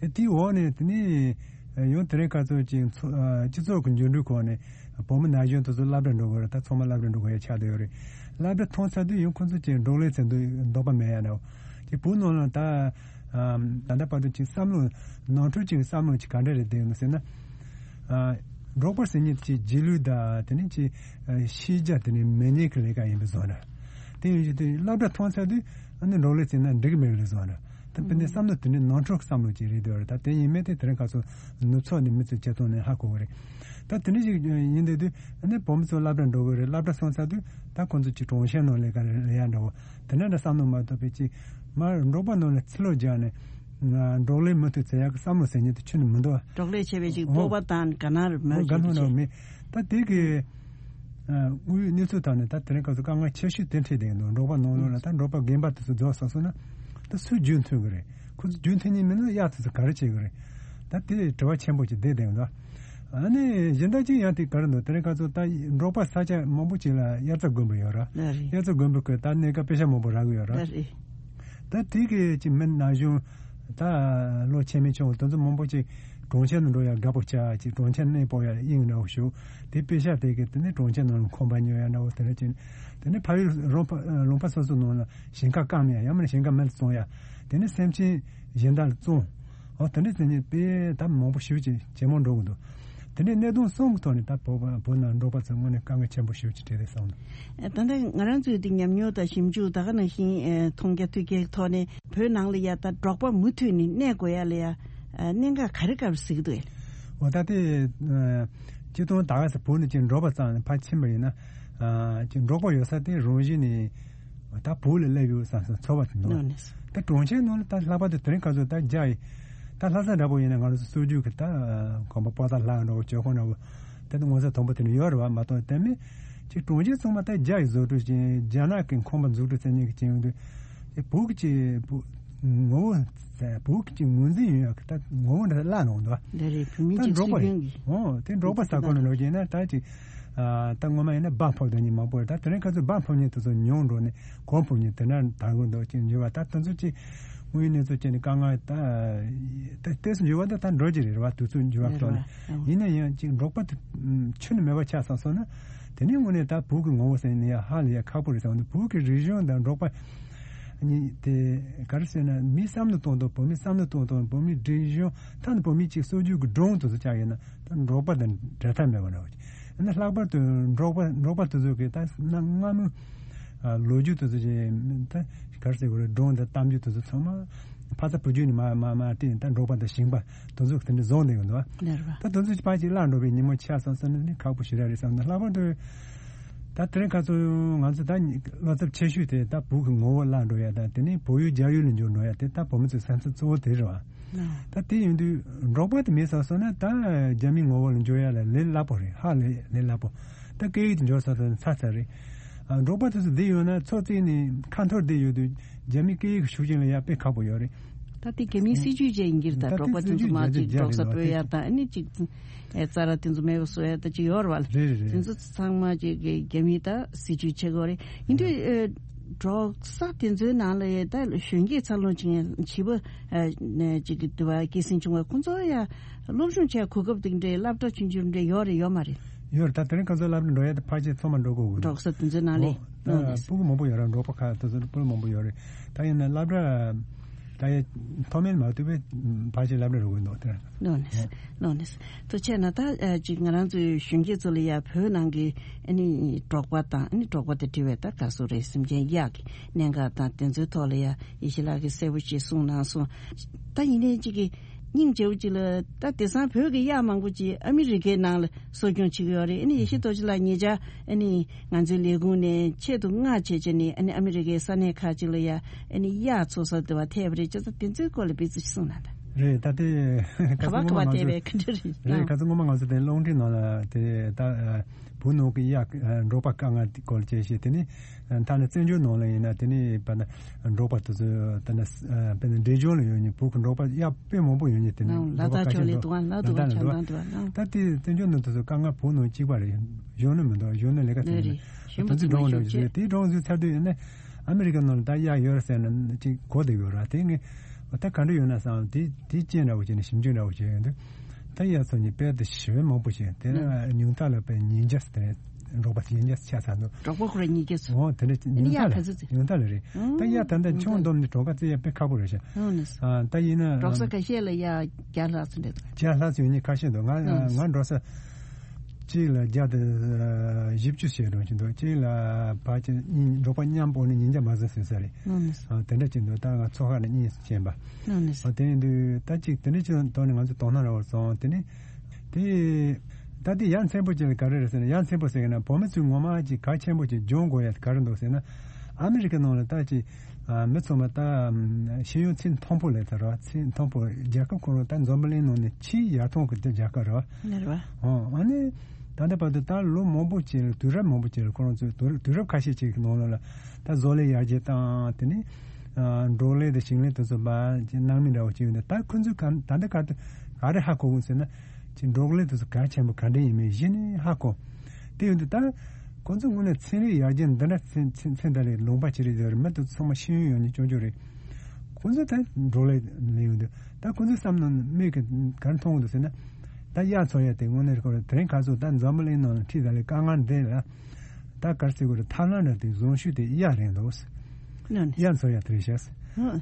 ཨེ་དེའི་འོག་ནས་དེ་ནས་ཡང་དེ་རིང་ཁ་སང་ཅིག་ཚོ་ཨ་སྤྱི་ཚོགས་ཀྱི་འགྱུར་འགྲོས་ཁོངས་ནས་བོད་མི་ན་གཞོན་དེ་ཚོ་སློབ་གྲྭ་འགྲོ་དགོས་རེད། ད་ཚང་མ་སློབ་གྲྭ་འགྲོ་དགོས་ཡ་ཆགས་བསྡད་ཡོད་རེད། སློབ་གྲྭ་ཐོན་ཚར་དུས་ཡང་ཁོ་ཚོ་ཅིག་འབྲོག་ལས་ཚན་དུ་འདོད་པ་མེད་ཡ་འདྲ་བོ་ཅིག་བོད་ནང་ལ་ད། ཨམ། ད་ལྟ་བར་དུ་ཅིག་བསམ་བློ་ནང་ཁྲོལ་ཅིག་བསམ་བློ་ཅིག་ག་འདྲ་རེད་བསྡད་ཡོད་ཟེར་ན། ཨ། འབྲོག་པ་ཟེར་མཁན་ཅིག་རྗེས་ལུས་དང་དེ་ནས་ཅིག་ཨ་ཤེས་བྱ་དེ་ནས་མེད་མཁན་གྱི་ལས་ཀ་ཡིན་པའི་བཟོ་འདྲ། དེ་ཡིན་དུས་དེ་སློབ་གྲྭ་ཐོན་ཚར་དུས་ཨ་ནི་འབྲོག་ལས་བྱས་ན་འགྲིག་གི་མེད་པའི་བཟོ་འདྲ། ད་དཔེར་ན་བསམ་བློ་དེ་འདྲའི་ནང་ཁྲོལ་བསམ་བློ་ཅིག་རེད་འདོད་རེད། ད་དེ་ཡིན་མིན་དེ་དེ་རིང་ཁ་སང་ནུབ་ཕྱོགས་ནས་མི་ཚོས་བྱེད་སྟངས་ནས་ཧ་གོ་གི་རེད། ད་དེ་འདྲ་ཞིག་ཡིན་དུས་དུས་ཨ་ནི་བོད་མི་ཚོ་སློབ་གྲྭ་འགྲོ་གི་རེད། སློབ་གྲྭ་སོང་ཚར་དུས་ད་ཁོང་ཚོ་ཅིག་གྲོང་ཁྱེར་ནང་ལས་ཀ་རེད་ལས་ཡ་འདྲ་བོ། དེ་འདྲ་འདྲ་བསམ་བློ་མ་གཏོགས་པའི་ཅིག་མར་འབྲོག་པ་ནང་ལ་ཚུར་ལོག་རྒྱག་ནས་ང་འབྲོག་ལས་མུ་མཐུད་བྱེད་ཡག་གི་བསམ་བློ་ཟེར་མཁན་དེ་ཁྱོན་ནས་མི་འདུག་འབྲོག་ལས་བྱས་པའི་ཅིག་ཨོ། སྤོབས་པ་དང་དགའ་སྣང་རེ་མ་ཨོ་དགའ་སྣང་རེ་མེད། ད་དེ་གི་ཨ། དངོས་ཡོད་གནས་ཚུལ་ཐོག་ནས་ད་དེ་རིང་ཁ་སང་དཀའ་ངལ་ཆེ་ཤོས་དེ་འཕྲད་བསྡད་འདུག་འབྲོག་པ་ནང་ལོགས་ལ་ད་འབྲོག་པ་རྒན་པ་དེ་ཚོ་རྫོགས་སོང་སོང་ན་ད་སུས་རྒྱུན་མཐུད་གི་རེད། ཁོ་ཚོ་རྒྱུན་མཐུད་མཁན་མིན་ན་གཡག་དེ་ཚོ་ག་རེ་བྱེད་གི་རེད། ད་དེ་དྲི་བ་ཆེན་པོ་ཅིག་བསྡད་བསྡད་འདུག་ཨ་ནི་གཞན་དག་ཅིག་ཡང་དེ་ག་རེ་འདུག་དེ་རིང་ཁ་སང་ད་འབྲོག་པ་ས་ཆ་མང་པོ་ཅིག་ལ་དབྱར་རྩྭ་དགུན་འབུ་ཡོད་ར། ལགས་རེད། དབྱར་རྩྭ་དགུན་འབུ་གི་ད་གནས་སྐབས་པེ་ཤ་མང་པོ་རག་གི་ཡོད་ར། ལགས་རེད། ད་དེ་གི་ཅིག་མི་ན་གཞོན་ད་ལོ་ཆེ་མི་ཆུང་དེ་ཚོ་མང་པོ་ཅིག་གྲོང་ཁྱེར་ནང་འགྲོ་ཡ་དགའ་པོ་ཆགས་ཅིག་གྲོང་ཁྱེར་གནས་སྤོ་ཡ་དབྱིངས་འདྲ་བོ་ཞུགས་དེ་པེ་ཤ་དེ་གི་དེ་ནས་གྲོང་ཁྱེར་ནང་ལ་ཁང་པ་ཉོ་ཡ་འདྲ་བོ་དེ་འདྲ་ཅིག་དེ་ནས་ཕ་ཡུལ་རོང་པ་ལུང་པ་སོ་སོ་ནང་ལ་ཞིང་ཁ་བསྐམ་ཡ་ཡང་མིན་ན་ཞིང་ཁ་མེད་ལ་བཙོང་ཡ་དེ་ནས་སེམས་ཅན་གཞན་དག་ལ་བཙོང་། ཨོ་དེ་འདྲ་ཟེར་མཁན་དཔེ་ད་མང་པོ་ཞེ་པོ་ཅིག་ཇེ་མང་འགྲོ་གི་འདུག་དེ་འདྲའི་གནད་དོན་གསུམ་གྱི་ཐོག་ནས་ད་བོད་པ་བོད་ནང་འབྲོག་པ་ཚོ་དངོས་གནས་དཀའ་ངལ་ཆེན་པོ་ཞེ་པོ་ཅིག་འཕྲད་རེད་བསམ་འདུག་ད་ལྟ་ང་རང་ཚོའི་དེ་ཉམས་མྱོང་དང་ཞིབ་འཇུག་ད་ག་ནང་བཞིན་ཨེ་མཐོང་རྒྱ་ཐོས་རྒྱའི་ཐོག་ནས་བོད་ནང་ལ་ཡ་ད་འབྲོག་པ་མུ་མཐུད་ནས་གནས་དགོས་ཡ་ལ་ཡ་ཨེ་གནད་འགག་ག་རེ་ག་རེ་གཟིགས་འདུག་ཨེ། འོ་ད་དེ་ཨེ་ སྤྱིར་བཏང་ད་ག་ས་བོད་ནས་ཅིག་འབྲོག་པ་ཙམ་ནས་ཕར་ཕྱིན་པ་ཡིན་ན། ཨ་ཅིག་འབྲོག་པ་ཡོད་ས་དེ་རང་བཞིན་ནས་ད་བོད་ལ་སླེབས་ཡོད་བསམ་བསམ་ཚོར་བ་དེ་འདུག་ལགས་ནས། ད་གྲོང་ཁྱེར་ནང་ལ་ད་ལྷག་པར་དུ་དེ་རིང་ཁ་སང་ད་རྒྱ་ཡི་ད་ལྷ་ས་འདྲ་པོ་ཡིན་ན་ང་རང་ཚོ་སྲོལ་རྒྱུན་གྱི་ད་གོམ་པ་པོ་ཏ་ལ་འགྲོ་བ་ཇོ་ཁང་འདྲ་པོ་ད་ནི་ངོ་ཚ་དང་པོ་དེ་ནི་ཡོད་རེད་བ། མ་གཏོགས་དེ་མིན་ཅིག་གྲོང་ཁྱེར་ཚང་མ་ད་རྒྱ་ཡི་བཟོ་སྐྲུན་བྱས། རྒྱ་ནག་གི་ཁང་པ་འཛུགས་སྐྲུན་བྱེད་མཁན་གྱི་ཅན་ཡོང་དུས་དེ་བོད་ཀྱི་ཅིག་བོད་ངོ་བོ་བོད་ཀྱི་ཅིག་ངོས་འཛིན་ཡོད་ཡག་གི་ད་ངོ་བོ་འདྲ་བརླག་ནོ་འདུག་ལས་རེད། བོད་མི་ད་གཅིག་འབྲོག་པ་སྲིད་རེད། དོན་གྱི་ཨོ་དེ་འབྲོག་པ་ས་ཁོངས་ནས་ལོག་རྒྱུ་ཡིན་ན་ད་ཅིག་ཨ་ད་སྔོན་མ་ཡིན་ན་འབའ་ཕབ་དང་ཉིན་མང་པོ་རེད། ད་དེ་རིང་ཁ་ཚོ་འབའ་ཕབ་མཁན་དེ་ཚོ་ཉུང་འགྲོ་ནས་གོ་ཕབ་མཁན་དེ་འདྲ་དར་གི་འདུག་ཅིག་འགྱུར་བ་ད་དེ་ཚོ་ཅིག་དངོས་ཡོད་གནས་ཚུལ་བྱས་ནས་དཀའ་ངལ་ད་ད་ལྟས་སུ་འགྱུར་བ་ད་ད་འགྲོ་གི་རེད་བ། དུས་ཚོད་འགྱུར་བ་ལྟོས་ནས་ཡིན་ན་ཡང་ཅིག་འབྲོག་པ་དེ་ཁྱོན་ནས་མེད་པ་ཆགས་སོང་སོང་ན་དེ་ནས་དངོས་གནས་ད་བོད་ཀྱི་ངོ་བོ་ཟེར་ནས་ཡང་ཧ་ལས་ཡ་ཁག་པོ་རེད་ཟེར་བ་འདུག་བོད་ཀྱི་རིག་གཞུང་དང་འབྲོག་པ་གཉིས་དེ་ག་རེ་ཟེར་ན་མི་བསམ་བློ་གཏོང་སྟངས་བོད་མི་བསམ་བློ་གཏོང་སྟངས་བོད་མི་རིག་གཞུང་ད་ནི་བོད་མི་གཅིག་སྲོལ་རྒྱུན་གྱི་སྒྲུང་དེ་ཚོ་ཆགས་ཡོད་ན་ད་འབྲོག་པ་དང་འབྲལ་ཐབས་མེད་པ་འདྲ་བོ་ཅིག་ཡིན་ན་ལྷག་པར་དུ་འབྲོག་པ་འབྲོག་པ་དེ་ཚོ་གི་ད་གནའ་སྔ་མོའི་ལོ་རྒྱུས་དེ་ཚོ་ཅིག་ད་ག་རེ་ཟེར་དགོས་རེད། སྒྲུང་དང་གཏམ་རྒྱུད་དེ་ཚོ་ཚང་མ་ཕ་ཚ་བུ་རྒྱུད་ནས་མར་མར་མར་བལྟས་ད་འབྲོག་པ་དང་ཞིང་པ་དེ་ཚོ་དེ་འདྲ་བཟུང་བསྡད་ཡོད་འདུག་བ། ལེར་བ། ད་དེ་ཚོ་ཕལ་ཆེར་བརླག་འགྲོ་བའི་ཉིན་མོ་ཆགས་སོང་ཟེར་ན་ནི་ཁག་པོ་ཞེ་དྲག་རེད་བསམ་ན། ལྷག་པར་དུ་ད་དེ་རིང་ཁ་སང་ང་ཚོ་ད་བློ་འཚབ་ཆེ་ཤོས་དེ་ད་བོད་ཀྱི་ངོ་བོ་བརླག་འགྲོ་ཡ་དང་དེ་ནས་བོད་ཡུལ་རྒྱ་ཡུལ་ལ་འགྱུར་འགྲོ་ཡ་དེ་ད་བོད་མི་ཚོའི་སེམས་འཚབ་གཙོ་བོ་དེ་རེད་བ། ད་དེ་ཡིན་དུས་འབྲོག་པ་དེ་མེད་ས་སོང་ན་ད་རྒྱ་མིའི་ངོ་བོ་ལ་འགྱུར་ཡ་ལ་ལས་སླ་པོ་རེད། ཧ་ལས་ལས་སླ་པོ། ད་སྐད་ཡིག་དེ་འབྱོར་ས་སོང་ན་ཚར་ཚར་རེད། ཨ་འབྲོག་པ་དེ་ཚོ་བསྡད་ཡོད་ན་ཚོ་བརྩིགས་ནས་ཁ་འཐོར་བསྡད་ཡོད་དུས་རྒྱ་མིའི་སྐད་ཡིག་གི་ཤུགས་རྐྱེན་ལ་ཡ་དཔེ་ཁག་པོ་ཡོད་རེད། ད་དེ་རྒྱ་མིའི་སྲིད་ཇུས་བཅས་ཡིན་གྱི་རེད། ད་ད་འབྲོག་པ་དེ་ཚོ་མ་གཅིག་འབྲོག་ས་སྤོ་ཡ་དང་ཨ་ནི་གཅིག་ཨེ་རྩྭ་ར་དེ་ཚོ་མེད་པ་བཟོ་ཡ་ད་ཅིག་ཡོད་རེད་བ། རེད་རེད་རེད། དེ་ཚོ་ཚང་མ་ཅིག་གི་རྒྱ་མིའི་ད་སྲིད་ཇུས་བྱེད་དགོས་རེད། ཡིན་དུས་ཨེ་འབྲོག་ས་དེ་ཚོའི་ནང་ལ་ཡ་ད་གཞོན་སྐྱེས་འཚར་ལོངས་བྱེད་མཁན་བྱིས་པ་ཨེ་ཅིག་གི་དུ་བ་སྐྱེད་སྲིང་བྱུང་བ་ཁོང་ཚོ་ཡ་སློབ་སྦྱོང་བྱས་གོ་སྐབས་དེ་འདྲའི་སློབ་གྲྭ་ཆུང་ཆུང་འདྲ་ཡོད་རེད་ཡོད་མ་རེད། ཡོད་རེད། ད་དེ་རིང་ཁ་སང་སློབ་གྲྭ་འགྲོ་ཡ་དེ་ཕལ་ཆེར་ཚང་མ་འགྲོ་དགོས་ཀྱི་འདུག་འབྲོག་ས་དེ་ཚོའི་ནང་ལས། ཨོ། ད་ཨོ་ལགས་སོ། སྤུ་གུ་མང་པོ་ཡོད་རེད། འབྲོག་པ་ཁག་དེ་ཚོ་སྤུ་གུ་མང་པོ་ཡོད་རེད། ད་ཡིན་ན་སློབ་གྲྭ་ད་ཡ་མཐོ་དམན་མ་ཐུབ་པའི་ཕལ་ཆེར་སློབ་གྲྭ་འགྲོ་དགོས་འདུག་དེ་རང་། ལགས་ནས། ལགས་ནས། ཐུགས་རྗེ་གནང་། ད་ཨ་ཅིག་ང་རང་ཚོའི་གཞོན་སྐྱེས་ཚོ་ལ་ཡ་བོད་ནང་གི་ཨ་ནི་འབྲོག་པ་དང་ཨ་ནི་འབྲོག་པ་དང་འབྲེལ་བའི་ད་ག་སོ་རེད། སེམས་ཅན་གཡག་གི་གནད་འགག་དང་དེ་ཚོའི་ཐོག་ལ་ཡ་ཡེ་ཤེས་ལགས་ཀྱིས་གསལ་པོ་ཅིག་གསུངས་གནང་སོང་། ད་ཡིན་ནའི་ཅིག་གི་སྙིང་རྗེ་པོ་ཅིག་ལ་ད་དེང་སང་བོད་ཀྱི་གཡག་མང་པོ་ཅིག་ཨ་མི་རི་ཀའི་ནང་ལ་གསོ་སྐྱོང་བྱེད་ཀྱི་ཡོད་རེད། ཨ་ནི་ཡེ་ཤེས་རྡོ་རྗེ་ལགས་ཉེ་ཆར་ཨ་ནི་ང་ཚོའི་ལས་ཁུངས་ནས་ཆེད་དུ་མངགས་བྱས་བྱས་ནས་ཨ་ནི་ཨ་མི་རི་ཀའི་ས་གནས་ཁག་ཅིག་ལ་ཡ་ཨ་ནི་གཡག་འཚོ་ས་དེ་བ་ཐེབས་པ་རེད། བྱས་ཙང་དེ་ཚོའི་སྐོར་ལ་དཔེ་ཚོ་ཅིག་གསུངས་གནང་དང་། རེད། ད་དེ་ག་ཁ་བ་སང་ག་སྔོན་མ་བ་ང་ཐེབས་ཚོ་པའི་ཁ་འདྲ་རེད། རེད། ཨང་། ག་ཚོད་སྔོན་མ་ང་ཚོ་དེ་རླུང་འཕྲིན་ནང་ལ་དེ་ད་བོད་ནང་གི་གཡག་འབྲོག་པ་དཀའ་ངལ་དེ་སྐོར་བཅས་བྱས། དེ་ནས་ད་ནི་བཙན་བྱོལ་ནང་ལ་ཡིན་ན་དེ་ནས་བ་ན་འབྲོག་པ་དེ་ཚོ་ད་ནི་དཔེར་ན་འབྲས་ལྗོངས་ལ་ཡོད་མཁན་བོད་ཀྱི་འབྲོག་པ་གཡག་དཔེ་མང་པོ་ཡོད་མཁན་དེ་ནས་ཨང་། ལ་འབྲོག་པ་དྭགས་ཁ་ཕྱོགས་ཤས་ལ་འདུག་ཨང་། ལ་དྭགས་ལ་དྭགས་འདུག་ལ་དྭགས་འདུག་ཨང་། ད་དེ་བཙན་བྱོལ་ནང་དེ་ཚོ་དཀའ་ངལ་བོད་ནང་གཅིག་པ་རེད། གཞོན་ནུ་མི་འདུག་གཞོན་ནུ་ལས་ཀ་བྱེད་ནི་ད་ཚོད་འགྲོ་འདྲ་བྱེད་དེ་འགྲོ་འཛུལ་ཚར་དུས་ཡིན་ན་ཨ་མི་རི་ཀ་ནང་ལ་ད་གཡག་ཡོད་རེད་ཟེར་ན་ཅིག་གོ་བསྡད་ཡོད་ར། དེ་ངས་ད་ག་འདྲ་ཡོད་ན་བསམ། དེ་དེ་རྐྱེན་འདྲ་བོ་བྱས་ནས་ཞིབ་འཇུག་འདྲ་བོ་བྱས་ཡོང་དུས་ད་གཡག་ཚོ་གཉིས་དཔེ་དེ་ཞེ་བའི་མང་པོ་བྱས། དེ་ནས་ཉུང་མཐའ་ལ་དཔེ་ཉིས་བརྒྱ་ཙམ་དེ་འབྲོག་པ་ཉིས་བརྒྱ་ཙམ་ཆགས་ཚར་འདུག་འབྲོག་པ་ཁོ་ར་ཉིས་བརྒྱ་ཙམ། འོ་དེ་འདྲ་ཨ་ནི་གཡག་ག་ཚོད་ཙམ། ཉུང་མཐའ་ལ་རེད། ད་གཡག་ད་ལྟ་ཆུང་འདོམས་ནས་གྲོང་ཁ་བཙལ་ཡ་དཔེ་ཁག་པོ་རེད་ཤག་ཨ་ནི་ད་ཡིན་ན་འབྲོག་ས་ཁ་ཤས་ལ་གཡག་བརྒྱ་ལྷག་ཙམ་རེད། བརྒྱ་ལྷག་ཙམ་ཡོད་མཁན་ཁ་ཤས་འདུག་ང་ང་འགྲོ་ས་གཅིག་ལ་བརྒྱ་དང་བཞི་བཅུ་ཞེ་གྲངས་ཅིག་འདུག་གཅིག་ལ་ཕལ་ཆེར་གཉིས། འབྲོག་པ་མཉམ་པོ་ནི་ཉིས་བརྒྱ་མ་ཟིན་ཟིན་ས་རེད། ཨ་ནི་ཨ་དེ་འདྲ་ཅིག་འདུག་ད་ང་ཚོ་ཁ་ནས་གཉིས་སུ་ཕྱིན་པ། ཨ་ནི་ཨ་དེ་ཡིན་དུས་ད་ཅིག་དེ་འདྲ་ཅིག་ཐོག་ནས་ང་ཚོ་དོ་སྣང་རག་པ་སོང་། དེ་ནི་དེ་ད་དེ་ཡ་མཚན་པོ་ཅིག་ལ་ག་རེ་རེད་ཟེར་ན། ཡ་མཚན་པོ་ཟེར་གི་ན་བོད་མི་ཚོས་ངོ་མ་ཅིག་གལ་ཆེན་པོ་ཅིག་སྦྱོང་དགོས་ཡ་དེ་ག་རེ་འདུག་ཟེར་ན། ཨ་མི་རི་ཀ་ནང་ལ་ད་ཅིག་ཨ་མི་ཚང་མ་ད་ཤེས་ཡོན་ཚད་མཐོན་པོ་ལ་ད་ར། ཚད་མཐོན་པོ། རྒྱལ་ཁབ་ཁོ་རང་ད་འཛམ་བུ་གླིང་ནང་ནས་ཆེས་ཡར་ཐོན་གྱི་དེ་རྒྱལ་ཁབ་རེད་བ། ལེར་བ། ཨོ་ཨ་ནི་ད་ལྟ་བར་དུ་ད་ལོ་མང་པོ་ཅིག་ལ་དུས་རབས་མང་པོ་ཅིག་ལ་ཁོ་རང་ཚོས་དུས་དུས་རབས་ཁ་ཤས་ཅིག་གི་ནང་ལོགས་ལ་ད་བཟོ་ལས་ཡར་རྒྱས་བཏང་། དེ་ནས་ཨ་འབྲོག་ལས་དང་ཞིང་ལས་དེ་ཚོ་བ་ཅིག་སྣང་མེད་འདྲ་བོ་ཅིག་ཡོད་འདུག་ད་ཁོ་ཚོས་ག་ད་ལྟ་ག་ད་ག་རེ་ཧ་གོ་གི་ཟེར་ན། ཅིག་འབྲོག་ལས་དེ་ཚོ་གལ་ཆེན་པོ་ག་འདྲ་ཡིན་མིན་གཞི་ནས་ཧ་གོ། དེ་ཡོད་དུས་ད་ཁོ་ཚོ་དངོས་གནས་ཚན་རིག་ཡར་རྒྱས་འདི་འདྲ་ཚན་ཚན་ཚན་ད་ལས་ལུང་པ་ཅི་རེད་ཟེར། མི་དེ་ཚོ་ཚང་མ་ཤེས་ཡོན་ཡོད་མཁན་སྐྱོ་སྐྱོ་རེད། ཁོ་ཚོ་ད་འབྲོག་ལས་ལས་ཡོང་དུས་ད་ཁོ་ཚོའི་བསམ་མནོ་མིག་གིས་ག་རེ་མཐོང་གི་འདུག་ཟེར་ན། ད་གཡག་འཚོ་ཡ་དེ་དངོས་གནས་ཁོ་རང་དེ་རིང་ཁ་སང་ད་འཛམ་བུ་གླིང་ནང་ལ་འཁྲིས་ད་ལས་དཀའ་ངལ་འདི་ལ་ད་ག་རེ་ཟེར་དགོས་རེད། ཐབས་ལམ་འདྲ་དེ་བཟང་ཤོས་དེ་གཡག་རེད་འདུག་ལགས་ནས། གཡག་འཚོ་ཡ་དེ་རེད་ཤག་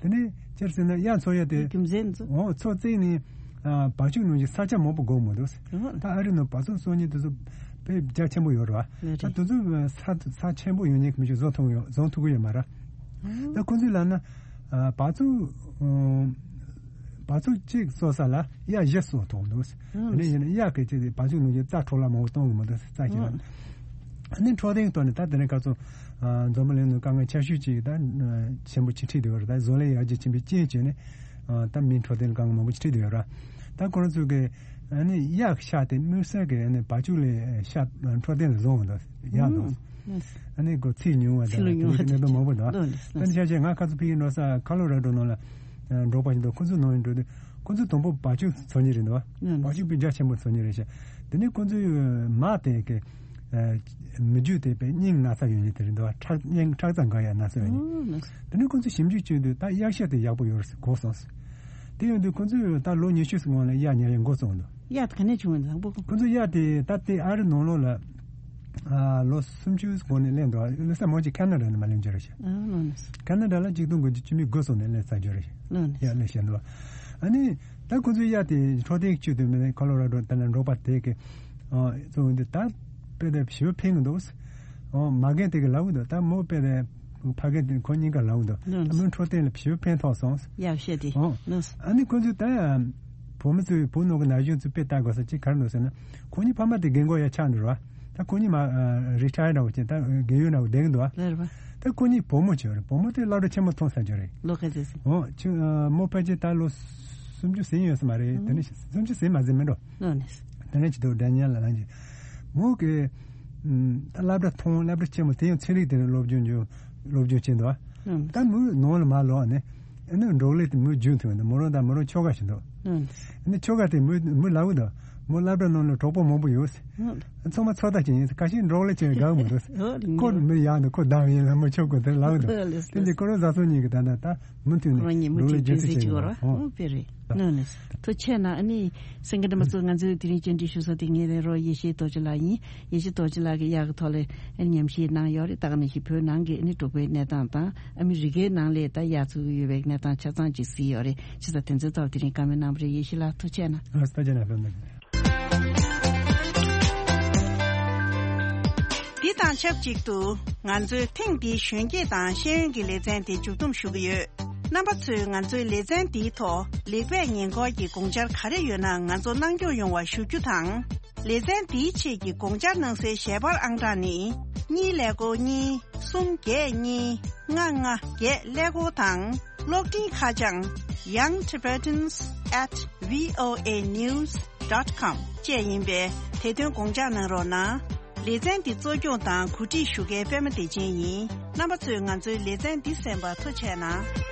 དེ་ནས་སྤྱིར་ཟེར་ན་གཡག་འཚོ་ཡ་དེ་རྒྱུ་མཚན་ཚོ། འོ་ཚོ་བརྩིགས་ནས་ཨ་བ་ཕྱུགས་ནང་བཞིན་ས་ཆ་མང་པོ་དགོས་མི་འདུག་ད་ཨ་རི་ནང་བ་ཕྱུགས་གསོ་མཁན་དེ་ཚོ་དཔེ་རྒྱ་ཆེན་པོ་ཡོད་རེད་བ། ད་དེ་ཚོ་ས་ས་ཆེན་པོ་ཡོད་མཁན་གྱི་མི་ཞིག་བཟོ་ཐུབ་ཡོད་བཟོ་ཐུབ་ཀྱི་ཡོད་མ་རེད། ད་ཁོ་ཚོས་ལབ་ན་ཨ་བ་ཕྱུགས་ཨ་ བ་ཕྱུགས་གཅིག་གསོ་ས་ལ་གཡག་བཞི་གསོ་ཐུབ་འདུག། ཨ་ནི་ཡིན་ན་གཡག་གི་ཆེད་དུ་བ་ཕྱུགས་ནང་བཞིན་རྩྭ་འཕྲོ་བརླག་མང་པོ་གཏོང་གི་མི་འདུག། རྩྭ་ཞིག་ལ། ཨ་ནི་འཕྲོད་བསྟེན་གྱི་ཐོག་ནས་ད་དེ་རིང་ཁ་སང་། ཨ། འཛམ་བུ་གླིང་ནང་དཀའ་ངལ་ཆེ་ཤོས་ཅིག་ད་ཆེན་པོ་ཅིག་འཕྲད་བསྡད་ཡོད་རེད། ད་བཟོ་ལས་ཡར་རྒྱས་ཕྱིན་པའི་རྐྱེན་བྱས་ནས། ཨ། ད་མིའི་འཕྲོད་བསྟེན་ལ་དཀའ་ངལ་མང་པོ་ཅིག་འཕྲད་བསྡད་ཡོད་རེད། ད་ཁོ་རང་ཚོ་གི་ཨ་ནི་གཡག་ཤ་དེ་དམིགས་བསལ་གྱི་ཨ་ནི་བ་ཕྱུགས་ལས་ཤ་འཕྲོད་བསྟེན་ལ་བཟོ་འོང་འདུག། གཡག་འདུག། ཨ་ནི་ཁོ་ཚིལ་ཉུང་བ་དང་། ཚིལ་ཉུང་བ་དེ་གནད་དོན་མང་པོ་འདུག། ལོ་ནི། ད་ནི་ཆ་བཞག་ང་ཁ་སང་ཕ་གིར་འགྲོ་ས་ཁོ་ལོ་ར་ཌོ་ནང་ལ་འབྲོག་པ་ཞིག་འདུག། ཁོ་ཚོ་ནང་ཡིན་འགྲོ་དུས་ཁོ་ཚོ་དང་པོ་བ་ཕྱུགས་འཚོ་མཁན་རེད་འདུག། ལོ་ནི། བ་ཕྱུགས་དཔེ་རྒྱ་ཆེན་པོ་འཚོ་མཁན་རེད་ཤག། དེ་ནས་ཁོ་ཚོའི་མ་དེ་གི་ཨ། མི་རྒྱུད་དེ་དཔེ་སྙིང་ན་ཚ་ཡོད་མཁན་དེ་རེད་འདུག། ཁྲག་སྙིང་ཁྲག་རྩ་འགག་ཡ་ན་ཚ་ཡོད་མཁན། ལོ་ནི། དེ་ནས་ཁོ་ཚོས་ཞིབ་འཇུག་བྱས་དུས་ད་གཡག་ཤ་དེ་ཡག་པོ་ཡོད་རེད་ཟེར་གོ་སོང་ཟེར། དེ་ཡིན་དུས་ཁོ་ཚོས་ད་ལོ་ཉི་ཤུ་ཙམ་སྔོན་ལ་གཡག་ཉར་ཡ་འགོ་བཙུགས་འདུག། གཡག་དེ་ག་ནས་བྱུང་བ་རེད། དང་པོ་ཁོ་ཚོ་གཡག་དེ་ད་ལྟའི་ཨ་རི་ནང་ལོགས་ལ། ཨ། ལོ་སུམ་ཅུ་གོང་ནས་སླེབས་འདུག། ལོ་གསར་མོ་ཅིག་ཁ་ན་ཌ་ནས་མར་སླེབས་རྒྱུ་རེད་ཤག། ཨ། ལོ་ནི། ཁ་ན་ཌ་ལ་ཆིག་སྟོང་དགུ་བརྒྱ་བཅུ་མེད་དགུ་ཙམ་ནས་སླེབས་ཚར་རྒྱུ་རེད་ཤག། ལོ་ནི། གཡག་སླེབས་བཞིན་འདུག། ཨ་ནི་ད་ཁོ་ཚོའི་གཡག་དེ་འཕྲོད་བསྟེན་བྱེད་དུས་མིན་ན་ཁོ་ལོ་ར་ཌོ་ད་ལ་འབྲོག་པ་དེ་གི། ཨ། ཚོ་འདི་ད་དཔེ་དེ་ཞེ་པོ་ཕན་གི་འདུག། ཨོ། མ་རྒན་དེ་གི་ལབ་གི་འདུག། ད་མོ་དཔེ་དེ་ཕ་རྒན་དེ་ཁོ་གཉིས་ཀ་ལབ་གི་འདུག། ད་མོའི་འཕྲོད་བསྟེན་ལ་ཞེ་པོ་ཕན་ཐོགས་སོང་། ཡག་བཤད་དེ། ཨོ། ཨ་ནི་ཁོ་ཚོས་ད་བུ་མོ་ཚོའི་བུ་ནོར་གི་ན་གཞོན་ཚོས་དཔེ་ལྟ་དགོས་ས་ཅིག་ག་རེ་འདུག་ཟེར་ན། ཁོ་གཉིས་ཕ་མ་དེ་རྒན་གོག་ཡ་ཆགས་འགྲོ་ར། ད་ཁོ་གཉིས་མ་རི་ཊ་ཡར་འདྲ་བོ་བྱས། ད་རྒས་ཡོལ་འདྲ་བོ་བསྡད་གི་འདུག་བ། ལར་བ། ད་ཁོ་གཉིས་བུ་མོ་བྱས་རེད། བུ་མོ་དེ་སློབ་གྲྭ་ཆེན་མོ་ཐོན་ཚར་རྒྱུ་རེད། ལོ་ག་ཚོད་ཟེར། ཨོ། ཆུང་། ཨ། མོ་ཕལ་ཆེར་ད་ལོ་སུམ་ཅུ་ཟིན་ཡོད་ས་མ་རེད། དེ་ནས་སུམ་ཅུ་ཟིན་མ་ཟིན་མི་འགྲོ། ལོ་ནི། དེ་ནས་ཅི་ཐུབ་འདྲ་མཉམ་ལ་ལངས་ཀྱི། མོ་གི། ཨམ། ད་སློབ་གྲྭ་མཐོང་། སློབ་གྲྭ་ཆེན་མོ་དེ་ཡང་ཚན་རིག་དེ་ནས་སློབ་སྦྱོང་བྱོས། སློབ་སྦྱོང་བྱས་འདུག། ཨམ། ད་མོ་ནང་ལ་མ་ལོག་ནས། ཨ་ནི་འབྲོག་ལས་དེ་མོས་རྒྱུན་མཐུད་འདུག། མོ་རང་དང་མོ་རང་ཁྱོ་ག་ཞིག་འདུག། ཨམ། ཨ་ནི་ཁྱོ་ག་དེ་མོས་མོས་ལབ་གི་འདུག། མོ་སློབ་གྲྭ་ནང་ལ་གྲོགས་པོ་མང་པོ་ཡོད། ཨམ། ཚང་མ་ཚོད་ལྟ་བྱེད་ཡིན། ཁ་ཤས་འབྲོག་ལས་བྱེད་དགའ་མི་འདུག། ཨོ། ཁོ་མི་ཡག་འདུག། ཁོ་བདམས་ཡིན་ལ་མོ་ཁྱོ་ག་དེ་ལབ་གི་འདུག། ལོ་ལོ། དེ་འདི་ཁོ་རང་བཟའ་ཚང་གཉིས་ཀྱི་ད་ལྟ་ད། མུ་མཐུད་ནས་ཁོ་རང་ཉིད་འབྲོག་ལས་མུ་མཐུད་རྒྱུན་འཛིན་བྱེད་ཀྱི་ཡོད་རེད། ཨོ། དཔེ་རེད། ལོ་ནི། ཐུགས་རྗེ་ཆེ་གནང་། ཨ་ནི་གསན་མཁན་རྣམ་པ་ཚོ། ང་ཚོའི་དེ་རིང་བཅར་འདྲི་ཞུ་ས་དེ་ངའི་རོགས་ཡེ་ཤེས་རྡོ་རྗེ་ལགས་ཡིན། ཡེ་ཤེས་རྡོ་རྗེ་ལགས་ཀྱིས་གཡག་གི་ཐོག་ལ་ཨ་ནི་ཉམས་ཞིབ་གནང་ཡོད་རེད། ད་ག་ནང་བཞིན་བོད་ནང་གི་ཨ་ནི་འབྲོག་པའི་གནས་སྟངས་དང་། ཨ་མི་རི་ཀའི་ནང་ལ་ད་གཡག་འཚོ་གི་ཡོད་པའི་གནས་སྟངས་ཆ་ཚང་ཅིག་གཟིགས་ཡོད་རེད། བྱས་ཙང་དེ་ཚོའི་ཐོག་དེ་རིང་བཀའ་མོལ་གནང་བ་རེད། ཡེ་ཤེས་ལགས་ཐུགས་རྗེ་ཆེ་གནང་། ཨ། ཐུགས་རྗེ་གནང་། འདི་དང་ཆབས་ཅིག་ཏུ་ང་ཚོའི་ཐེངས་འདིའི་གཞོན་སྐྱེས་དང་ཤེས་ཡོན་གྱི་ལེ་ཚན་དེ་མཇུག་བསྡོམས་ཞུ་གི་ཡོད། རྣམ་པ་ཚོས་ང་ཚོའི་ལེ་ཚན་འདིའི་ཐོག་ལེགས་སྤེལ་ཉེས་འགོག་གི་དགོངས་འཆར་ག་རེ་ཡོད་ན་ང་ཚོར་གནང་སྐྱོང་ཡོང་བ་ཞུ་རྒྱུ་དང་། ལེ་ཚན་འདིའི་ཆེད་ཀྱི་དགོངས་འཆར་གནང་སའི་ཞལ་པར་ཨང་གྲངས་ནི། གཉིས་ཀླད་ཀོར་གཉིས། གསུམ་བརྒྱད་གཉིས། ལྔ་ལྔ་བརྒྱད་ཀླད་ཀོར་དང་། གློག་འཕྲིན་ཁ་བྱང་young tibetans at voa news dot com བཅས་ཡིན་པས། དེ་དོན་དགོངས་འཇགས་གནང་རོགས་གནང་། ལེ་ཚན་འདི་གཙོ་སྐྱོང་དང་གོ་སྒྲིག་ཞུ་མཁན་པད་མ་བདེ་ཆེན་ཡིན། རྣམ་པ་ཚོས་ང་ཚོའི་ལེ་ཚན་འདི་གསན་པར་ཐུགས་རྗེ་གནང་།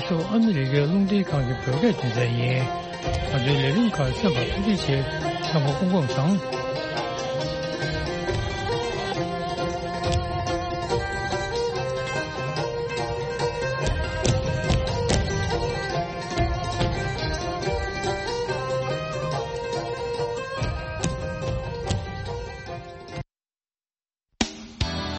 ཤོག་ཨ་མི་རི་ཀའི་རླུང་འཕྲིན་ཁང་གི་བོད་སྐད་སྡེ་ཚན་ཡིན། ང་ཚོའི་ལས་རིམ་ཁག་གསན་པར་ཐུགས་རྗེ་ཆེ། ཚང་མ་སྐུ་ཁམས་བཟང་།